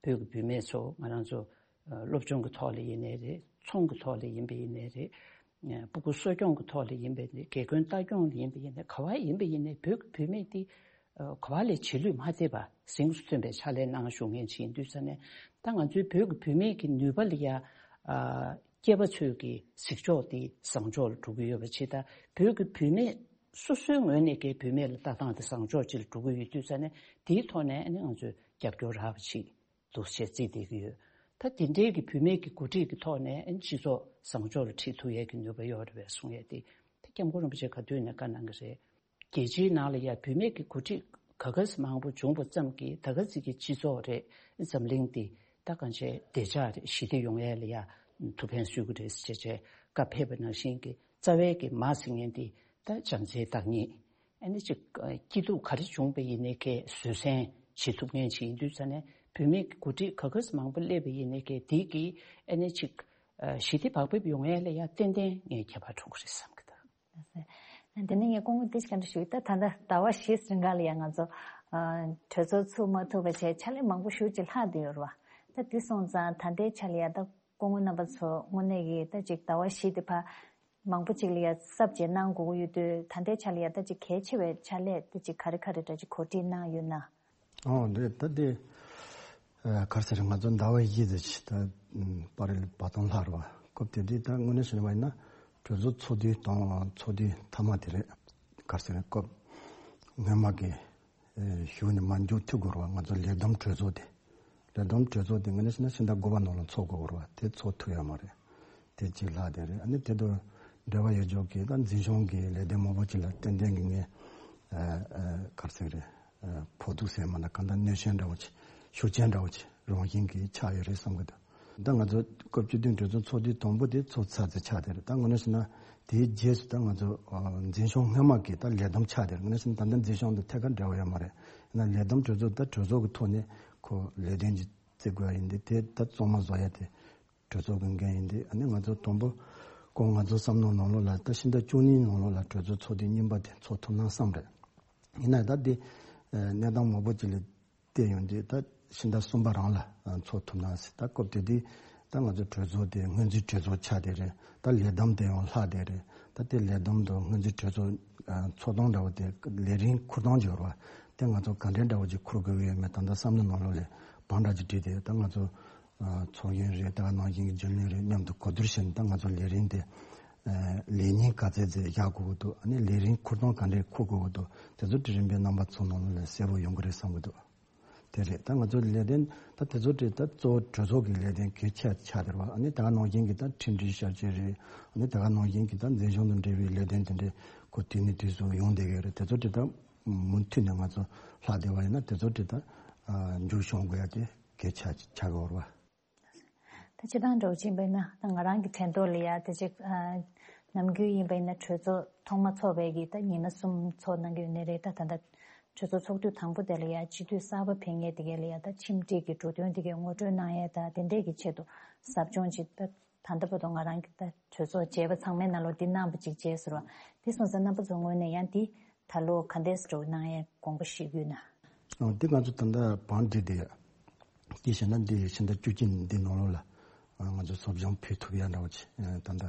བོད་ཀྱི་བུད་མེད་ཚོ་ང་རང་ཚོ་སློབ་སྦྱོང་གི་ཐོག་ལ་ཡིན་ནའི་རེད། ཚོང་གི་ཐོག་ལ་ཡིན་པ་ཡིན་ནའི་རེད། སྤུ་གུ་གསོ་སྐྱོང་གི་ཐོག་ལ་ཡིན་པ་ཡིན་ནའི་དགེ་རྒན་ལྟ་སྐྱོང་ལ་ཡིན་པ་ཡིན་ནའི་ག་བ་ཡིན་པ་ཡིན་ནའི་བོད་ཀྱི་བུད་མེད་དེ་ག་བ་ལས་རྗེས་ལུས་མ་ཐེབས་པ་གཟེངས་སུ་ཐོན་པའི་ཕྱག་ལས་གནང་བཞུགས་མཁན་ཅིག་ཡིན་དུས་ཙ་ནས། ད་ང་ཚོའི་བོད་ཀྱི་བུད་མེད་ཀྱི་ནུས་པ་ལ་ཡ་སྐྱེས་པ་ཚོས་ཀྱི་གཟིགས་ཕྱོགས་དེ་བཟང་ཕྱོགས་ལ་འགྲོ་གི་ཡོད་པ་ཅིག་དང་། བོད་ཀྱི་བུད་མེད་སོ་སོའི་ངོས་ནས་ཀྱི་བུད་མེད་ལ་ལྟ་སྟངས་དེ་བཟང་ཕྱོགས་ཅིག་ལ་འགྲོ་གི་ཡོད་དུས་ཙ་ནས། དེའི་ཐོག་ནས་ཨ་ནི་ང་ཚོས་རྒྱབ་སྐྱོར་རག་པ་ཅིག་འདུག་ཅེས་བརྩིས་བསྡད་ཀྱི་ཡོད། ད་དེ་འདྲའི་གི་བུད་མེད་ཀྱི་འགོ་ཁྲིད་ཀྱི་ཐོག་ནས་ཨ་ནི་སྤྱི་ཚོགས་བཟང་ཕྱོགས་ལ་ཁྲིད་ཐུབ་ཡས་ཀྱི་ནུས་པ་ཡོད་རེད་པས་གསུང་ཡས་དེ། དེ་སྐྱབས་མགོན་རིན་པོ་ཆེ་ག་དུས་ནས་བཀའ་གནང་གི་རེད། རྒྱལ་སྤྱིའི་ནང་ལ་ཡ་བུད་མེད་ཀྱི་འགོ་ཁྲིད་ག་ག་ས་མང་པོ་བྱུང་བ་ཙམ་གྱིས་ད་ག་ཚོད་ཀྱི་སྤྱི་ཚོགས་རེད། འཛམ་གླིང་འདི་ད་གང་ཆེ་བདེ་འཇགས་རེད། ཞི་བདེ་ཡོང་ཡས་ལ་ཡ་ཐུགས་ཕན་གསོས་ཀྱི་རེད་ཟེར་བྱས་བྱས་བཀའ་ཕེབས་པ་ནང་བཞིན་གྱི་རྩ་བའི་གི་མ་ཟེར་མཁན་འདི་ད་བྱམས་བརྩེའི་བདག་ཉིད། ཨ་ནི་ཅིག་སྐྱིད་སྡུག་ག་རེ་བྱུང་པ་ཡིན་ནའི་ཀྱི་བཟོད་བསྲན་བྱེད་ཐུབ་མཁན་ཅིག་ཡིན་དུས་ཙ་ནས། བུད་མེད་ཀྱི་འགོ་ཁྲིད་ག་ག་ས་མང་པོ་སླེབས་པ་ཡིན་ནའི་ཀྱི་དེ་གི་ཨ་ནི་ཅིག་ཞི་བདེ་བག་ཕེབས་ཡོང་ཡས་ལ་ཡ་ཏན་ཏན་ངས་ཁྱད་པར་འཕྲོག་གི་རེད་བསམ་གི་འདུག། དེ་ནས་ངས་སྐུ་ངོ་ཏིས་ཀ་འདྲ་ཞུ། ད་ད་ལྟ་ཟླ་བ་བཞི་རིང་ག་ལ་ཡང་ང་ཚོ་གྲོས་ཚོགས་ཚུགས་མ་ཐུབ་པ་བྱས་ཕྱག་ལས་མང་པོ་ཞེ་ཅིག་ལྷག་བསྡད་ཡོད་རེད་བ། ད་དེ་སོང་ཙང་ད་ལྟའི་ཆ་ལ་ཡ་ད་སྐུ་ངོ་རྣམ་པ་ཚོ་དངོས་གནས་ཀྱི་ད་ཅིག་ཟླ་བ་བཞི་དེ་ཕར་མང་པོ་ཅིག་ལ་ཡ་གསབ་བྱས་གནང་དགོས་ཀྱི་ཡོད་དུས། ད་ལྟའི་ཆ་ལ་ཡ་ད་ཅིག་གལ་ཆེ་བའི་ཕྱག་ལས་ད་ཅིག་ག་རེ་ག་རེ་འདྲ་ཅིག་གོ་སྒྲིག་གནང་ཡོད་ན། ཨོ་འདི་ད་དེ་ག་རེ་ཟེར། ང་ཚོ་ཟླ་བ་བཞི་ཙམ་ཅིག་ད་པར་རིས་བར་སྟོང་ལྷག་རེད་བ། སྐབས་དེ་དུས་ད་དངོས་གནས་བྱས་པ་ཡིན་ན་གྲོས་ཚོགས་ཚོགས་དུས་དང་ཚོགས་དུས་མཐའ་མ་དེ་རེད། ག་རེ་ཟེར། སྐབས་སྔོན་མ་གི་གཞུག་ནས་མ་མཇུག་མཐུད་དགོས་རེད་བ། ང་ཚོ་ལས་བསྡོམས་གྲོས་ཚོགས་དེ། ལས་བསྡོམས་གྲོས་ཚོགས་དེ་དངོས་གནས་བྱས་ན་ཕྱི་ཟླ་དགུ་པ་ནང་ལ་ཚོགས་དགོས་རེད་བ། དེ་ཚོགས་ཐུབ་ཡོད་མ་རེད། དེ་གཅིག་ལྷག་དེ་རེད། ཨ་ནི་དེ་དང་འབྲེལ་བ་ཡོད་ཆོག་གི་ད་འཛིན་སྐྱོང་གི་ལས་དོན་མང་པོ་ཅིག་ལ་ཏན་ཏན་གྱི་ངས་ག་རེ་ཟེར་རེད། ཕོག་ཐུག་ཟེར་མ་ན་གང་ལྟར་གནོད་སྐྱོན་འདྲ་བོ་ཅིག་ཤུགས་རྐྱེན་འདྲ་བོ་ཅིག་རང་བཞིན་གྱིས་ཆགས་ཡོད་རེད་བསམ་གི་འདུག། ད་ང་ཚོ་སྐབས་བཅུ་བདུན་གྲོས་ཚོགས་ཚོགས་དུས་དང་པོ་དེ་ཚོགས་ཚར་ཚར་ཆགས་དེ་རེད། ད་དངོས་གནས་བྱས་ན་དེའི་རྗེས་སུ་ད་ང་ཚོ་འཛིན་སྐྱོང་སྔོན་མ་གི་ད་ལས་བསྡོམས་ཆགས་དེ་རེད། དངོས་གནས་བྱས་ན་ད་ལྟ་འཛིན་སྐྱོང་དང་ཐད་ཀར་འབྲེལ་བ་ཡོད་མ་རེད། ཡིན་ན་ལས་བསྡོམས་གྲོས་ཚོགས་ད་གྲོས་ཚོགས་ཀྱི་ཐོག་ནས་ཁོ་ལས་དོན་གྱི་བརྩི་དགོས་ཡ་ཡིན་དེ། དེ་ད་གཙང་མ་བཟོ་ཡ་དེ་གྲོས་ཚོགས་ཀྱི་འགན་ཡིན་དེ། ཨ་ནི་ང་ཚོ་དང་པོ་ཁོ་ང་ཚོ་བསམ་བློ་ནང་ལོགས་ལ་ད་ཕྱི་ཟླ་བཅུ་གཉིས་ནང་ལོགས་ལ་གྲོས་ཚོགས་ཚོགས་དུས་གཉིས་པ་དེ་ཚོགས་ཐུབ་ན་བསམ་རེད། ཡིན་ན་ད་དེ་གནས་སྟངས་མང་པོ་ཅིག་ལ་བལྟས་ཡོང་དུས་ད་ཕྱི་ཟླ་གསུམ་པ་རང་ལ་ཚོགས་ཐུབ་ན་ཟེར། ད་སྐབས་དེ་དུས་ད་ང་ཚོ་གྲོས་ཚོགས་དེ་སྔོན་རྩིས་གྲོས་ཚོགས་ཆགས་དེ་རེད། ད་ལས་བསྡོམས་དེ་ཡང་ལྷག་དེ་རེད། ད་དེ་ལས་བསྡོམས་དང་སྔོན་རྩིས་གྲོས་ཚོགས་ཚོགས་སྟངས་འདྲ་བོ་དེ་ལས་རིམ་འཁུར་སྟངས་ཅིག་ཡོད་རེད་བ། དེ་ང་ཚོ་ག་འདྲའི་འདྲ་བོ་ཅིག་འཁུར་དགོས་ཀྱི་ཡོད་མེད་ད་ལྟ་བསམ་བློ་ནང་ལོགས་ལ་བང་འདྲ་ཅིག་བསྒྲིགས་ཏེ། ད་ང་ཚོ་ཚོགས་ཡོན་རེད། ད་ག་ནང་བཞིན་གྱི་རྒྱུན་ལས་རེད། མཉམ་དུ་གོ་བསྡུར་བྱས་ནས་ད་ང་ཚོ་ལས་རིམ་དེ་ལས་ཉིན་ག་ཚད་ཚད་བཞག་དགོས་ཀྱི་འདུག། ཨ་ནི་ལས་རིམ་འཁུར་སྟངས་ག་འདྲས་འཁུར་དགོས་ཀྱི་འདུག། དེ་ཚོ་དེ་རིམ་པས་རྣམ་པ་ཚོ་ནང་ལོགས་ལ་གསལ་པོ་ཡོང་གི་རེད་བསམ་གྱི་འདུག། དེ་རེད། ད་ང་ཚོ་ལས་དོན་ད་དེ་ཚོ་དེ་ད་གཙོ་བོ་གྲོས་ཚོགས་ཀྱི་ལས་དོན་གལ་ཆེ་ཆགས་བསྡད་རེད་བ། ཨ་ནི་ད་ག་ནང་བཞིན་གྱི་ད་ཁྲིམས་སྒྲིག་ཤར་བསྐྱོད་རེད། ཨ་ནི་ད་ག་ནང་བཞིན་གྱི་ད་འཛིན་སྐྱོང་དང་འབྲེལ་བའི་ལས་དོན་དེ་འདྲས་ཁོ་དུས་ནས་དུས་སུ་ཡོང་བསྡད་ཀྱི་རེད། དེ་ཚོ་དེ་ད་མུ་མཐུད་ནས་ང་ཚོ་ལྷག་བསྡད་པ་ཡིན་ན་དེ་ཚོ་དེ་ད་མཇུག་སྐྱོང་དགོས་ཡ་དེ་གལ་ཆེ་ཆགས་ཀྱི་ཡོད་རེད་བ། ད་སྤྱིར་བཏང་འདྲ་བོ་ཅིག་ཡིན་པ་ཡིན་ན་ད་ང་རང་གི་དྲན་ཐོག་ལ་ཡ་དེ་ཅིག་ནམ་རྒྱུན་ཡིན་པ་ཡིན་ན་གྲོས་ཚོགས་ཐོག་མ་ཚོགས་པའི་གི་ད་ཉི་མ་གསུམ་ཚོགས་གནང་གི་ཡོད་ནི་རེད། ད་ད་ལྟ་གྲོས་ཚོགས་ཚོགས་དུས་དང་པོ་དེ་ལ་ཡ་སྤྱི་འཐུས་གསར་པ་ཕེབས་མཁན་དེ་གས་ལ་ཡ་ད་ཁྲིམས་སྒྲིག་གི་འབྲུ་དོན་དེ་གས་ངོ་སྤྲོད་གནང་ཡས་ད་དེ་འདྲས་ཀྱི་ཆེད་དུ་ཟབ་སྦྱོང་ཅིག་ད་ད་ལྟ་བར་དུ་ང་རང་གི་ད་གྲོས་ཚོགས་མཇལ་བ་ཚང་མའི་ནང་ལོགས་འདི་གནང་བ་ཅིག་མཇལ་ཟེར་བ། དེ་སོང་ཙང་རྣམ་པ་ཚོ་ངོས་ནས་ཡང་འདི་ད་ལོ་ག་འདྲས་འགྲོ་གནང་ཡས་དགོངས་པ་བཞེས་ཀྱི་ཡོད་ན། ཨོ་འདི་ང་ཚོ་ད་ལྟ་བང་སྒྲིག་དེ་ཡ། དེ་བྱས་ན་འདི་ཕྱི་ཟླ་བཅུ་གཅིག་འདི་ནང་ལོགས་ལ་ང་ཚོ་ཟབ་སྦྱོང་ཕུལ་ཐུབ་ཡ་འདྲ་བོ་ཅིག་ད་ལྟ་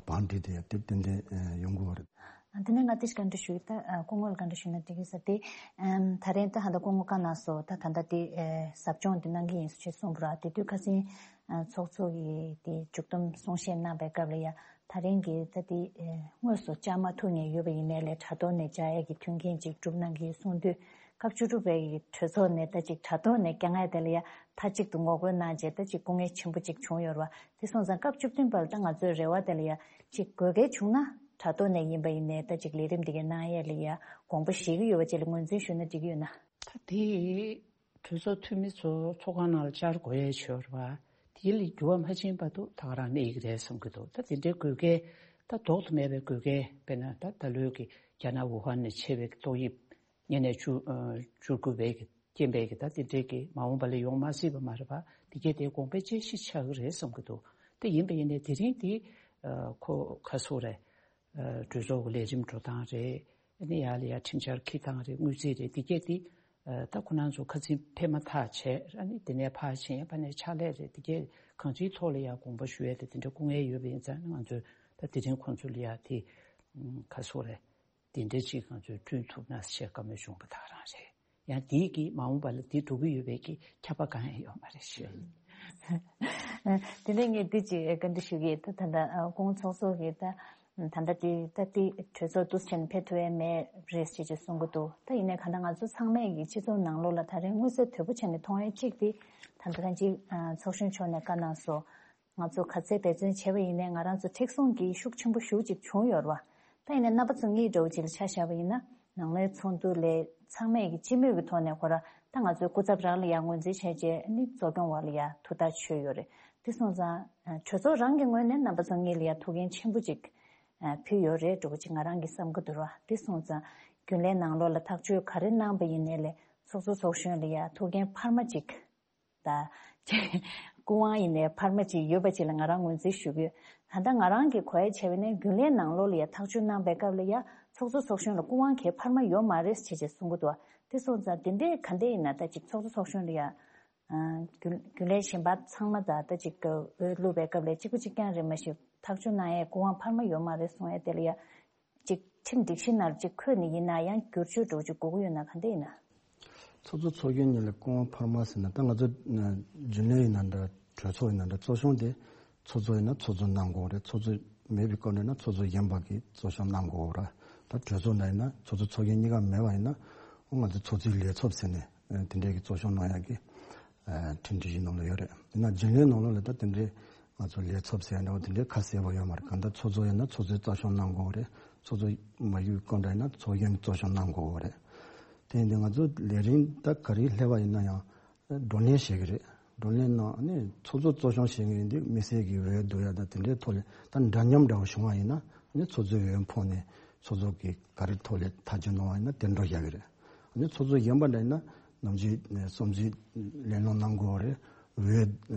བང་སྒྲིག་དེ་ཡ་དེ་ཏན་ཏན་ཡོང་དགོས་པ་རེད། དེ་ནས་ང་དེ་ཞིག་བཀའ་འདྲི་ཞུ་ཡི། ད་སྐུ་ངོ་ལ་བཀའ་འདྲི་ཞུ་ན་འགྲིག་གི་ས་དེ། ད་རིང་ད་ཧ་ད་སྐུ་ངོ་བཀའ་གནང་སོང་། ད་ད་ལྟ་དེ་ཟབ་སྦྱོང་དེ་གནང་གི་ཡིན་ཞེས་གསུངས་པ་ར། དེ་དུས་ཁ་སང་ཚོགས་གཙོ་གིས་དེ་མཇུག་བསྡོམས་གསུང་བཤད་གནང་པའི་སྐབས་ལ་ཡ། ད་རིང་གི་ད་དེ་དངོས་སུ་བཅར་མ་ཐུབ་མཁན་ཡོད་པ་ཡིན་ནའི་ལས་དྲ་ཐོག་ནས་བཅར་ཡས་ཀྱི་མཐུན་རྐྱེན་ཅིག་གྲུབ་གནང་གི་ཡོད་གསུངས་དུས། སྐབས་བཅུ་དྲུག་པའི་གི་གྲོས་ཚོགས་ནས་ད་ཅིག་དྲ་ཐོག་ནས་བསྐྱང་ཡས་དེ་ལ་ཡ་མཐའ་གཅིག་ཏུ་ངོ་རྒོལ་གནང་རྗེས་ད་ཅིག་སྐུ་ངལ་ཆེན་པོ་ཅིག་བྱུང་ཡོད་རེད་བ། དེ་སོང་ཙང་སྐབས་བཅུ་བདུན་པ་ལ་ད་ང་ཚོའི་རེ་བ་དེ་ལ་ཡ་ཅིག་དགོས་གལ་བྱུང་ན་དྲ་ཐོག་ནས་ཡིན་པ་ཡིན་ནའི་ད་ཅིག་ལས་རིམ་དེ་གའི་གནང་ཡས་ལ་ཡ་དགོངས་པ་བཞེས་ཀྱི་ཡོད་པ་ཅིག་ལ་ངོས་འཛིན་ཞུ་ན་འགྲིག་གི་ཡོད་ན། ད་དེ་གྲོས་ཚོགས་འཐུས་མི་ཚོ་ཚོགས་ཁང་ནང་ལ་བཅར་དགོས་ཡས་ཡོད་རེད་བ། དེ་ལ་འགྱུར་བ་མ་ཕྱིན་བར་དུ་ད་ག་རང་གནས་ཀྱི་རེད་བསམ་གྱི་འདུག། ད་དེ་འདྲའི་དགོས་གལ་ད་ལྡོག་ཏུ་མེད་པའི་དགོས་གལ། དཔེར་ན་ད་ད་ལོའི་གི་རྒྱ་ནག་ཝུ་ཧན་ནས་མཆེད་པའི་གི་ཏོག་དབྱིབས་ཉེ་གནས་བཅུ་བཅུ་དགུ་པའི་གི་རྐྱེན་པས་གི་ད་དེ་འདྲའི་གི་མ་འོངས་པ་ལ་ཡོང་མ་སྲིད་པ་མ་རེད་པ། དེ་གས་དེ་དགོངས་པའི་དཔྱད་གཞི་ཆགས་ཀྱི་རེད་བསམ་གྱི་འདུག། དེ་ཡིན་པ་ཡིན་ནའི་དེ་རིང་དེ་ཁོ་ཁ་སོ་རེད། གྲོས་ཚོགས་ཀྱི་ལས་རིམ་འགྲོ་སྟངས་རེད། ཨ་ནི་ཡར་ལ་ཡར་ཁྲིམས་འཆར་འཁྱེར་སྟངས་རེད། དངུལ་རྩིས་རེད། འདི་གས་དེ་ཨ་ད་ཁོ་རང་ཚོ་ཁ་ཚིག་ཕེབས་མ་ཐག་བྱས། ཨ་ནི་དེ་ནས་ཕར་ཕྱིན་ཡ་ཕར་ནས་ཕྱག་ལས་རེད། འདི་གས་གང་ཅིའི་ཐོག་ལ་ཡ་དགོངས་པ་ཞུ་ཡ་དེ་དེ་འདྲ་སྐུ་ངལ་ཡོད་པ་ཡིན་ཙང་། ང་ཚོས་ད་དེ་རིང་ཁོང་ཚོ་ལ་ཡ་དེ་ཨམ་ག་སོ་རེད། དེ་འདྲ་ཅིག་ང་ཚོས་བསྐྲུན་ཐུབ་ན་ཞེས་བཀའ་མོལ་བྱུང་བ་དག་རང་རེད། ཡང་དེའི་གི་མ་འོངས་པ་ལ་དེ་འགྲོ་གི་ཡོད་པའི་གི་ཁྱབ་པ་གང་ཡང་ཡོད་མ་རེད་ཞུ་ཡ་ཡིན། དེ་ནས་ངས་འདི་ཅིག་བཀའ་འདྲི་ཞུ་གི་ཡིན། ད་ད་ལྟ་ཨ་སྐུ་ངོ་ཚོགས་གཙོ་གིས་ད་ད་ལྟ་དེ་ད་དེ་གྲོས་ཚོགས་འདུ་ཆེན་ཕེབས་ཐུབ་ཡ་མེད་རེད་ཅེས་ཅེས་གསུང་གི་འདུག་ད་ཡིན་ནའི་གང་ལྟར་ང་ཚོ་ཚང་མས་ཀྱི་སྤྱི་ཚོགས་ནང་ལོགས་ལ་ད་རེས་མངོན་གསལ་དོད་པོ་བྱས་ནས་མཐོང་ཡ་གཅིག་དེ་ད་ལྟ་ད་ཅིག་ཨ་ཚོགས་གཞོན་མཆོག་ནས་བཀའ་གནང་སོང་། ང་ཚོ་ག་ཚད་འབད་བརྩོན་བྱས་པ་ཡིན་ནའི་ང་རང་ཚོ་མཁྲེགས་བཟུང་གི་ཤུགས་ཆེན་པོ་ཞེ་པོ་ཅིག་བྱུང་ཡོད་རེད་བ། ད་ཡིན་ནའི་རྣམ་པ་ཚོ་གཉིས་འདྲ་བོ་ཅིག་ལ་ཆ་བཞག་པ་ཡིན་ན། ནང་ལོགས་ཚོགས་འདུ་ལས་ཚང་མས་ཀྱི་སྤྱི་མོས་ཀྱི་ཐོག་ནས་ཁོ་ར་ད་ང་ཚོའི་སྐུ་ཚབ་རང་ལ་ཡང་ངོས་འཛིན་བྱས་རྗེས་ནི་གཙོ་སྐྱོང་བ་ལ་ཡང་ཐུགས་ཐག་ཆོད་ཡོད་རེད། དེ་སོང་ཙང་གྲོས་ཚོགས་རང་གི་ངོས་ནས་རྣམ་པ་ཚོ་གཉིས་ལ་ཡང་ཐུགས་འགན་ཆེན་པོ་ཅིག་ཕུལ་ཡོད་རེད་འདྲ་བོ་ཅིག་ང་རང་གི་བསམ་གྱི་འདུག་ར། དེ་སོང་ཙང་རྒྱུན་ལས་ནང་ལོགས་ལ་ཐག་གཅོད་ག་རེ་གནང་པ་ཡིན་ནའི་ལས་ཚོགས་གཙོ་ཚོགས་གཞོན་ལ་ཡང་ཐུགས་འགན་འཕར་མ་ཅིག་ད། སྐུ་དབང་ཡིན་ནའི་འཕར་མ་ཅིག་ཡོད་པ་ཅིག་ལ་ང་རང་ངོས་འཛིན་ཞུ་གི་ཡོད། ད་ལྟ་ང་རང་གིས་གོ་ཡ་བྱས་པ་ཡིན་ན་རྒྱུན་ལས་ནང་ལོགས་ལ་ཡ་ཐག་གཅོད་གནང་པའི་སྐབས་ལ་ཡ་ཚོགས་གཙོ་ཚོགས་གཞོན་ལ་སྐུ་དབང་གའི་འཕར་མ་ཡོད་མ་རེད་ཅེས་ཅེས་གསུང་གི་འདུག་དེ་སོང་ཙང་དེ་འདྲའི་ག་འདྲ་ཡིན་ན་ད་ཅིག་ཚོགས་གཙོ་ཚོགས་གཞོན་ལ་ཡ་རྒྱུན་རྒྱུན་ལས་གཞན་པ་ཚང་མ་ད་ད་ཅིག་འོས་བླུགས་པའི་སྐབས་ལ་གཅིག་པ་གཅིག་རྐྱང་རེད། མ་གཞི་ཐག་གཅོད་གནང་ཡའི་སྐུ་དབང་འཕར་མ་ཡོད་མ་རེད་གསུང་ཡ་དེ་ལ་ཡ། ཅིག་ཁྲིམས་སྒྲིག་གཞི་ནང་ཅིག་འཁོད་ནས་ཡིན་ན་ཡང་བསྒྱུར་བཅོས་འདྲ་བོ་ཅིག་དགོས་ཀྱི་ཡོད་ན་ག་འདྲ་ཡིན་ན། ཚོགས་གཙོ་ཚོགས་གཞོན་གཉིས་ལ་སྐུ་དབང་འཕར་མ་ཟེར་ན། ད་ང་ཚོ་རྒྱུན་ལས་ཡིན་ན་འདྲ། གྲོས་ཚོགས་ཡིན་ན་འདྲ། གཙོ་སྐྱོང་དེ་ཚོགས་གཙོ་ཡིན་ན་ཚོགས་གཙོ་གནང་དགོས་རེད། ཚོགས་གཙོ་མེད་པའི་སྐབས་འདྲ་ན་ཚོགས་གཙོ་གཞོན་པ་གིས་གཙོ་སྐྱོང་གནང་དགོས་རེད། ད་གྲོས་ཚོགས་ནང་ཡིན་ན་ཚོགས་གཙོ་ཚོགས་གཞོན་གཉིས་ཀ་མེད་པ་ཡིན་ན། འོ་ང་ཚོ་ཚོགས་གཙོའི་ལས་ཚབ་ཟེར་ནས་དེ་འདྲའི་གི་གཙོ་སྐྱོང་གནང་ཡག་གི་ཁྲིམས་སྒྲིག་གཞི་ནང་ལ་ཡོད་རེད། ཡིན་ན་རྒྱུན་ལས་ནང་ལོགས་ལ་ད་དེ་འདྲའི་ང་ཚོ་ལས་ཚབ་ཟེར་ཡ་འདྲ་བོ་དེ་འདྲའི་ཁ་གསལ་པོ་ཡོད་མ་རེད། གང་ལྟར་ཚོགས་གཙོ་ཡིན་ན་ཚོགས་གཙོས་གཙོ་སྐྱོང་གནང་དགོས་རེད། ཚོགས་གཙོ་མ་ཡོད་སྐབས་འདྲ་ཡིན་ན་ཚོགས་གཞོན་གྱིས་གཙོ་སྐྱོང་གནང་དགོས་རེད། དེ་ཡིན་དུས་ང་ཚོ་ལས་རིམ་ད་ག་རེ་སླེབས་པ་ཡིན་ན་ཡང་བགྲོ་གླེང་བྱེད་ཀྱི་རེད། བགྲོ་གླེང་ནང་ནི་ཚོགས་གཙོ་གཙོ་སྐྱོང་བྱེད་མཁན་འདི་དམིགས་བསལ་གྱི་འོས་བསྡུ་ཡ་དང་དེ་འདྲའི་ཐོག་ལ་ད་འདྲ་མཉམ་འདྲ་བོ་བྱུང་བ་ཡིན་ན་ནི་ཚོགས་གཙོའི་འོས་འཕངས་ནས་ཚོགས་གཙོ་གིས་ག་རེ་ཐོག་ལ་ཐག་གཅོད་གནང་བ་ཡིན་ན་དེ་འགྲོ་བཞག་གི་རེད། ནི་ཚོགས་གཙོ་གཞོན་པ་འདྲ་ཡིན་ན་ནམ་རྒྱུན་ནས་བསམ་ཚུལ་གླེང་སློང་གནང་དགོས་པ་རེད། འོས་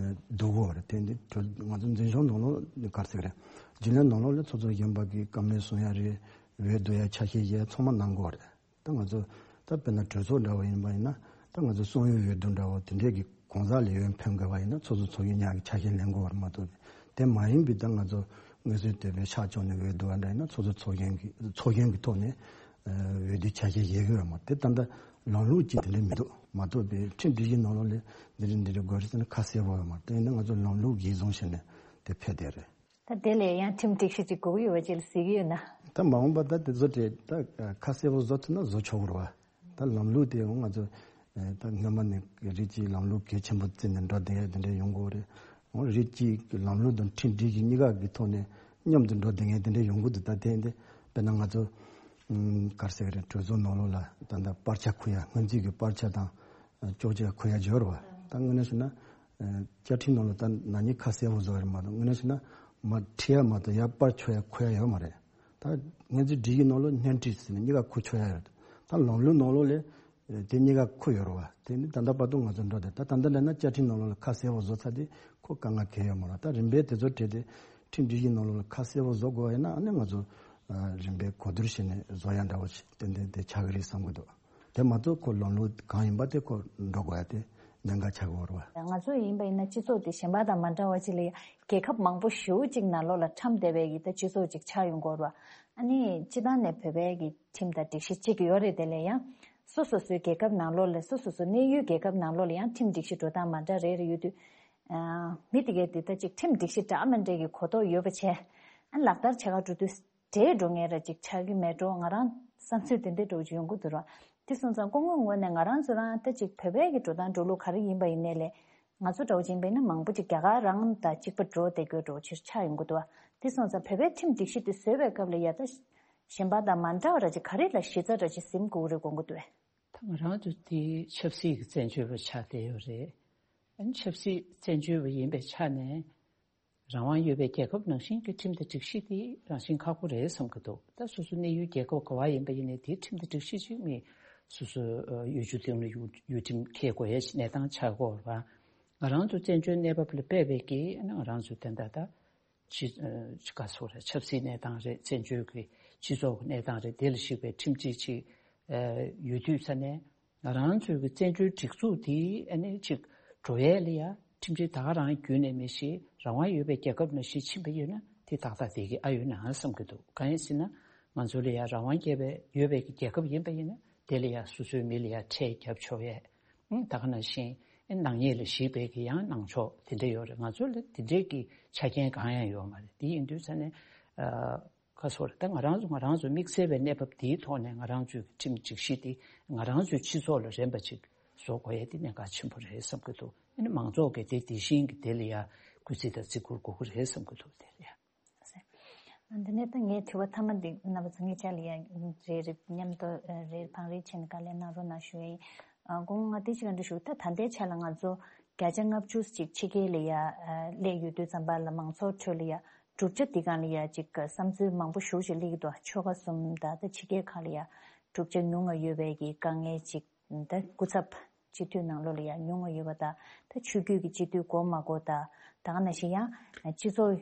བསྡུ་དགོས་པ་རེད། དེ་འདི་གྲོས་ང་ཚོ་འཛིན་སྐྱོང་ནང་ལོགས་ནི་ག་རེ་ཟེར་གི་རེད། རྒྱུན་ལས་ནང་ལོགས་ལ་ཚོགས་གཙོ་གཞོན་པ་གིས་བཀའ་མོལ་གསུང་ཡ་རེད། འོས་བསྡུ་ཡ་ཆ་ཤས་བཞག་ཚང་མ་གནང་དགོས་པ་རེད། ད་ང་ཚོ་ད་དཔེར་ན་གྲོས་ཚོགས་འདྲ་བོ་ཡིན་པ་ཡིན་ན་ད་ང་ཚོ་གསུང་ཡོད་འོས་བསྡུ་འདྲ་བོ་དེ་འདྲས་ཀྱི་གང་ཟག་ལ་འོས་འཕེན་དགོས་པ་ཡིན་ན་ཚོགས་གཙོ་ཚོགས་གཞོན་གཉིས་ཀྱི་ཆ་ཤས་ལེན་དགོས་པ་མ་གཏོགས། དེ་མ་ཡིན་པའི་ད་ང་ཚོ་མངོན་གསལ་དོད་པའི་ཤག་བཅུ་ནས་འོས་བསྡུ་བ་འདྲ་ཡིན་ན་ཚོགས་གཙོ་ཚོགས་གཞོན་གྱི་ཚོགས་གཞོན་གྱི་ཐོག་ནས་འོས་བསྡུ་ཆ་ཤས་བཞེས་དགོས་པ་མ་གཏོགས། དེ་ད་ལྟ་ལམ་ལུགས་ཀྱི་དེ་འདྲ་མི་འདུག་མ་གཏོགས་པའི་ཁྲིམས་སྒྲིག་གཞི་ནང་ལོགས་ལ་འདི་འདྲ་འདི་འདྲ་དགོས་རེད་ཟེར་ན་ཁ་གསལ་པོ་ཡོད་མ་རེད། དེ་ཡིན་ན་ང་ཚོ་ལམ་ལུགས་གཞིར་བཟུང་བྱས་ནས་དེ་ཕེབས་བསྡད་རེད། ད་དེ་ལས་ཡང་ཁྲིམས་སྒྲིག་གཞི་ཅིག་དགོས་ཀྱི་ཡོད་པ་ཅིག་ལ་གཟིགས་ཀྱི་ཡོད་ན། ད་མ་འོངས་པ་ད་དེ་ཚོ་དེ་ད་ཁ་གསལ་པོ་བཟོ་ཐུབ་ན་བཟོ་ཆོག་གི་རེད་བ། ད་ལམ་ལུགས་དེ་འོ་ང་ཚོ་ད་སྔོན་མ་ནས་རིགས་གཅིག་ལམ་ལུགས་གལ་ཆེན་པོ་བརྩིས་ནས་འགྲོ་བསྡད་ཡ་དེ་འདྲ་ཡོང་གི་རེད། འོ་རིགས་གཅིག་གི་ལམ་ལུགས་དང་ཁྲིམས་སྒྲིག་གཞི་གཉིས་ཀ་གི་ཐོག་ནས་མཉམ་དུ་འགྲོ་བསྡད་མཁན་དེ་འདྲ་ཡོང་གི་འདུག་ད་དེ་འདི་དཔེར་ན་ང་ཚོ་ག་རེ་ཟེར་གི་རེད། གྲོས་ཚོགས་ནང་ལོགས་ལ་ད་ལྟ་སྤར་ཆ་འཁུར་ཡ་སྔོན་རྩིས་ཀྱི་སྤར་ཆ་དང་གཅོག་ཆ་འཁུར་ཡ་ཡོད་རེད་བ། ད་དངོས་གནས་བྱས་ན། བཅའ་ཁྲིམས་ནང་ལ་ད་ན་ནིང་ཁ་གསལ་པོ་བཟོ་ཡ་རེད་མ་གཏོགས་དངོས་གནས་བྱས་ན་མར་ཁྲིད་ཡ་མ་གཏོགས་ཡར་སྤར་འཁྱོག་ཡ་འཁུར་ཡ་ཡོད་མ་རེད། ད་སྔོན་རྩིས་སྒྲིག་གཞི་ནང་ལ་སྣོན་འཕྲི་ཟེར་ནས་གཉིས་ཀ་འཁུར་ཆོག་ཡ་ཡོད། ད་ལམ་ལུགས་ནང་ལོགས་ལ་དེ་གཉིས་ཀ་འཁུར་ཡོད་རེད་བ། དེ་ནི་ད་ལྟ་བར་དུ་ང་ཚོ་འགྲོ་དེ་ད་ད་ལྟ་འདྲ་ན་བཅའ་ཁྲིམས་ནང་ལོགས་ལ་ཁ་གསལ་པོ་བཟོ་ཚར་དེ་ཁོ་དཀའ་ངལ་གང་ཡང་ཡོད་མ་རེད། ད་རིམ་པས་དེ་ཚོ་བྲིས་ཏེ་ཁྲིམས་སྒྲིག་གཞི་ནང་ལོགས་ལ་ཁ་གསལ་པོ་བཟོ་དགོས་པ་ཡིན་ན་ཨ་ནི་ང་ཚོ་རིམ་པས་གོ་བསྡུར་བྱས་ནས་བཟོ་ཡ་འདྲ་བོ་ཞིག་ཏན་ཏན་དེ་ཆགས་ཀྱི་རེད་བསམ་གྱི་འདུག་དེ་མ་གཏོགས་ཁོ་ལམ་ལུགས་གང་ཡིན་པ་དེ་ཁོ་འགྲོ་དགོས་ཡ་དེ་གནད་འགག་ཆགས་ཀྱི་ཡོད་རེད་བ། ང་ཚོ་ཡིན་པ་ཡིན་ན་སྤྱི་ཚོགས་དེ་གཞན་པ་དང་མ་འདྲ་བ་ཅིག་ལ་ཡ་རྒྱལ་ཁབ་མང་པོ་ཞེ་པོ་ཅིག་ནང་ལོགས་ལ་ཁྲམ་སྡེ་བའི་གི་ད་སྤྱི་ཚོགས་ཅིག་ཆགས་ཡོང་གི་ཡོད་རེད་བ། ཨ་ནི་སྤྱི་བཏང་ནས་བོད་པའི་གི་ཁྲིམས་དང་སྒྲིག་གཞི་གཅིག་ཡོད་རེད། དེ་ལས་ཡང་སོ་སོ་སོའི་རྒྱལ་ཁབ་ནང་ལོགས་ལ་སོ་སོ་སོ་གནས་ཡུལ་རྒྱལ་ཁབ་ནང་ལོགས་ལ་ཡང་ཁྲིམས་སྒྲིག་གཞི་འགྲོ་སྟངས་མ་འདྲ་རེ་རེ་ཡོད་དུས། ཨ་མི་དེ་གས་དེ་ད་ཅིག་ཁྲིམས་སྒྲིག་གཞི་འདྲ་མི་འདྲ་གི་གོ་རྟོགས་ཡོད་པ་བྱས། ཨ་ལག་བསྟར་བྱེད་ག་འགྲོ་དུས། བྲལ་འགྲོ་མཁན་ར་ཅིག་ཆགས་ཀྱི་མེད་འགྲོ། ང་རང་བསམ་ཚུལ་དེ་འདྲ་འདྲ་བོ་ཅིག་ཡོང་གི་འདུག་ར། དེ་སོང་ཙང་སྐུ་ངོའི་ངོས་ནས་ང་རང་ཚོ་རང་ད་ཅིག་བོད་པའི་གི་འགྲོ་སྟངས་འགྲོ་ལུགས་ག་རེ་ཡིན་པ་ཡིན་ནའི་ལས། ང་ཚོ་འདྲ་བོ་ཅིག་ཡིན་པ་ཡིན་ན་མང་པོ་ཅིག་རྒྱ་གར་རང་དང་གཅིག་པ་འགྲོ་བསྡད་རྒྱུ་འདྲ་བོ་ཅིག་ཆགས་ཡོང་གི་འདུག་བ། དེ་སོང་ཙང་བོད་པའི་ཁྲིམས་སྒྲིག་གཞི་དེ་བཟོས་པའི་སྐབས་ལ་ཡ་ད་གཞན་པ་དང་མ་འདྲ་བ་ར་ཅིག་ག་རེ་ལ་གཞི་རྩ་ར་ཅིག་ཟིན་དགོས་རེད་དགོངས་ཀྱི་འདུག་བས། ད་ང་རང་ཚོ་དེ་ཆབ་སྲིད་ཀྱི་བཙན་བྱོལ་བ་ཆགས་བསྡད་ཡོད་རེད། ཨ་ནི་ཆབ་སྲིད་བཙན་བྱོལ་བ་ཡིན་པའི་ཆ་ནས། རང་དབང་ཡོད་པའི་རྒྱལ་ཁབ་ནང་བཞིན་གྱི་ཁྲིམས་དང་སྒྲིག་གཞི་དེ་རང་བཞིན་ཁག་པོ་རེད་བསམ་གྱི་འདུག་ད་སོ་སོ་གནས་ཡུལ་རྒྱལ་ཁབ་ག་བ་ཡིན་པ་ཡིན་ནའི་དེའི་ཁྲིམས་དང་སྒྲིག་གཞི་ཅིག་མི་སོ་སོ་ཡུལ་གྲུ་དེ་ནས་ཡུལ་ཡུལ་ཁྲིམས་འཁྱེར་དགོས་ཡ་གནས་སྟངས་ཆགས་ཀྱི་ཡོད་རེད་བ། ང་རང་ཚོ་བཙན་བྱོལ་གནས་བབ་ལ་དཔག་པའི་གི་ང་རང་ཚོ་དེ་འདྲ་ད་ཅི་ཅི་ག་སོགས་རེད། ཆབ་སྲིད་གནས་སྟངས་རེད། བཙན་བྱོལ་གྱི་ སྤྱི་ཚོགས་ཀྱི་གནས་སྟངས་རེད། དེ་ལ་གཞིགས་པའི་ཁྲིམས་སྒྲིག་ཅིག་ཨ་ཡོད་དུས་ཙ་ནས། ང་རང་ཚོའི་གི་བཙན་བྱོལ་སྒྲིག་འཛུགས་དེ་ཨ་ནི་ཅིག་འགྲོ་ཡས་ལ་ཡ་ཁྲིམས་སྒྲིག་ད་ག་རང་བརྒྱུད་ནས་མི་ཞིག་རང་དབང་ཡོད་པའི་རྒྱལ་ཁབ་ནང་བཞིན་ཕྱིན་པ་ཡིན་ན། དེ་ཏག་ཏག་དེ་གི་ཨ་ཡོད་ན་བསམ་གྱི་འདུག་གང་ཡིན་ཟེར་ན། ང་ཚོ་ལ་ཡ་རང་དབང་རྒྱལ་བའི་ཡོད་པའི་གི་རྒྱལ་ཁབ་ཡིན་པ་ཡིན་ན། དེ་ལ་ཡ་སོ་སོའི་མི་ལ་ཡ་ཁྲལ་བརྒྱབ་ཆོག་ཡས། ཨང་། ད་ག་ནང་བཞིན་ཨེ་ནག་ཉེས་ལ་གཞིགས་པའི་གི་ཡང་གནང་ཕྱོགས་དེ་འདྲ་ཡོད་རེད། ང་ཚོ་ལ་དེ་འདྲའི་གི་ཆ་རྐྱེན་གང་ཡང་ཡོད་མ་རེད། དེ་ཡིན་དུས་ཙ་ནས་ཨ། ཁ་སོ་རེད། ད་ང་རང་ཚོ་ང་རང་ཚོ་དམིགས་བསལ་བའི་གནས་བབ་དེའི་ཐོག་ནས་ང་རང་ཚོའི་ཁྲིམས་སྒྲིག་གཞི་དེ་ང་རང་ཚོའི་སྤྱི་ཚོགས་ལ་རན་པ་ཅིག་བཟོ་དགོས་ཡས་དེ་གནད་འགག་ཆེན་པོ་རེད་བསམ་གྱི་འདུག་ཨ་ནི་མང་ཚོགས་ཀྱིས་དེ་དེ་བཞིན་གྱི་དེ་ལ་ཡ་སྐུལ་རྩིས་དང་བརྩི་བཀུར་དགོས་ཀྱི་རེད་བསམ་གྱི་འདུག་དེ་རེད། འདི་ནས་ད་ངའི་དྲི་བ་མཐའ་མ་འདི་རྣམ་པ་ཚོ་ངའི་ཆ་ལ་ཡ་རེ་རེ་མཉམ་དུ་རེ་བང་རེ་བྱས་ནས་བཀའ་ལན་གནང་རོགས་གནང་ཞུ་ཡ་ཡིན། ཨ། དགོངས་ང་དེ་ཅིག་ག་འདྲ་ཞུ། ད་ད་ལྟའི་ཆ་ལ་ང་ཚོ་བརྒྱ་ཆ་ལྔ་བཅུ་ཅིག་ཕྱི་རྒྱལ་ལ་ཡ་སླེབས་ཡོད་དུས་ཙམ་པ་ལ་མང་ཚོགས་ཁྲོད་ལ་ཡ་གྲུབ་ཆ་འདི་སྒང་ལ་ཡ་ཅིག་བསམ་ཚུལ་མང་པོ་ཞེ་པོ་ཅིག་སླེབས་ཀྱི་འདུག་ཆོལ་ཁ་གསུམ་དང་ད་ཕྱི་རྒྱལ་ཁག་ལ་ཡ་གྲུབ་ཆ་ཉུང་ང་ཡོད་པའི་གི་དཀའ་ངལ་ཅིག་ད་སྐུ་ཚབ་སྤྱི་འཐུས་ནང་ལོགས་ལ་ཡ་ཉུང་ང་ཡོད་པ་དང་། ད་ཆོས་བརྒྱུད་ཀྱི་སྤྱི་འཐུས་དགོས་མ་དགོས་དང་། ད་ག་ནང་བཞིན་ཡང་སྤྱི་ཚོགས་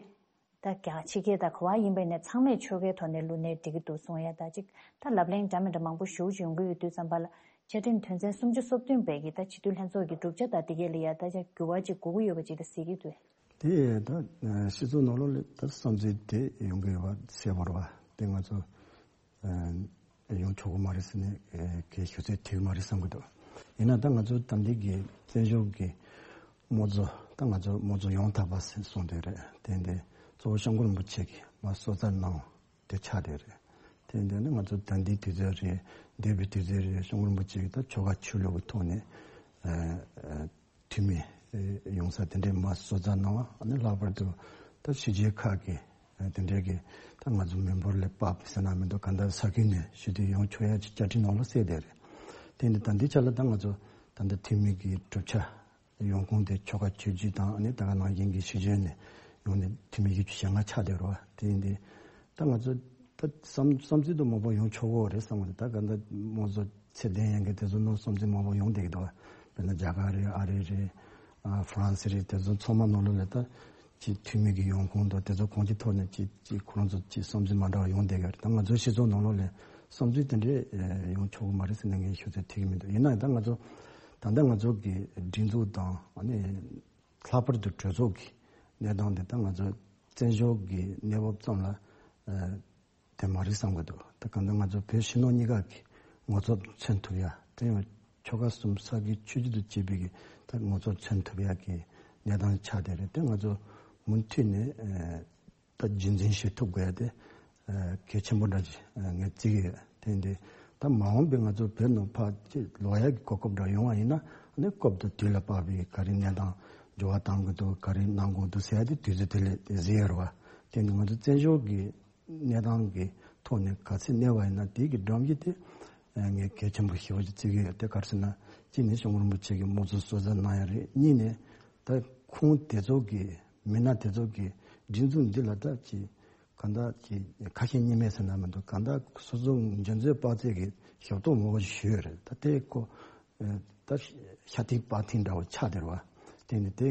ད་རྒྱ་ཕྱི་རྒྱལ་དང་ག་བ་ཡིན་པ་ཡིན་ནའི་ཚང་མས་ཆོལ་ཁའི་ཐོག་ནས་བླུགས་ནའི་འགྲིག་གི་འདུག་གསུང་ཡ། ད་ཅིག་ད་ལབ་གླེང་འདྲ་མི་འདྲ་མང་པོ་ཞེ་པོ་ཅིག་ཡོང་གི་ཡོད་དུས་ཙམ་པ་ལ་བཅའ་ཁྲིམས་དོན་ཚན་སུམ་ཅུ་སོ་བདུན་པའི་གི་ད་སྤྱི་འཐུས་ལྷན་ཚོགས་ཀྱི་གྲུབ་ཆ་དང་དེ་གའི་ལ་ཡ་ད་ཅིག་འགྱུར་བ་ཅིག་དགོས་ཀྱི་ཡོད་པ་ཅིག་ད་གཟིགས་ཀྱི་འདུག་དེ་ད་སྤྱི་ཚོགས་ནང་ལོགས་ལ་ད་བསམ་ཚུལ་དེ་ཡོང་གི་ཡོད་པ་གསལ་པོ་རེད་བ། དེ་ང་ཚོ་ཡོང་ཆོག་གི་མ་རེད་ཟེར་ནས་གལ་ཞུ་ཚོད་ཐིག་མ་རེད་བསམ་གི་འདུག་ཡིན་ན་ད་ང་ཚོ་ད་འདི་གི་བཙན་བྱོལ་གི་དམངས་གཙོ། ད་ང་ཚོ་དམངས་གཙོ་ཡང་དག་པ་ཟེར་གསུངས་དེ་རེད། དེ་འདི་གཙོ་བོ་སྐྱབས་མགོན་རིན་པོ་ཆེ་གིས་མ་གསོལ་ཚར་གནང་དེ་ཆགས་དེ་རེད། དེ་འདི་ནི་ང་ཚོ་ད་འདི་དུས་ཚོད་རེད། འདས་པའི་དུས་ཚོད་རེད། སྐྱབས་མགོན་རིན་པོ་ཆེ་གིས་ད་ཆོལ་ཁ་ཆོས་ལུགས་ཀྱི་ཐོག་ནས་འཐུས་མི་ཡོང་ས་དེ་འདྲའི་མ་གསོལ་ཚར་གནང་བ། ཨ་ནི་ལྷག་པར་དུ་ད་ཕྱི་རྒྱལ་ཁག་གི་དེ་འདྲའི་གི་ད་ང་ཚོ་མི་འབོར་ལས་དཔག་པའི་ཟེར་ན་མི་འདུག་གང་ལྟར་ས་ཁུལ་ནས་ཞུ་དུས་ཡོང་ཆོག་ཡ་ཅིག་བཅའ་ཁྲིམས་ནང་ལ་གསལ་བསྡད་རེད། དེ་འདི་ད་འདི་ཆ་ལ་ད་ང་ཚོ་ད་ལྟ་འཐུས་མི་གི་གྲུབ་ཆ་ཡོང་ཁུངས་དེ་ཆོལ་ཁ་ཆོས་བརྒྱུད་དང་། ཨ་ནི་ད་ག་ནང་བཞིན་གྱི་ཕྱི་རྒྱལ་ནས་ཡོང་ནས་འཐུས་མི་བཞི་བཅུ་ཞེ་ལྔ་ཆགས་བསྡད་རེད་བ། དེ་འདི་ད་ང་ཚོ་ད་བསམ་བསམ་ཚུལ་དུ་མང་པོ་ཡོང་ཆོག་གི་རེད་བསམ་གི་འདུག་ད་ག་འདི་དམངས་གཙོ་ཚད་ལྡན་ཡན་གྱི་དེ་ཚོ་ནང་བསམ་ཚུལ་མང་པོ་ཡོང་བསྡད་ཀྱི་འདུག་དཔེར་ན་རྒྱ་གར་རེད། ཨ་རི་རེད། ཨ་ཧྥ་རན་སི་རེད། དེ་ཚོ་ཚང་མ་ནང་ལོགས་ལ་ད་ཅིག་འཐུས་མི་གི་ཡོང་ཁུངས་དང་དེ་ཚོ་གང་ཅིའི་ཐོག་ནས་ཅིག་ཅིག་ཁོ་རང་ཚོ་ཅིག་བསམ་ཚུལ་མ་འདྲ་བ་ཡོང་བསྡད་ཀྱི་རེད། ད་ང་ཚོ་སྤྱི་ཚོགས་ནང་ལོགས་ལ་བསམ་ཚུལ་དེ་འདྲས་ཡོང་ཆོག་གི་མ་རེད་ཟེར་ནས་ངས་ཞུ་ཚོད་ཐིག་གི་མི་འདུག་ཡིན་ན་ད་ང་ཚོ་ད་ལྟ་ང་ཚོ་གི་སྒྲིག་འཛུགས་དང་། ཨ་ནི་ལྷག་པར་དུ་གྲོས་ཚོགས་ཀྱི་གནས་སྟངས་དེ་ད་ང་ཚོ་བཙན་བྱོལ་གྱི་གནས་བབ་ཙམ་ལ་དེ་མ་རེད་བསམ་གྱི་འདུག་ད་གང་ལྟར་ང་ཚོ་བོད་ཕྱི་ནང་གཉིས་ཀ་གི་ངོ་ཚབ་མཚོན་ཐུབ་ཡ། དེ་ཡང་ཆོལ་ཁ་གསུམ་ས་དགེ་ཆོས་བརྒྱུད་དུ་སྐྱེས་པའི་གི་ད་ངོ་ཚབ་མཚོན་ཐུབ་ཡ་གི་གནས་སྟངས་ཆགས་བསྡད་རེད། དེ་ང་ཚོ་མུ་མཐུད་ནས་ད་རྒྱུན་འཛིན་བྱེད་ཐུབ་དགོས་ཡ་དེ་གལ་ཆེན་པོ་འདྲ་ཞིག་ངས་བརྩི་གི་ཡོད། དེ་འདི་ད་མ་འོངས་པའི་ང་ཚོ་བོད་ནང་ཕར་ཅིག་ལོག་ཡ་གི་གོ་སྐབས་འདྲ་ཡོང་བ་ཡིན་ན། ཨ་ནི་སྐབས་དང་དུས་ལ་བབས་པའི་ག་རེ་གནས་སྟངས་འགྱུར་བ་གཏང་དགོས་འདུག་ག་རེ་གནང་དགོས་འདུག་ཟེར་ཡ་དེ་དུས་ཚོད་དེ་ལས་གཟིགས་ཡོད་རེད་བ། དེ་འདི་ང་ཚོ་བཙན་བྱོལ་གྱི་གནས་སྟངས་ཀྱི་ཐོག་ནས་ག་ཚོད་གནས་པ་ཡིན་ན་དེ་གི་སྒྲོམ་གཞི་དེ་ངས་གལ་ཆེན་པོ་ཞེ་པོ་ཅིག་བརྩི་གི་ཡོད། དེ་ག་རེ་ཟེར་ན་གཅིག་ནས་སྐྱབས་མགོན་རིན་པོ་ཆེ་གིས་དམངས་གཙོ་གསོལ་ཚར་གནང་ཡ་རེད། གཉིས་ནས་ད་ཁོང་དེ་ཚོ་གི་མི་སྣ་དེ་ཚོ་གི་སྒྲིག་འཛུགས་འདི་ལ་ད་ཅིག་གང་ལྟར་ཅིག་ཁ་ཞེ་གཉིས་མེད་ཟེར་ན་མི་འདུག་གང་ལྟར་སོ་སོ་འཇོན་ཚོད་དཔག་ཚད་ཀྱི་ཞབས་ཏོག་མང་པོ་ཞུས་ཡོད་རེད། ད་དེ་ཁོ་ད་ཤ་ཐིག་པག་ཐིག་འདྲ་བོ་ཆགས་བསྡད་རེད་བ། དེ་ནི་དེ་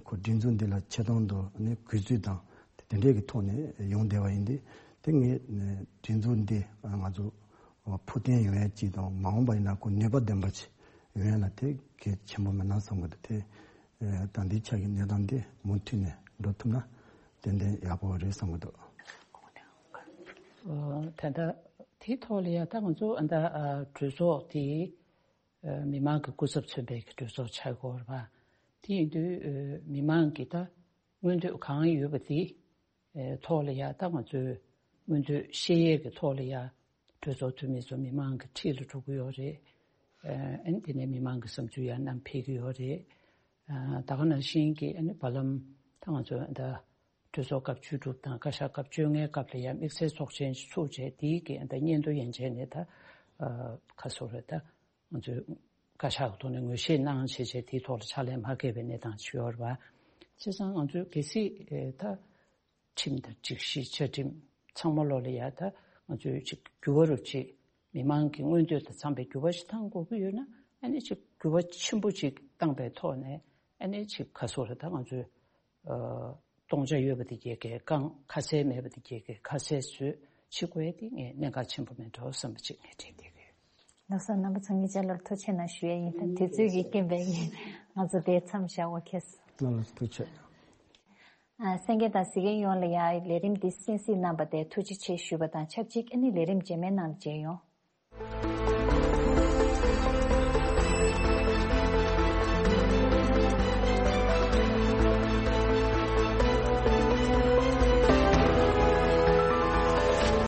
ཁོ་སྒྲིག་འཛུགས་འདི་ལ་ཆེ་མཐོང་དང་ནི་གུས་བརྩི་དང་དེ་འདྲས་ཀྱི་ཐོག་ནས་ཡོང་བསྡད་པ་ཡིན་ཏེ། དེ་ངས་སྒྲིག་འཛུགས་འདི་ང་ཚོ་ཕུགས་བརྟན་ཡོང་ཡ་གཅིག་དང་། མ་འོངས་པ་ཡིན་ན་ཁོ་ནུས་པ་ལྡན་པ་ཅིག་ཡོང་ཡ་ལ་དེ་གལ་ཆེན་པོ་མིན་ན་བསམ་གི་འདུག་དེ་ད་འདི་ཆ་གི་གནས་སྟངས་འདི་མུ་མཐུད་ནས་འགྲོ་ཐུབ་ན་ཏན་ཏན་ཡག་པོ་རེད་བསམ་གི་འདུག་ད་ལྟ་དེའི་ཐོག་ལ་ཡ་ད་ང་ཚོ་ཨ་ད་གྲོས་ཚོགས་དེ་མི་མང་གི་སྐུ་ཚབ་མཚོན་པའི་གྲོས་ཚོགས་ཆགས་ཀྱི་ཡོད་རེད་པ། དེ་ཡིན་དུས་མི་མང་གི་ད་མངོན་འདོད་གང་ཡོད་པ་དེ་ཐོག་ལ་ཡ་ད་ང་ཚོས་མངོན་འདོད་བཤད་ཡས་ཀྱི་ཐོག་ལ་ཡ་གྲོས་ཚོགས་འཐུས་མི་ཚོ་མི་མང་གི་འཁྲིས་ལ་འགྲོ་གི་ཡོད་རེད། ཨ་ནི་དེ་ནས་མི་མང་གི་བསམ་ཚུལ་ཡང་བསྣམས་ཕེབས་ཀྱི་ཡོད་རེད། ད་ག་ནང་བཞིན་གྱི་ཨ་ནི་བར་ལམ་ད་ང་ཚོ་ད་གྲོས་ཚོགས་སྐབས་བཅུ་དྲུག་དང་བཀའ་ཤག་སྐབས་བཅོ་ལྔའི་སྐབས་ལ་ཡང་དམིགས་བསལ་ཚོགས་ཆེན་ཞིག་ཚུགས་བྱས། དེའི་གི་ད་སྙན་ཐོ་ཡན་ཆད་ནས་ད་ཁ་སོ་རེད། ད་ང་ཚོས་བཀའ་ཤག་གི་ཐོག་ནས་ངོས་བཞེས་གནང་བྱས་བྱས་དེའི་ཐོག་ལ་ཕྱག་ལས་མ་འཁེལ་བའི་གནས་སྟངས་ཅིག་ཡོད་རེད་པ། བྱས་ཙང་ང་ཚོས་གལ་སྲིད་ད་ཁྲིམས་དང་སྒྲིག་གཞི་བཅའ་ཁྲིམས་ཚང་མ་ལོག་ལ་ཡ་ད་ང་ཚོས་ཅིག་འགྱུར་བ་རུ་ཅིག་མི་མང་གི་མངོན་འདོད་དང་འཚམ་པའི་འགྱུར་བ་ཞིག་གཏང་དགོས་ཀྱི་ཡོད་ན། ཨ་ནི་ཅིག་འགྱུར་བ་ཆེན་པོ་ཅིག་བཏང་པའི་ཐོག་ནས་ཨ་ནི་ཅིག་ཁ་སོ་རེད། ད་ང་ཚོས་ཨ་སྟོང་ཆ་ཡོད་པ་དེ་གས་གས་བཀང་། ཁ་གསལ་མེད་པ་དེ་གས་གས་ཁ་གསལ་བཟོས། བྱེད་དགོས་དེ་ངས་གནད་འགག་ཆེན་པོ་མེད་འགྲོ་བསམ་པ་ཅིག་ངས་དྲན་བསྡད་ཀྱི་ཡོད། ལགས་སོ། རྣམ་པ་ཚོ་ངེད་ཅག་ལོར་ཐུགས་ཆེ་གནང་ཞུ་ཡ་ཡིན། ད་དུས་ཚོད་ཀྱི་རྐྱེན་པས་ངས་ང་ཚོ་དེ་མཚམས་བཞག་པ་ཁེལ་སོང་། ལགས་ལགས་ཐུགས་ཆེ། ཨ། གསན་མཁན་དང་གཟིགས་མཁན་ཡོངས་ལ་ཡ་ལས་རིམ་འདི་གསན་གཟིགས་གནང་བ་དེ་ཐུགས་རྗེ་ཆེ་ཞུ་བ་དང་ཆབས་ཅིག་ཨ་ནི་ལས་རིམ་རྗེས་མའི་ནང་ལ་མཇལ་ཡོང་།